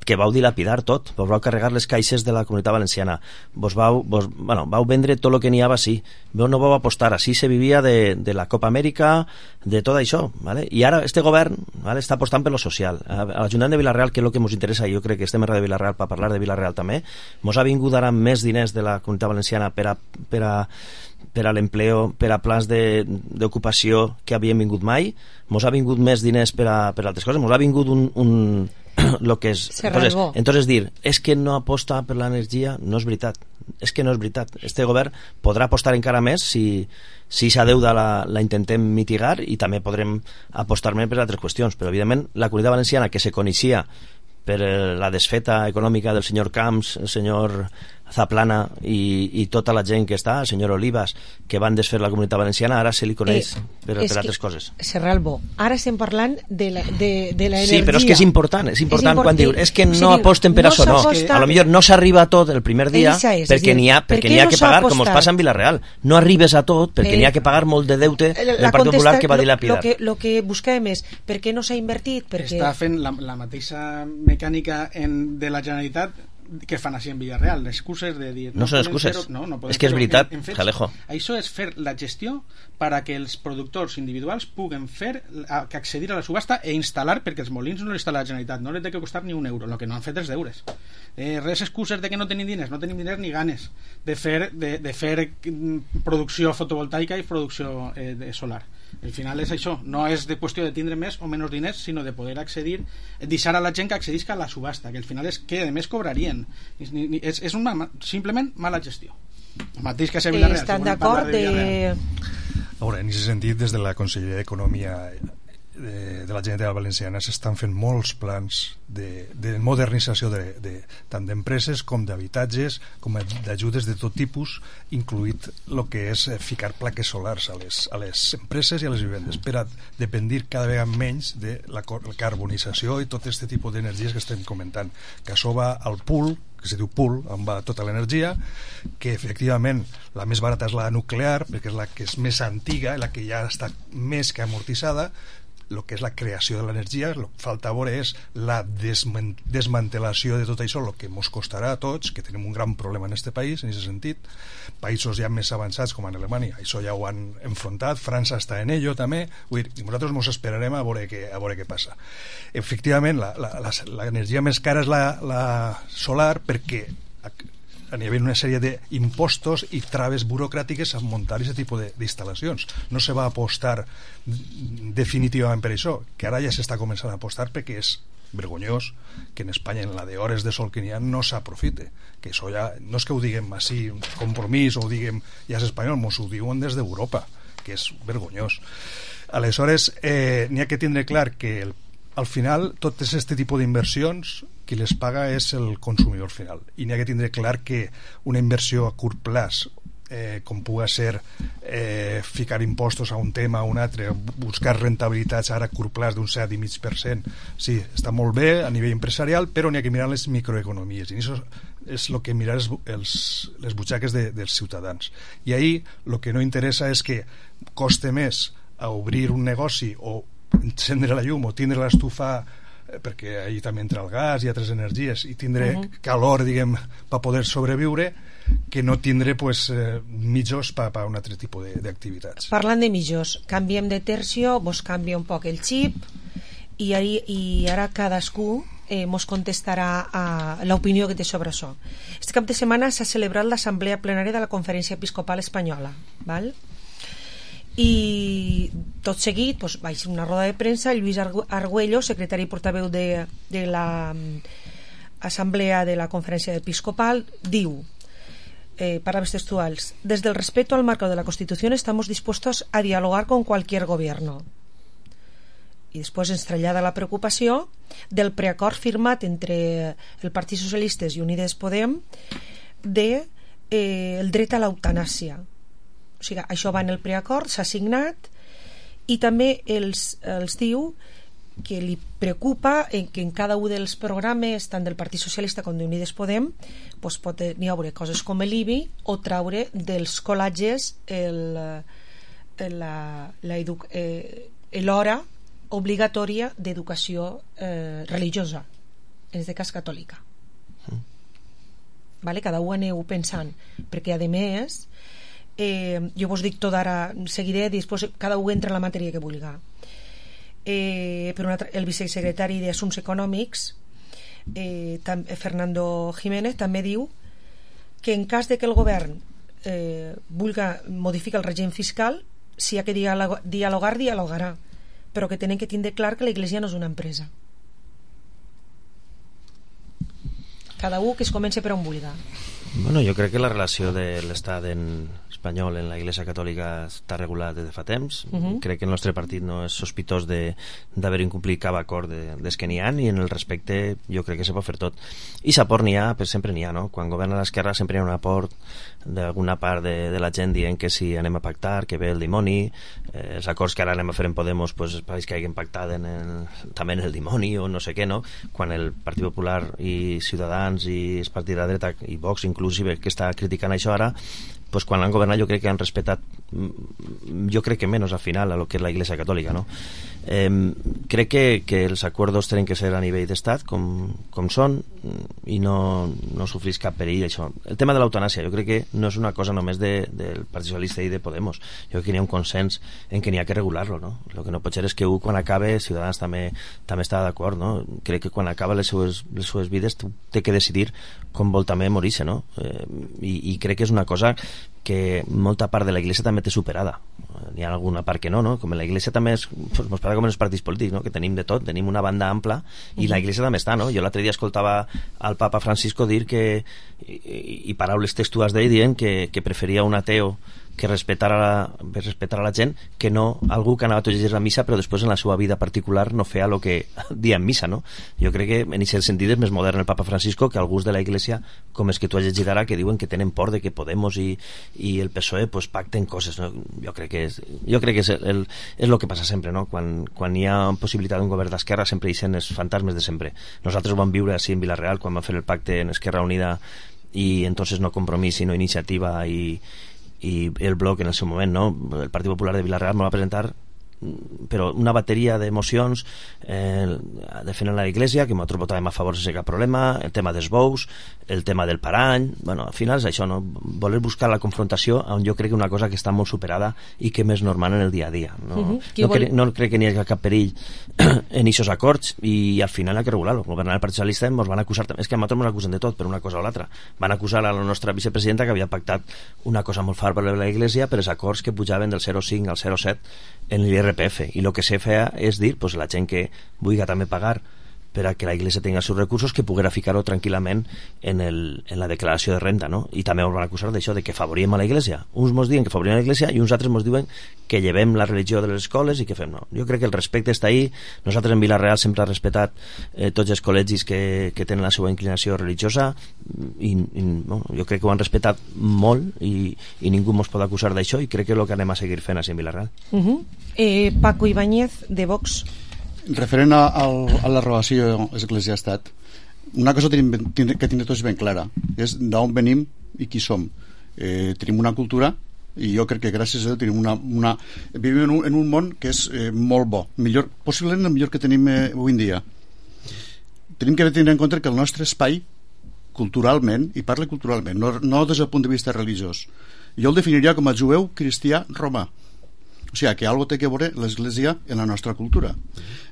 que vau dilapidar tot, vos vau carregar les caixes de la comunitat valenciana, vos vau, vos, bueno, vau vendre tot el que n'hi havia així, vos no vau apostar, així se vivia de, de la Copa Amèrica, de tot això, ¿vale? I ara este govern, ¿vale? Està apostant per lo social. A l'Ajuntament de Vila-real, que és el que ens interessa, i jo crec que estem a Radio Vila-real per parlar de Vila-real també, mos ha vingut ara més diners de la comunitat valenciana per a, per a, per a l'empleo, per a plans d'ocupació que havien vingut mai, mos ha vingut més diners per a, per a altres coses, mos ha vingut un, un lo que és, entonces, entonces dir és que no aposta per l'energia no és veritat, és que no és veritat. Este govern podrà apostar encara més si si sa deuda la, la intentem mitigar, i també podrem apostar més per altres qüestions, però evidentment la comunitat valenciana, que se coneixia per la desfeta econòmica del senyor Camps, el senyor Zaplana i, i tota la gent que està, el senyor Olivas, que van desfer la comunitat valenciana, ara se li coneix eh, per, per altres coses. Serralvo, ara estem parlant de la, de, de la energia. Sí, però és que és important, és important, és important quan diu és que no si aposten per no això, no. A lo millor no s'arriba a tot el primer dia és, perquè n'hi ha, perquè n'hi ha no que pagar, com us passa en Vila-real. No arribes a tot perquè eh, n'hi ha que pagar molt de deute del Partit Popular que va dilapidar. Lo que, lo que busquem és per què no s'ha invertit? Perquè... Està fent la, la mateixa mecànica en, de la Generalitat que fan així en Villarreal, excuses de dir... No, no són excuses, no, no és que és veritat, en, en fets, Jalejo. Això és fer la gestió para que els productors individuals puguen fer, a, que accedir a la subhasta e instal·lar, perquè els molins no l'instal·la la Generalitat, no les té que costar ni un euro, el que no han fet els deures. Eh, res excuses de que no tenim diners, no tenim diners ni ganes de fer, de, de fer producció fotovoltaica i producció eh, de solar. Al final és això, no és de qüestió de tindre més o menys diners, sinó de poder accedir, deixar a la gent que accedisca a la subhasta, que al final és que a més cobrarien. És, és, és una, simplement mala gestió. El mateix que a Villarreal. Estan d'acord de... A veure, en aquest sentit, des de la Conselleria d'Economia de, de la Generalitat Valenciana s'estan fent molts plans de, de modernització de, de, tant d'empreses com d'habitatges, com d'ajudes de tot tipus, incluït el que és ficar plaques solars a les, a les empreses i a les vivendes, per a dependir cada vegada menys de la carbonització i tot aquest tipus d'energies que estem comentant, que això va al pool, que se diu pool, on va tota l'energia, que efectivament la més barata és la nuclear, perquè és la que és més antiga, la que ja està més que amortitzada. El que és la creació de l'energia, el que falta veure és la desmantelació de tot això, el que ens costarà a tots, que tenim un gran problema en aquest país, en aquest sentit. Països ja més avançats com en Alemanya, això ja ho han enfrontat, França està en ello també, vull dir, i nosaltres ens esperarem a veure què, a veure què passa. Efectivament, l'energia més cara és la, la solar, perquè a nivell d'una sèrie d'impostos i traves burocràtiques a muntar aquest tipus d'instal·lacions. No se va apostar definitivament per això, que ara ja s'està començant a apostar perquè és vergonyós que en Espanya en la de hores de sol que n'hi ha no s'aprofite, que això ja no és que ho diguem així, compromís, o ho diguem ja és espanyol, mos ho diuen des d'Europa, que és vergonyós. Aleshores, eh, n'hi ha que tindre clar que el, al final tot aquest tipus d'inversions qui les paga és el consumidor final, i n'hi ha que tindre clar que una inversió a curt plaç, eh, com pugui ser eh, ficar impostos a un tema o un altre, buscar rentabilitats ara a curt plaç d'un set coma cinc per cent, sí, està molt bé a nivell empresarial, però n'hi ha que mirar les microeconomies, i això és el que mirar els, els, les butxaques de, dels ciutadans. I ahí el que no interessa és que coste més a obrir un negoci o encendre la llum o tindre l'estufa, perquè allí també entra el gas i altres energies, i tindre uh -huh. calor, diguem, per poder sobreviure, que no tindre pues, eh, mitjos per pa un altre tipus d'activitats. Parlant de mitjos, canviem de tercio, vos canvia un poc el xip, i, ari, i ara cadascú eh, mos contestarà a l'opinió que té sobre això. Este cap de setmana s'ha celebrat l'assemblea plenària de la Conferència Episcopal Espanyola, val? I tot seguit doncs, vaig a una roda de premsa. Lluís Argüello, secretari i portaveu de, de l'assemblea de la Conferència Episcopal, diu, eh, palabras textuals: desde el respeto al marco de la Constitución estamos dispuestos a dialogar con cualquier gobierno. I després ens trasllada la preocupació del preacord firmat entre el Partit Socialistes i Unides Podem de eh, el dret a l'eutanàsia. O sigui, això va en el preacord, s'ha signat, i també els, els diu que li preocupa en que en cada un dels programes, tant del Partit Socialista com d'Unides Podem, doncs pot n'hi haure coses com l'I B I o traure dels col·leges el, la, la edu, eh, l'hora obligatòria d'educació eh, religiosa, en aquest cas catòlica. Mm. Vale? Cada un aneu pensant, perquè a més eh, jo vos dic tot ara, seguiré, després cada un entra en la matèria que vulga. Eh, per una, el vicesecretari d'Assumptes Econòmics, eh, tam, Fernando Jiménez, també diu que en cas de que el govern eh, vulga modificar el règim fiscal, si hi ha que dialogar, dialogar, dialogarà, però que tenen que tindre clar que la Iglesia no és una empresa. Cada un que es comença per on vulga. Bueno, jo crec que la relació de l'estat en espanyol en la Iglesia Catòlica està regulada des de fa temps. Uh -huh. Crec que el nostre partit no és sospitós d'haver incomplit cap acord de, des que n'hi ha, i en el respecte jo crec que se pot fer tot. I s'aport n'hi ha, però sempre n'hi ha, no? Quan governa l'esquerra sempre hi ha un aport d'alguna part de, de la gent dient que si anem a pactar, que ve el dimoni, eh, els acords que ara anem a fer en Podemos pues, pareix que hagin pactat en el, també en el dimoni o no sé què, no? Quan el Partit Popular i Ciutadans i el Partit de la Dreta i Vox inclusive que està criticant això ara, pues quan han governat jo crec que han respetat, jo crec que menys al final a lo que és la Iglesia Catòlica, no? Eh, crec que, que els acords tenen que ser a nivell d'estat com, com són i no, no sofrís cap perill això. El tema de l'eutanàsia jo crec que no és una cosa només de, del Partit Socialista i de Podemos, jo crec que hi ha un consens en que n'hi ha que regular-lo, no? El que no pot ser és que un quan acabe, Ciutadans també, també està d'acord, no? Crec que quan acaba les seues, les seues vides té que decidir com vol també morir-se, no? Eh, i, i crec que és una cosa que molta part de la Iglesia també té superada. N'hi ha alguna part que no, no? Com la Iglesia també és, pues, pues, com en els partits polítics, no? Que tenim de tot, tenim una banda ampla i uh-huh. la Iglesia també està, no? Jo l'altre dia escoltava al Papa Francisco dir que, i, i paraules textuals d'ell dient que, que preferia un ateu que respetara la, respetara la gent que no algú que anava tots els dies a missa però després en la seva vida particular no feia el que dia en missa, no? Jo crec que en aquest sentit és més modern el Papa Francisco que alguns de la Iglesia com els que tu has llegit ara que diuen que tenen por de que Podemos i, i el P S O E pues, pacten coses, no? Jo crec que és, jo crec que és, el, és el que passa sempre, no? Quan, quan hi ha possibilitat d'un govern d'esquerra sempre hi sent els fantasmes de sempre. Nosaltres ho vam viure així en Vilareal quan vam fer el pacte en Esquerra Unida i entonces no Compromís sinó Iniciativa i i el bloc en el seu moment, no? El Partit Popular de Vilareal me va presentar però una bateria de mocions eh, defendent la Iglesia que nosaltres votàvem a favor sense cap problema, el tema dels bous, el tema del parany, bueno, al final és això, no? Voler buscar la confrontació on jo crec que una cosa que està molt superada i que és normal en el dia a dia, no, uh-huh. no, vol... cre no crec que n'hi hagi cap perill en aquests acords i al final hi ha que regular-lo. Governar el Partit Socialista ens van acusar, és que a nosaltres ens acusen de tot per una cosa o l'altra, van acusar a la nostra vicepresidenta que havia pactat una cosa molt fort per la Iglesia per els acords que pujaven del zero coma cinc al zero coma set en l'I R P F i el que se feia és dir pues, la gent que vulgui també pagar per a que la Iglesia tingui els seus recursos que poguera ficar-ho tranquil·lament en, el, en la declaració de renta, no? I també ens van acusar d'això, de que favoríem a la Iglesia. Uns ens diuen que favoríem a la Iglesia i uns altres ens diuen que llevem la religió de les escoles i que fem, no. Jo crec que el respecte està ahí. Nosaltres en Vilareal sempre hem respectat eh, tots els col·legis que, que tenen la seva inclinació religiosa i, i no, jo crec que ho han respectat molt i, i ningú ens pot acusar d'això i crec que és el que anem a seguir fent així en Vilareal. Uh -huh. eh, Paco Ibáñez, de Vox. Referent a, a, a la relació Església-Estat, una cosa tenim, que tenim tots ben clara és d'on venim i qui som. Eh, tenim una cultura i jo crec que gràcies a Déu tenim una, una, vivim en un, en un món que és eh, molt bo, millor, possiblement el millor que tenim eh, avui en dia. Tenim que tenir en compte que el nostre espai culturalment, i parla culturalment, no, no des del punt de vista religiós, jo el definiria com a jueu cristià romà. O sigui, que algo té que veure l'Església en la nostra cultura.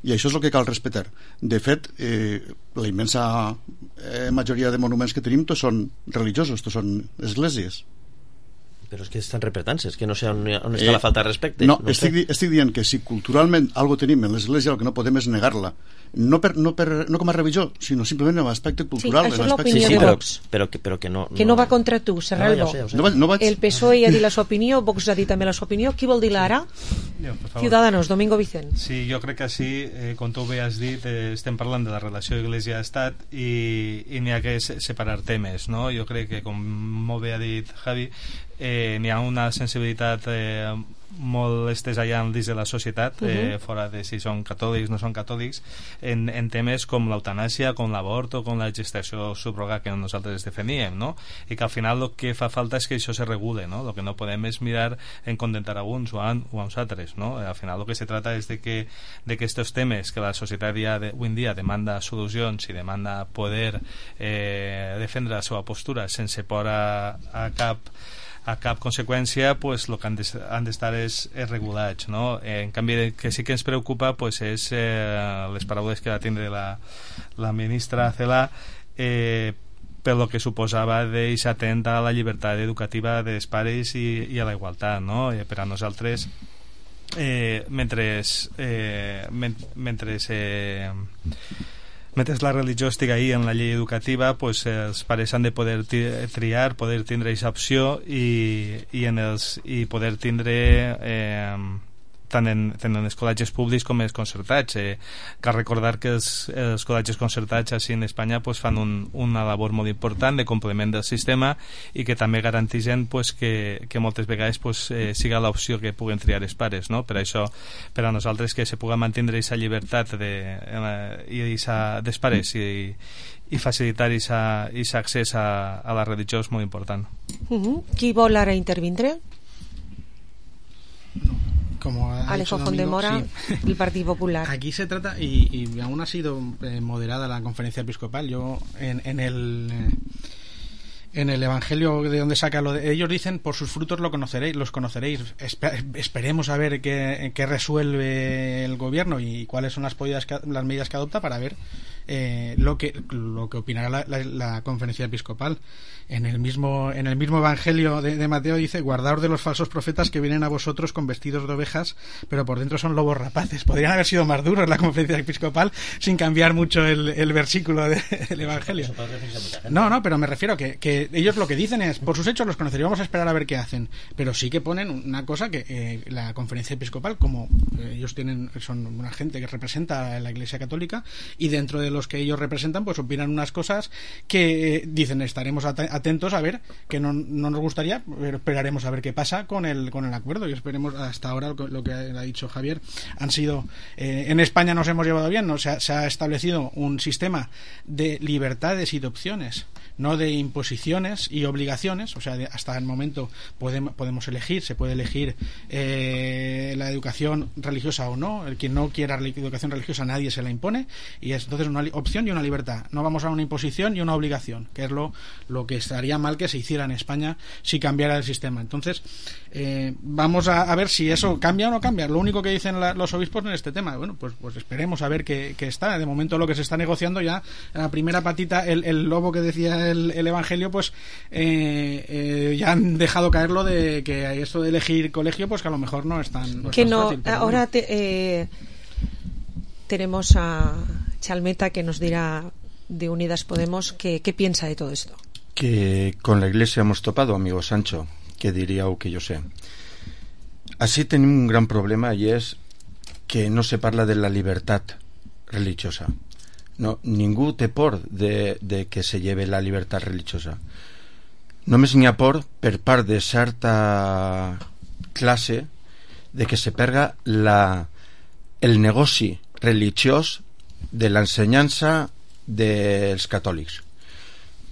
I això és el que cal respectar. De fet, eh, la immensa eh, majoria de monuments que tenim tots són religiosos, tots són esglésies. Però és que estan repretant-se, és que no sé on, on està eh, la falta de respecte. No, no estic, di estic dient que si culturalment algo tenim en l'Església, el que no podem és negar-la. No, per, no, per, no com a religió, sinó simplement en l'aspecte cultural. Sí, això és l'opinió sí, sí, de Vox. Però, però, que, però que no... Que no va contra tu, Serralbo. No, ja sé, ja sé. No, no vaig... El P S O E ha dit la seva opinió, Vox ha dit també la seva opinió. Qui vol dir-la ara? Jo, Ciudadanos, Domingo Vicent. Sí, jo crec que sí, eh, com tu bé has dit, eh, estem parlant de la relació Iglesia-Estat i, i n'hi ha que separar temes, no? Jo crec que, com molt bé ha dit Javi, eh, n'hi ha una sensibilitat eh, molt estès allà dins de la societat, uh -huh. eh, fora de si són catòlics no són catòlics, en, en temes com l'eutanàsia, com l'avort o com la gestació subrogada que nosaltres defendíem, no? I que al final el que fa falta és que això se regule, no? El que no podem és mirar en contentar a uns o a, o a uns altres, no? Al final el que se trata és de que de que estos temes que la societat ja de, avui en dia demanda solucions i demanda poder eh, defendre la seva postura sense por a, a cap a cap conseqüència, pues, el que han d'estar és, és regulats, no? Eh, en canvi, el que sí que ens preocupa pues, és eh, les paraules que va tindre la, la ministra Celaá eh, per lo que suposava d'eix atent a la llibertat educativa dels pares i, i a la igualtat, no? Eh, per a nosaltres eh, mentre eh, men mentre eh, mentre la religió estigui ahí en la llei educativa, pues, els pares han de poder triar, poder tindre aquesta opció i, i, en els, i poder tindre eh, tant en, tant en els col·legis públics com els concertats. Eh, cal recordar que els, els col·legis concertats així en Espanya pues, fan un, una labor molt important de complement del sistema i que també garanteixen pues, que, que moltes vegades pues, eh, siga l'opció que puguen triar els pares, no? Per això, per a nosaltres que se pugui mantenir aquesta llibertat de, eh, i esa, dels pares i, i facilitar aquest accés a, a la religió és molt important. Uh-huh. Qui vol ara intervindre? Como Alejo Fondemora, sí. El Partido Popular. Aquí se trata, y, y aún ha sido eh, moderada la conferencia episcopal. Yo, en, en el eh, en el Evangelio de donde saca lo de ellos dicen, por sus frutos lo conoceréis, los conoceréis. Espe- esperemos a ver qué, qué resuelve el gobierno y cuáles son las, medidas que, las medidas que adopta para ver eh, lo que lo que opinará la, la, la conferencia episcopal. En el mismo en el mismo Evangelio de, de Mateo dice: guardaos de los falsos profetas que vienen a vosotros con vestidos de ovejas, pero por dentro son lobos rapaces. Podrían haber sido más duros la conferencia episcopal sin cambiar mucho el, el versículo de, del Evangelio. No, no, pero me refiero a que, que ellos lo que dicen es: por sus hechos los conoceréis, vamos a esperar a ver qué hacen. Pero sí que ponen una cosa que eh, la conferencia episcopal, como eh, ellos tienen son una gente que representa a la Iglesia Católica, y dentro de los que ellos representan, pues opinan unas cosas que eh, dicen: estaremos at- atentos a ver, que no, no nos gustaría, pero esperaremos a ver qué pasa con el con el acuerdo, y esperemos. Hasta ahora lo, lo que ha dicho Javier han sido eh, en España nos hemos llevado bien, ¿no? Se ha, se ha establecido un sistema de libertades y de opciones, no de imposiciones y obligaciones. O sea, de, hasta el momento podemos, podemos elegir, se puede elegir eh, la educación religiosa o no. El quien no quiera educación religiosa, nadie se la impone, y es entonces una opción y una libertad. No vamos a una imposición y una obligación, que es lo, lo que estaría mal que se hiciera en España si cambiara el sistema. Entonces eh, vamos a, a ver si eso cambia o no cambia. Lo único que dicen la, los obispos en este tema, bueno, pues, pues esperemos a ver qué, qué está. De momento lo que se está negociando ya, la primera patita, el, el lobo que decía el, el Evangelio, pues eh, eh, ya han dejado caer lo de que esto de elegir colegio, pues que a lo mejor no es tan, no es que tan no, fácil. Pero ahora bueno. te, eh, tenemos a Chalmeta, que nos dirá de Unidas Podemos qué, qué piensa de todo esto. Que con la Iglesia hemos topado, amigo Sancho, que diría o que yo sé. Así tenemos un gran problema, y es que no se parla de la libertad religiosa. No, ningú té por de, de que se lleve la llibertat religiosa. Només n'hi ha por per part de certa classe de que se perga la, el negoci religiós de l'ensenyança dels catòlics,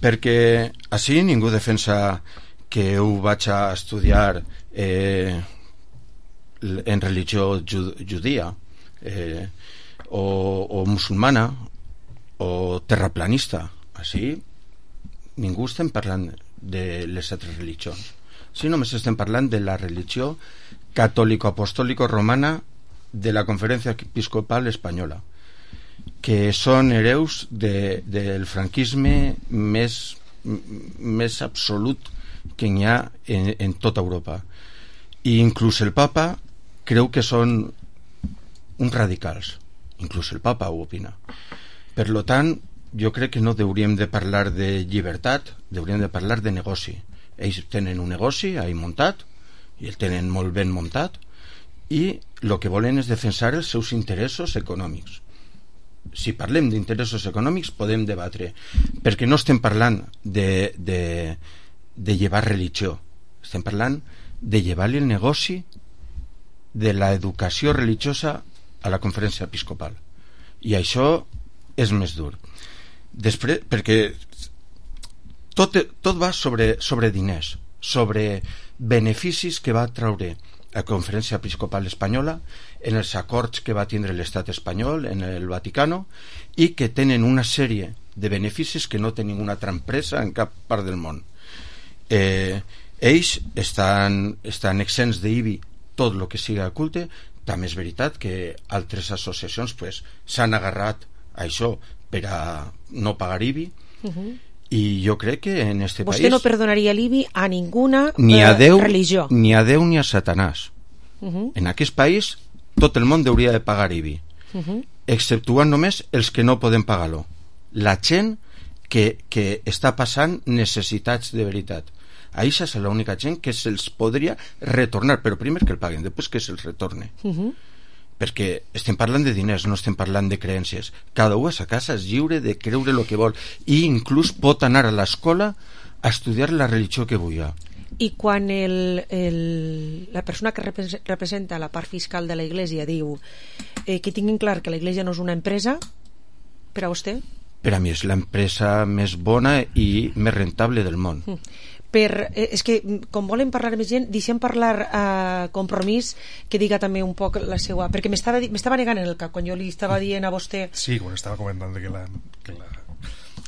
perquè així ningú defensa que ho vaig a estudiar eh, en religió judia eh, o, o musulmana o terraplanista. Així ningú estem parlant de les altres religions, si només estem parlant de la religió catòlico-apostòlico-romana de la Conferència Episcopal Espanyola, que són hereus de, del franquisme més, més absolut que n'hi ha en, en tota Europa, i inclús el papa creu que són uns radicals, inclús el papa ho opina. Per lo tant, jo crec que no hauríem de parlar de llibertat, hauríem de parlar de negoci. Ells tenen un negoci ahí muntat, i el tenen molt ben muntat, i el que volen és defensar els seus interessos econòmics. Si parlem d'interessos econòmics podem debatre, perquè no estem parlant de, de, de llevar religió, estem parlant de llevar-li el negoci de l'educació religiosa a la Conferència Episcopal, i això és més dur. Després, perquè tot, tot va sobre, sobre diners, sobre beneficis que va traure la Conferència Episcopal Espanyola en els acords que va tindre l'estat espanyol en el Vaticano, i que tenen una sèrie de beneficis que no té ninguna altra empresa en cap part del món. Eh, ells estan, estan exempts d'I B I tot el que siga culte. També és veritat que altres associacions pues, s'han agarrat a això per a no pagar I B I, uh-huh. I jo crec que en este Vostè país no perdonaria l'I B I a ninguna ni a Déu, religió, ni a Déu ni a Satanàs. Uh-huh. En aquest país tot el món hauria de pagar I B I, uh-huh. exceptuant només els que no poden pagar-lo, la gent que, que està passant necessitats de veritat. a esa és l'única gent que se'ls podria retornar, però primer que el paguen, després que se'ls retorne. Uh-huh. Perquè estem parlant de diners, no estem parlant de creències. Cada un a sa casa és lliure de creure el que vol i inclús pot anar a l'escola a estudiar la religió que vulgui. I quan el, el, la persona que representa la part fiscal de la Iglesia diu eh, que tinguin clar que la Iglesia no és una empresa, per a vostè? Per a mi és l'empresa més bona i més rentable del món. Per, eh, és que com volen parlar més gent, deixem parlar a eh, Compromís, que diga també un poc la seva, perquè m'estava negant en el cap quan jo li estava dient a vostè. Sí, quan estava comentant que la, que la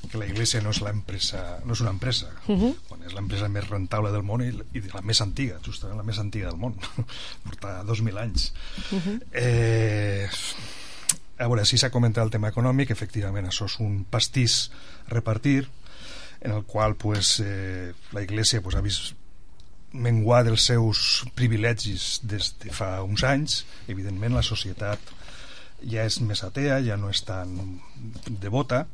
que la Iglesia no és la empresa, no és una empresa, uh-huh. quan és l'empresa més rentable del món i, i la més antiga, justament la més antiga del món, porta dos mil anys. Uh-huh. Eh, a veure, si s'ha comentat el tema econòmic, efectivament això és un pastís a repartir, en el qual pues, eh, la Iglesia pues, ha vist menguar dels seus privilegis des de fa uns anys. Evidentment la societat ja és més atea, ja no és tan devota,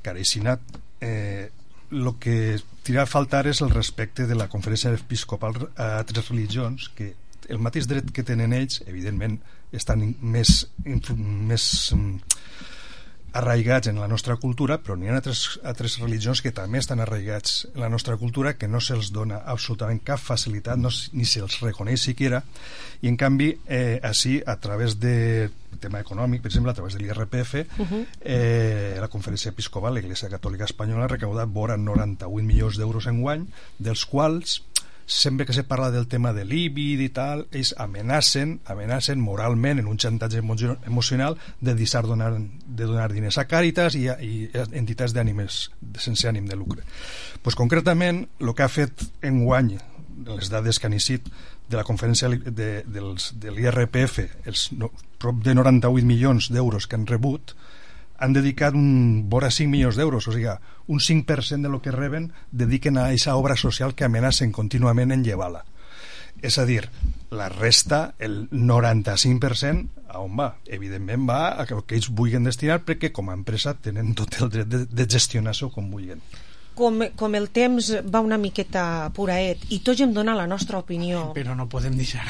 que ara així anat. Eh, el que tira a faltar és el respecte de la conferència episcopal a altres religions, que el mateix dret que tenen ells, evidentment, estan més, més arraigats en la nostra cultura, però n'hi ha altres, altres religions que també estan arraigats en la nostra cultura, que no se'ls dona absolutament cap facilitat, no, ni se'ls reconeix siquiera, i en canvi eh, així, a través de tema econòmic, per exemple, a través de l'I R P F, uh-huh. eh, la Conferència Episcopal, l'Església Catòlica Espanyola, ha recaudat vora noranta-vuit milions d'euros en guany, dels quals sempre que se parla del tema de l'I B I i tal, ells amenacen, amenacen moralment en un xantatge emocional de deixar donar, de donar diners a Càritas i, a, i a entitats d'ànimes sense ànim de lucre. Pues, concretament, el que ha fet enguany, les dades que han eixit de la conferència de, dels, de l'I R P F, els no, prop de noranta-vuit milions d'euros que han rebut, han dedicat un vora cinc milions d'euros, o sigui, un cinc per cent de lo que reben dediquen a aquesta obra social que amenacen contínuament en llevar-la. És a dir, la resta, el noranta-cinc per cent, a on va? Evidentment va a que ells vulguin destinar, perquè com a empresa tenen tot el dret de, de gestionar-s'ho com vulguin. Com, com el temps va una miqueta puraet i tots hem donat la nostra opinió, però no podem deixar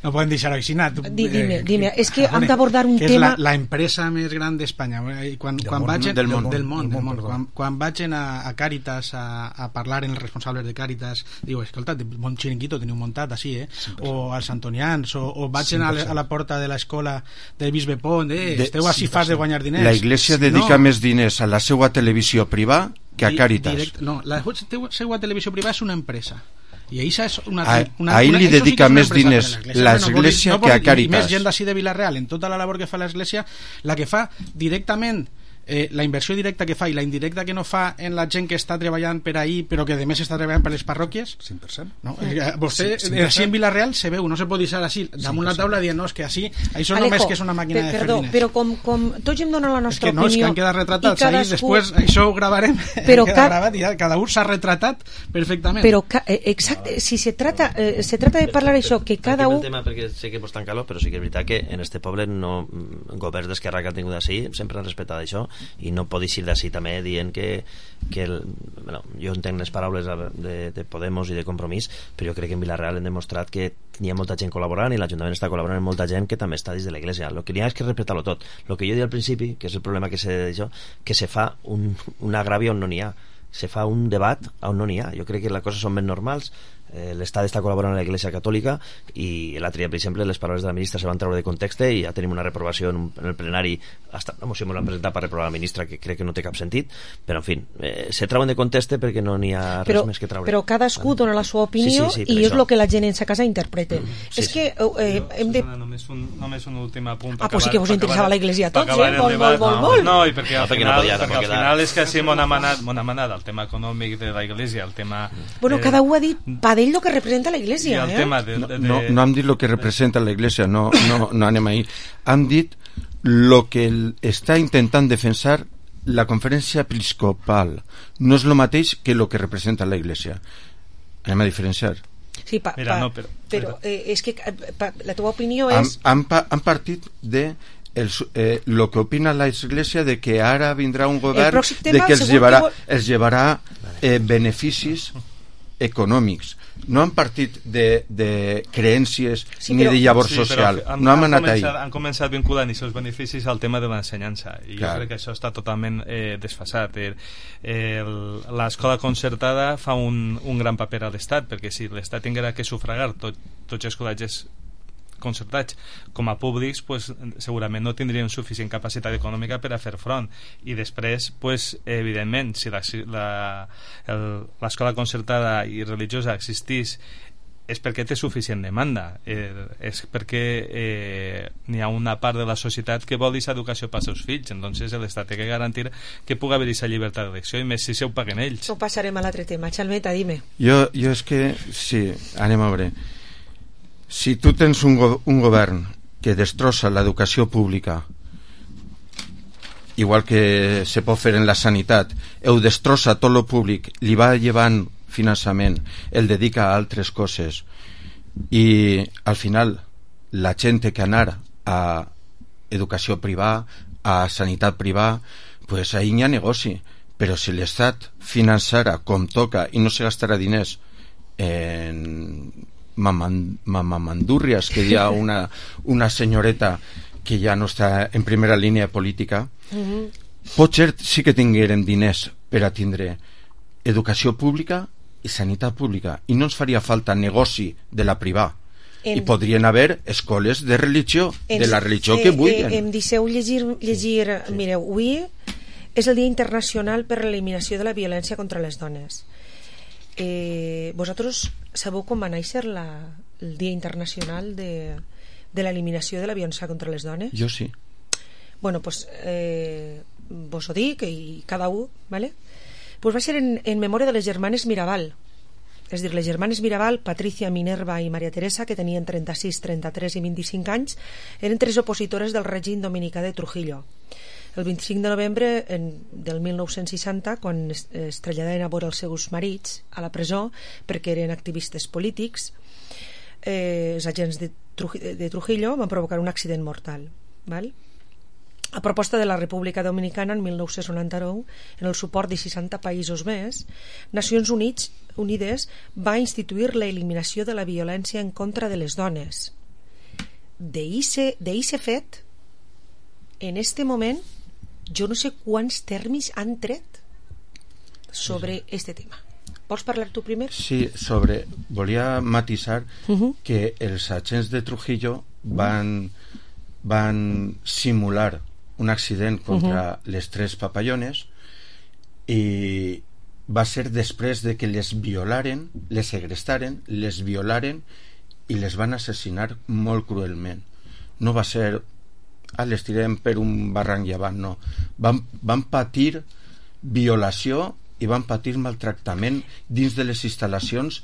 no podem deixar així anat. Dime, eh, dime, és que hem d'abordar un que tema... és la, la empresa més gran d'Espanya. Quan, del quan món, vaig, del món, del món, del món, del món quan, quan vaig a, a Càritas a, a parlar amb els responsables de Càritas, diu, escolta, bon xiringuito teniu muntat així, eh? O als Antonians, o, o vaig a, a la porta de l'escola de Bisbe Pont, eh? De, esteu així fas de guanyar diners. La Iglesia dedica no. més diners a la seva televisió privada que a Càritas. Direct, no, la seva televisió privada és una empresa i això és una, a, una, a ell li dedica sí més diners l'Església no que a Càritas. I més gent d'ací de Vila-real, en tota la labor que fa l'Església, la que fa directament eh, la inversió directa que fa i la indirecta que no fa en la gent que està treballant per ahí però que a més està treballant per les parròquies, cinc per cent. No? Vostè, sí, així en Vila-real se veu, no se pot deixar així damunt la taula dient, no, és que així això Alejo, només que és una màquina de fer perdó, diners. Però com, com tots hem donat la nostra és que no, opinió... És que han quedat retratats cadascú... ahí, després això ho gravarem, però queda ca... gravat i ja, cada un s'ha retratat perfectament. Però, ca... exacte, si se trata, eh, se trata de parlar això, que cada un... Tema perquè sé que vos tan calor, però sí que és veritat que en este poble no, governs d'Esquerra que han tingut així sempre han respectat això i no pot eixir d'ací també dient que, que el, bueno, jo entenc les paraules de, de Podemos i de Compromís, però jo crec que en Vila-real hem demostrat que hi ha molta gent col·laborant i l'Ajuntament està col·laborant amb molta gent que també està dins de l'Església. El que n'hi ha és que respectar-lo tot. El que jo dic al principi, que és el problema que se, això, que se fa un, un agravi on no n'hi ha, se fa un debat on no n'hi ha. Jo crec que les coses són ben normals. Eh, l'Estat està col·laborant amb l'Església Catòlica i l'altre dia, per exemple, les paraules de la ministra se van treure de context i ja tenim una reprovació en, un, en el plenari, hasta la moció me l'han presentat per reprovar la ministra, que crec que no té cap sentit, però en fi, eh, se treuen de context perquè no n'hi ha res però, més que treure. Però cadascú dona la seva opinió sí, sí, sí, i és el que la gent en sa casa interpreta. Mm, sí, és sí. que eh, hem de... Només un, només un últim apunt. Ah, pues sí que vos interessava l'Església a tots, eh? Molt, molt, molt, molt. No, i perquè al final, perquè al final és que sí m'ho ha manat el tema econòmic de l'Església, el tema... Bueno, cada un ha dit pa d'ell el que representa la Iglesia, el eh? tema de, de, de... No, no hem dit el que representa la Iglesia, no, no, no anem ahí. Hem dit lo que el, està intentant defensar la conferència episcopal. No és el mateix que lo que representa la Iglesia. Anem a diferenciar. Sí, pa, Mira, pa, no, però, però eh, és que pa, la teva opinió és... Han, han, han partit de el, eh, lo que opina la Iglesia de que ara vindrà un govern de que els llevarà, que vol... els llevarà eh, beneficis econòmics, no han partit de, de creències sí, ni però, de llavor sí, social, han, no hem han anat començat, ahí. Han començat vinculant els seus beneficis al tema de l'ensenyança i Clar. jo crec que això està totalment eh, desfasat. Eh, eh, l'escola concertada fa un, un gran paper a l'Estat, perquè si l'Estat tinguera que sufragar tot, tots els col·legis concertats com a públics, pues, segurament no tindrien suficient capacitat econòmica per a fer front, i després pues, evidentment si l'escola concertada i religiosa existís és perquè té suficient demanda, eh, és perquè eh, n'hi ha una part de la societat que vol aquesta educació pels seus fills, entonces l'Estat té que garantir que pugui haver aquesta llibertat d'elecció, i més si se ho paguen ells. No passarem a l'altre tema. Xalmeta, dime. Jo, jo és que, sí, anem a veure. Si tu tens un, go un govern que destrossa l'educació pública, igual que se pot fer en la sanitat, ho destrossa tot lo públic, li va llevant finançament, el dedica a altres coses, i al final la gent té que anar a educació privada, a sanitat privada, pues ahí n'hi ha negoci. Però si l'Estat finançara com toca i no se gastarà diners en mamamandúrries, que hi ha una, una senyoreta que ja no està en primera línia política, Uh-huh. potser sí que tinguérem diners per a tindre educació pública i sanitat pública, i no ens faria falta negoci de la privada. En... I podrien haver escoles de religió, en... de la religió eh, que vulguin. Eh, em deixeu llegir, llegir sí. Mireu, avui és el Dia Internacional per l'Eliminació de la Violència contra les Dones. Eh, vosaltres sabeu com va néixer la, el Dia Internacional de, de l'Eliminació de la Violència contra les Dones? Jo sí. Bueno, pues eh, vos ho dic, i cada un, ¿vale? Pues va ser en, en memòria de les germanes Mirabal. És dir, les germanes Mirabal, Patricia, Minerva i Maria Teresa, que tenien trenta-sis, trenta-tres i vint-i-cinc anys, eren tres opositores del règim dominicà de Trujillo. El vint-i-cinc de novembre en, del mil nou-cents seixanta, quan es, es traslladaven a veure els seus marits a la presó perquè eren activistes polítics, eh, els agents de, Truj de Trujillo van provocar un accident mortal, val? A proposta de la República Dominicana en mil nou-cents noranta-nou, en el suport de seixanta països més, Nacions Units, Unides va instituir l'eliminació de la violència en contra de les dones. D'eixe fet, en este moment, jo no sé quants termes han tret sobre sí. este tema. Vols parlar tu primer? Sí, sobre... Volia matisar uh-huh. que els agents de Trujillo van, van simular un accident contra uh-huh. les tres papallones, i va ser després de que les violaren, les segrestaren, les violaren i les van assassinar molt cruelment. No va ser ah, les tirem per un barranc llevant, no. Van, van patir violació i van patir maltractament dins de les instal·lacions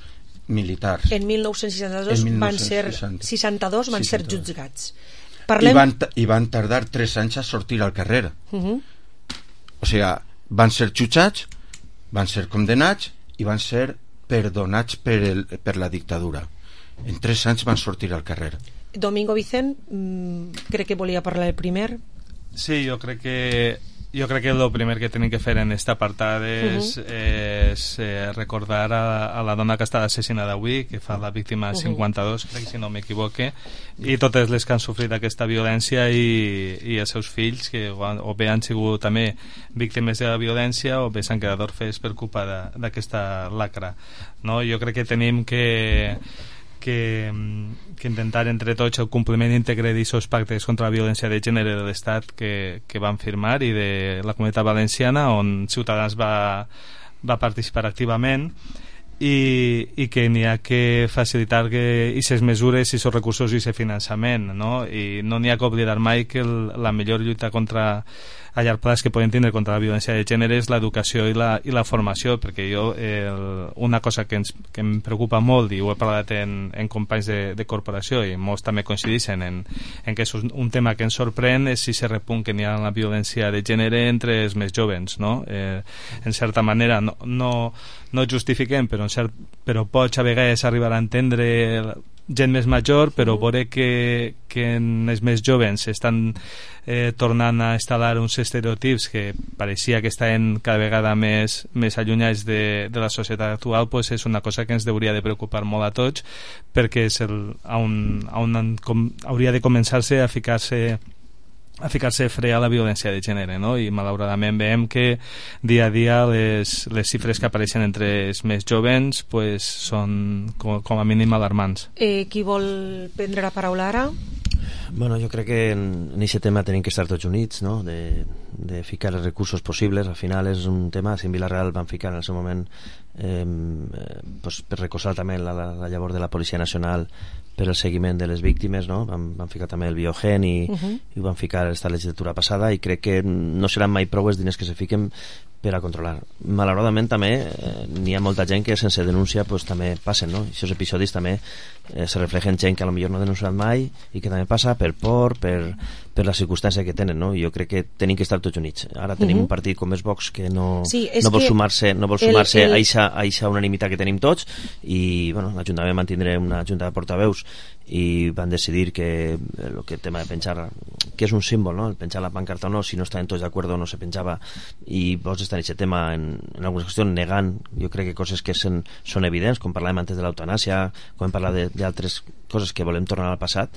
militars. En mil nou-cents seixanta-dos van ser seixanta-dos van ser jutjats. Parlem... I, van, I van tardar tres anys a sortir al carrer. Uh-huh. O sigui, van ser jutjats, van ser condemnats i van ser perdonats per, el, per la dictadura. En tres anys van sortir al carrer. Domingo Vicent, mmm, crec que volia parlar el primer. Sí, jo crec que jo crec que el primer que tenim que fer en aquest apartat és, uh -huh. és eh, recordar a, a la dona que està assassinada avui, que fa la víctima cinquanta-dos, crec, si no m'equivoque, i totes les que han sofrit aquesta violència, i, i els seus fills, que o bé han sigut també víctimes de la violència o bé s'han quedat orfes per culpa d'aquesta lacra, no? Jo crec que tenim que Que, que intentar entre tots el compliment íntegre d'aquests pactes contra la violència de gènere de l'Estat que, que van firmar, i de la Comunitat Valenciana, on Ciutadans va, va participar activament, i, i que n'hi ha que facilitar que aquestes mesures, aquests recursos i aquest finançament, no? I no n'hi ha que oblidar mai que el, la millor lluita contra a llarg plaç que podem tindre contra la violència de gènere és l'educació i, la, i la formació, perquè jo el, una cosa que, ens, que em preocupa molt, i ho he parlat en, en companys de, de corporació, i molts també coincideixen en, en que és un, un tema que ens sorprèn, és si se repunt que n'hi ha la violència de gènere entre els més joves, no? Eh, en certa manera no, no, no justifiquem, però, en cert, però pots a vegades arribar a entendre gent més major, però veure que, que en els més joves estan eh, tornant a instal·lar uns estereotips que pareixia que estaven cada vegada més, més allunyats de, de la societat actual, pues és una cosa que ens hauria de preocupar molt a tots, perquè és el, on, on com, hauria de començar-se a ficar-se a ficar-se fre a la violència de gènere, no? I malauradament veiem que dia a dia les, les xifres que apareixen entre els més jovens pues, són com, com a mínim alarmants. Eh, qui vol prendre la paraula ara? Bueno, jo crec que en aquest tema tenim que estar tots units, no? de, de ficar els recursos possibles. Al final és un tema, si en Vila-real van ficar en el seu moment eh, pues, per recolzar també la, la, la llavor de la Policia Nacional per el seguiment de les víctimes, no? Van, van ficar també el biogen i, uh -huh. i van ficar esta legislatura passada, i crec que no seran mai prou els diners que se fiquen per a controlar. Malauradament també eh, n'hi ha molta gent que sense denúncia pues, també passen, no? I aquests episodis també eh, se reflexen gent que a lo millor no ha denunciat mai i que també passa per por, per, per la circumstància que tenen, no? I jo crec que tenim que estar tots units. Ara tenim uh -huh. un partit com és Vox que no, sí, no vol sumar-se no vol sumar-se el, el... a aquesta unanimitat que tenim tots, i bueno, l'Ajuntament mantindrà una junta de portaveus i van decidir que el que tema de penjar, que és un símbol, no? El penjar la pancarta o no, si no estaven tots d'acord o no se penjava, i Vox està en aquest tema en, en algunes qüestions negant, jo crec que coses que són, són evidents, com parlàvem antes de l'eutanàsia, com hem parlat d'altres coses que volem tornar al passat,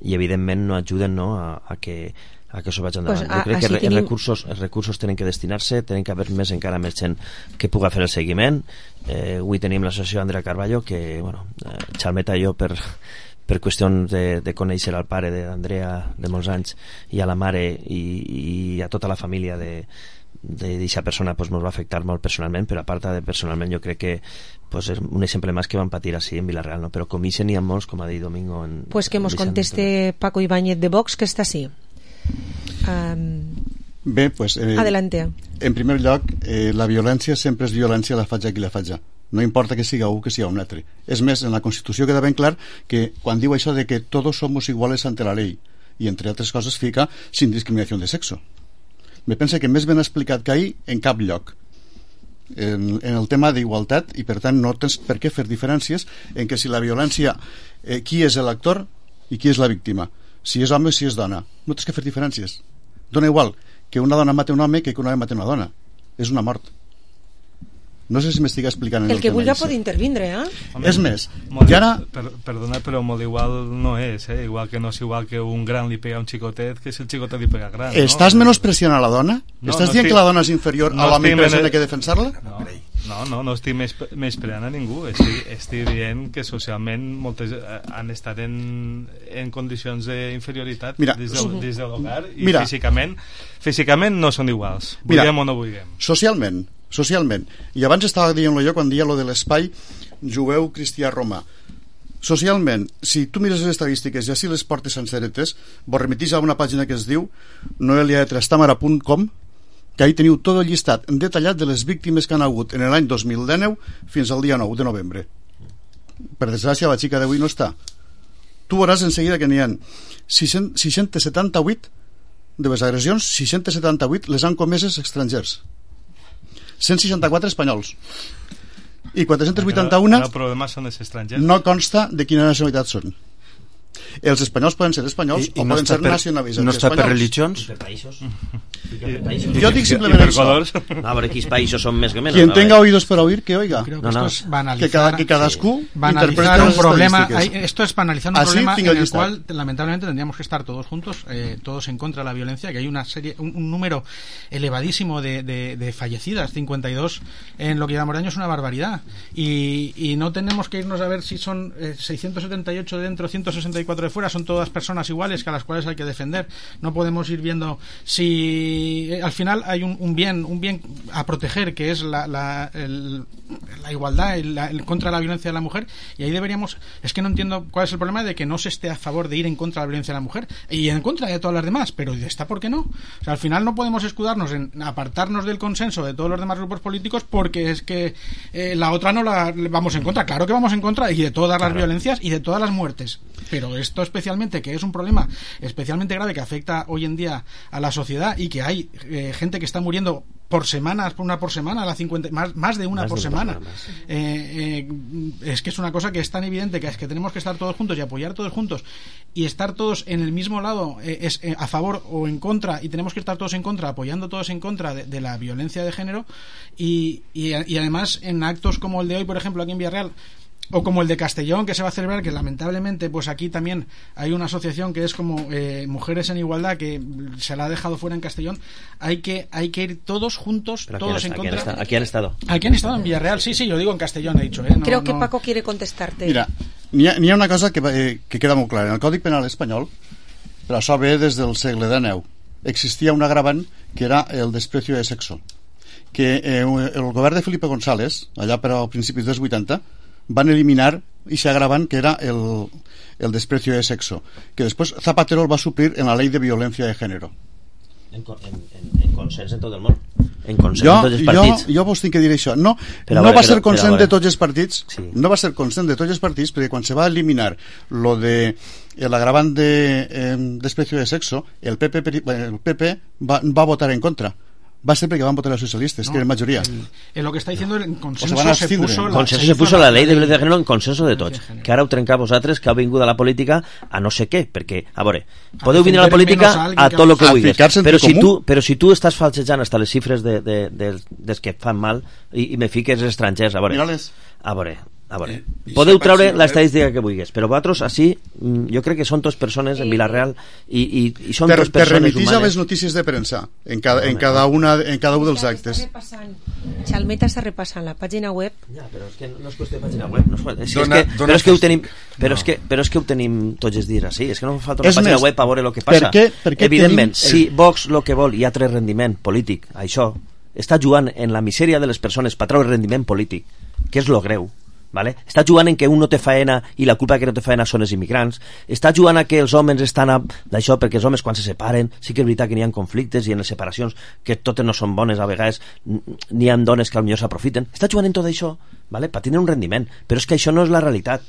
i evidentment no ajuden, no? A, a que a que això vagi endavant. Pues a, jo crec que tenim... els, recursos, els recursos tenen que destinar-se, tenen que haver més encara més gent que puga fer el seguiment. Eh, avui tenim l'associació Andrea Carballo, que bueno, eh, xalmeta jo per per qüestions de, de conèixer al pare d'Andrea de molts anys i a la mare i, i a tota la família de d'aquesta persona pues, ens va afectar molt personalment, però a part de personalment jo crec que pues, és un exemple més que van patir així en Vila-real, no? Però com ixen n'hi ha molts, com ha dit Domingo en, pues que mos conteste Paco Ibáñez de Vox, que està així. Um... Bé, pues, eh, adelante. En primer lloc, eh, la violència sempre és violència, la faig qui la faig. No importa que siga un que siga un altre. És més, en la Constitució queda ben clar que quan diu això de que todos somos iguales ante la ley, i entre altres coses fica sin discriminació de sexo. Me pensa que més ben explicat que ahir en cap lloc en, en el tema d'igualtat, i per tant no tens per què fer diferències en que si la violència eh, qui és l'actor i qui és la víctima, si és home o si és dona, no tens que fer diferències. Dona igual que una dona mate un home que que un home mate una dona, és una mort. No sé si m'estic explicant en el, el que tema. El que vulgui pot intervindre, eh? Home, és més, i ara... Per, perdona, però molt igual no és, eh? Igual que no és igual que un gran li pega a un xicotet que si el xicotet li pega gran, Estàs no? menospreciant a la dona? No, Estàs no dient estic... que la dona és inferior no a l'home i per això n'hi ha que defensar-la? No, no, no, no estic més, més preant a ningú. Estic, estic dient que socialment moltes han estat en, en condicions d'inferioritat des, del, des de l'hogar i Mira. físicament físicament no són iguals. Vulguem Mira. o no vulguem. Socialment, socialment. I abans estava dient-lo jo quan dia lo de l'espai jueu cristià romà. Socialment, si tu mires les estadístiques i així les portes senceretes, vos remetís a una pàgina que es diu noelia de trastamara punt com, que ahí teniu tot el llistat detallat de les víctimes que han hagut en l'any dos mil dinou fins al dia nou de novembre. Per desgràcia, la xica d'avui no està. Tu veuràs en seguida que n'hi ha sis-cents setanta-vuit de les agressions, sis-cents setanta-vuit les han comeses estrangers, cent seixanta-quatre espanyols, i quatre-cents vuitanta-un el problema són els estrangers. No consta de quina nacionalitat són. Els espanyols poden ser espanyols I, o i no poden ser per, nacionalitzats no està espanyols. Per religions? Per països. Jo dic simplement això. No, a veure quins països són més que menys. Quien tenga oídos para oír, que oiga. Creo que no, no. Esto es banalizar, que, cada, que cadascú sí. banalizar un problema. Hay, esto es banalizar un Así problema en el lista. cual lamentablemente tendríamos que estar todos juntos, eh, todos en contra de la violencia, que hay una serie, un, un número elevadísimo de, de, de fallecidas, cincuenta y dos en lo que llevamos de año, es una barbaridad. Y, y no tenemos que irnos a ver si son eh, seiscientos setenta y ocho de dentro, ciento sesenta y cuatro de fuera, son todas personas iguales que a las cuales hay que defender. No podemos ir viendo si eh, al final hay un, un bien un bien a proteger, que es la, la, el, la igualdad el, la, el, contra la violencia de la mujer, y ahí deberíamos, es que no entiendo cuál es el problema de que no se esté a favor de ir en contra de la violencia de la mujer y en contra de todas las demás, pero ¿está por qué no? O sea, al final no podemos escudarnos en apartarnos del consenso de todos los demás grupos políticos porque es que eh, la otra no la vamos en contra. Claro que vamos en contra y de todas las claro. violencias y de todas las muertes, pero esto especialmente, que es un problema especialmente grave que afecta hoy en día a la sociedad y que hay eh, gente que está muriendo por semana, una por semana, la cincuenta, más, más de una más por de semana. Una eh, eh, es que es una cosa que es tan evidente que es que tenemos que estar todos juntos y apoyar todos juntos y estar todos en el mismo lado, eh, es eh, a favor o en contra, y tenemos que estar todos en contra, apoyando todos en contra de, de la violencia de género, y, y, y además en actos como el de hoy, por ejemplo, aquí en Villarreal, o como el de Castellón, que se va a celebrar, que lamentablemente pues aquí también hay una asociación que es como eh, Mujeres en Igualdad, que se la ha dejado fuera en Castellón. Hay que hay que ir todos juntos, Pero todos aquí en han, contra. Aquí han, aquí han estado. Aquí han estado en Villarreal, sí, sí, yo digo en Castellón, he dicho. Eh? No, Creo que no... Paco quiere contestarte. Mira, n'hi ha, n'hi ha una cosa que, eh, que queda molt clara. En el Còdic Penal espanyol, però això ve des del segle dinou, existia un agravant que era el desprecio de sexo, que eh, el govern de Felipe González, allà per a principis dels vuitanta, van eliminar i se agravan que era el, el desprecio de sexo, que después Zapatero el va suplir en la ley de violencia de género. En, en, en consens en tot el món, en consens jo, en tots els partits. Jo, jo vos tinc que dir això. No, però no veure, va ser però, consens però, de tots els partits, sí. no va ser consens de tots els partits, perquè quan se va eliminar lo de l'agravant de eh, desprecio de sexo, el P P, el P P va, va votar en contra. Va ser perquè van votar los socialistas, no, que eren majoria. En, en lo que está diciendo el consenso, o se, se puso la, consenso se puso la ley de violencia de género en consenso de tots, que ara ho trencà vosaltres, que heu vingut a la política a no sé què, perquè, a veure, podeu venir a la política a tot el que vulguis, però si, tu, però si tu estàs falsejant hasta les xifres de, de, de, dels que fan mal i, i me fiques estrangers, a veure, a veure, a veure, eh, podeu treure l'estadística que vulguis, però vosaltres així, jo crec que són tots persones en Vilareal i, i, i són tots persones humanes. Te remitís a les notícies de premsa en cada, en cada, una, en cada un dels actes. Xalmeta està repassant la pàgina web. Ja, però és que no és qüestió de pàgina web, no és, és, dona, és que, però és que ho tenim però, no. és que, però és que ho tenim tots els dies així, és que no fa falta una és pàgina més, web a veure el que passa. Per què, per què evidentment, tenim... si Vox el que vol i ha tret rendiment polític, això està jugant en la misèria de les persones per treure rendiment polític, que és lo greu. Vale? Està jugant en que un no té faena i la culpa que no té faena són els immigrants, està jugant a que els homes estan a... d'això perquè els homes quan se separen sí que és veritat que n'hi ha conflictes i en les separacions que totes no són bones, a vegades n'hi ha dones que potser s'aprofiten, està jugant en tot això, vale? Per tenir un rendiment, però és que això no és la realitat.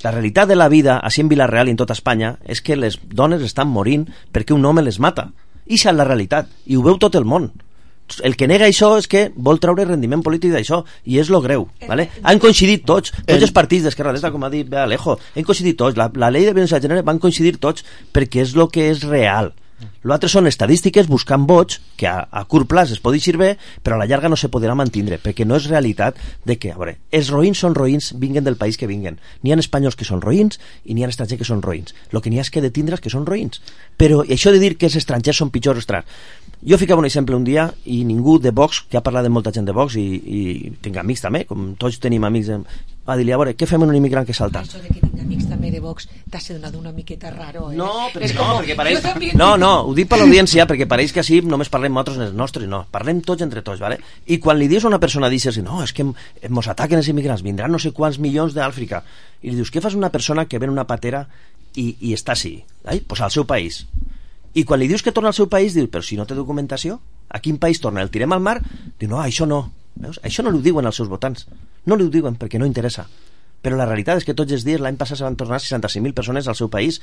La realitat de la vida així en Vilareal i en tota Espanya és que les dones estan morint perquè un home les mata, i això és la realitat i ho veu tot el món. El que nega això és que vol treure rendiment polític d'això i és lo greu, ¿vale? Han coincidit tots, tots els partits d'Esquerra Dreta, com ha dit Alejo, han coincidit tots, la, la llei de violència de gènere van coincidir tots perquè és lo que és real. L'altre són estadístiques buscant vots que a, a curt plaç es pot dir bé, però a la llarga no se podrà mantindre, perquè no és realitat de que, a veure, els roïns són roïns vinguen del país que vinguen. N'hi ha espanyols que són roïns i n'hi ha estrangers que són roïns. El que n'hi ha és que de tindre's que són roïns. Però això de dir que els estrangers són pitjors estrangers... Jo ficava un exemple un dia i ningú de Vox, que ha parlat de molta gent de Vox i, i tinc amics també, com tots tenim amics, va dir-li, a veure, què fem amb un immigrant que salta? Això de que tinc amics també de Vox t'ha sonat una miqueta raro, eh? No, perquè, no, perquè pareix... No, no, ho dic per l'audiència perquè pareix que així només parlem nosaltres els nostres, no, parlem tots entre tots, ¿vale? I quan li dius a una persona, dius, no, és que ens ataquen els immigrants, vindran no sé quants milions d'Àfrica, i li dius, què fas una persona que ven una patera i, i està així? Eh? Pues al seu país. I quan li dius que torna al seu país, diu, però si no té documentació, a quin país torna? El tirem al mar? Diu, no, això no. Veus? Això no li ho diuen als seus votants. No li ho diuen perquè no interessa. Però la realitat és que tots els dies, l'any passat se van tornar seixanta-cinc mil persones al seu país.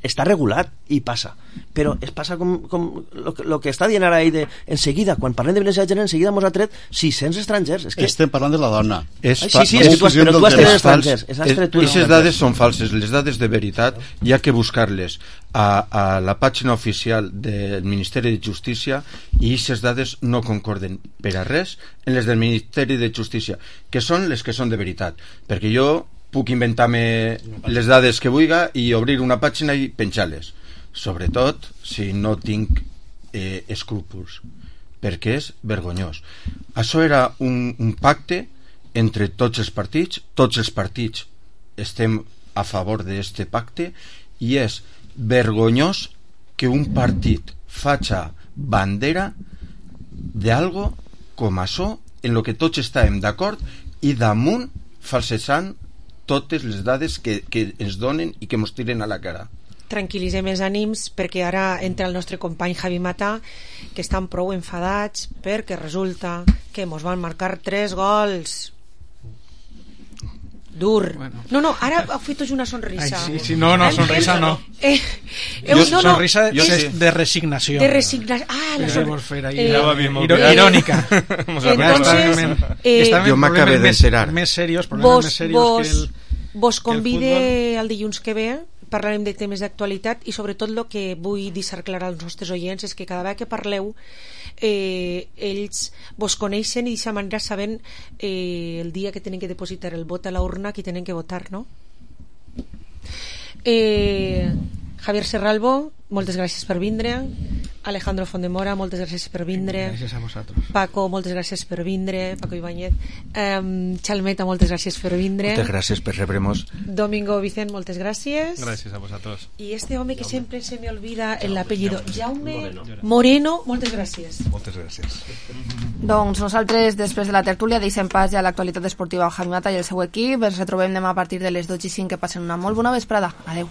Està regulat i passa. Però es passa com, com lo, lo que està dient ara ell de, en seguida, quan parlem de violència de gènere, en seguida mos ha tret sis-cents estrangers. És que... Estem parlant de la dona. És Ai, sí, sí, és que tu has, però tu has tret estrangers. Aquestes dades són falses. Les dades de veritat hi ha que buscar-les a, a la pàgina oficial del Ministeri de Justícia i aquestes dades no concorden per a res en les del Ministeri de Justícia, que són les que són de veritat. Perquè jo puc inventar-me les dades que vulga i obrir una pàgina i penjar-les, sobretot si no tinc eh, escrúpols, perquè és vergonyós. Això era un, un pacte entre tots els partits, tots els partits estem a favor d'aquest pacte i és vergonyós que un partit faci bandera d'algo com això en lo que tots estàvem d'acord i damunt falsejant totes les dades que, que ens donen i que ens tiren a la cara. Tranquil·litzem els ànims perquè ara entra el nostre company Javi Mata, que estan prou enfadats perquè resulta que ens van marcar tres gols. dur. Bueno. No, no, ara heu fet tots una sonrisa. Ai, sí, sí, no, no, sonrisa no. Eh, eh, no, no sonrisa jo, de, de resignació. De resignació. Ah, la sonrisa. Eh, irònica. Entonces, eh, jo m'acabé d'encerar. Més serios, problemes més serios que el Vos convide el dilluns que ve, parlarem de temes d'actualitat i sobretot el que vull deixar clar als nostres oients és que cada vegada que parleu eh, ells vos coneixen i d'aquesta manera saben eh, el dia que tenen que depositar el vot a la urna qui tenen que votar, no? Eh, Javier Serralbo, moltes gràcies per vindre. Alejandro Fondemora, moltes gràcies per vindre. Gràcies a vosaltres. Paco, moltes gràcies per vindre. Paco Ibáñez. Um, Chalmeta, moltes gràcies per vindre. Moltes gràcies per rebre-nos. Domingo Vicent, moltes gràcies. Gràcies a vosaltres. I este home que sempre se me olvida el apellido, Jaume Moreno. Moreno, moltes gràcies. Moltes gràcies. Doncs nosaltres, després de la tertúlia, deixem pas ja l'actualitat esportiva al Javi Mata i el seu equip. Ens retrobem demà a partir de les dotze i cinc. Que passen una molt bona vesprada. Adeu.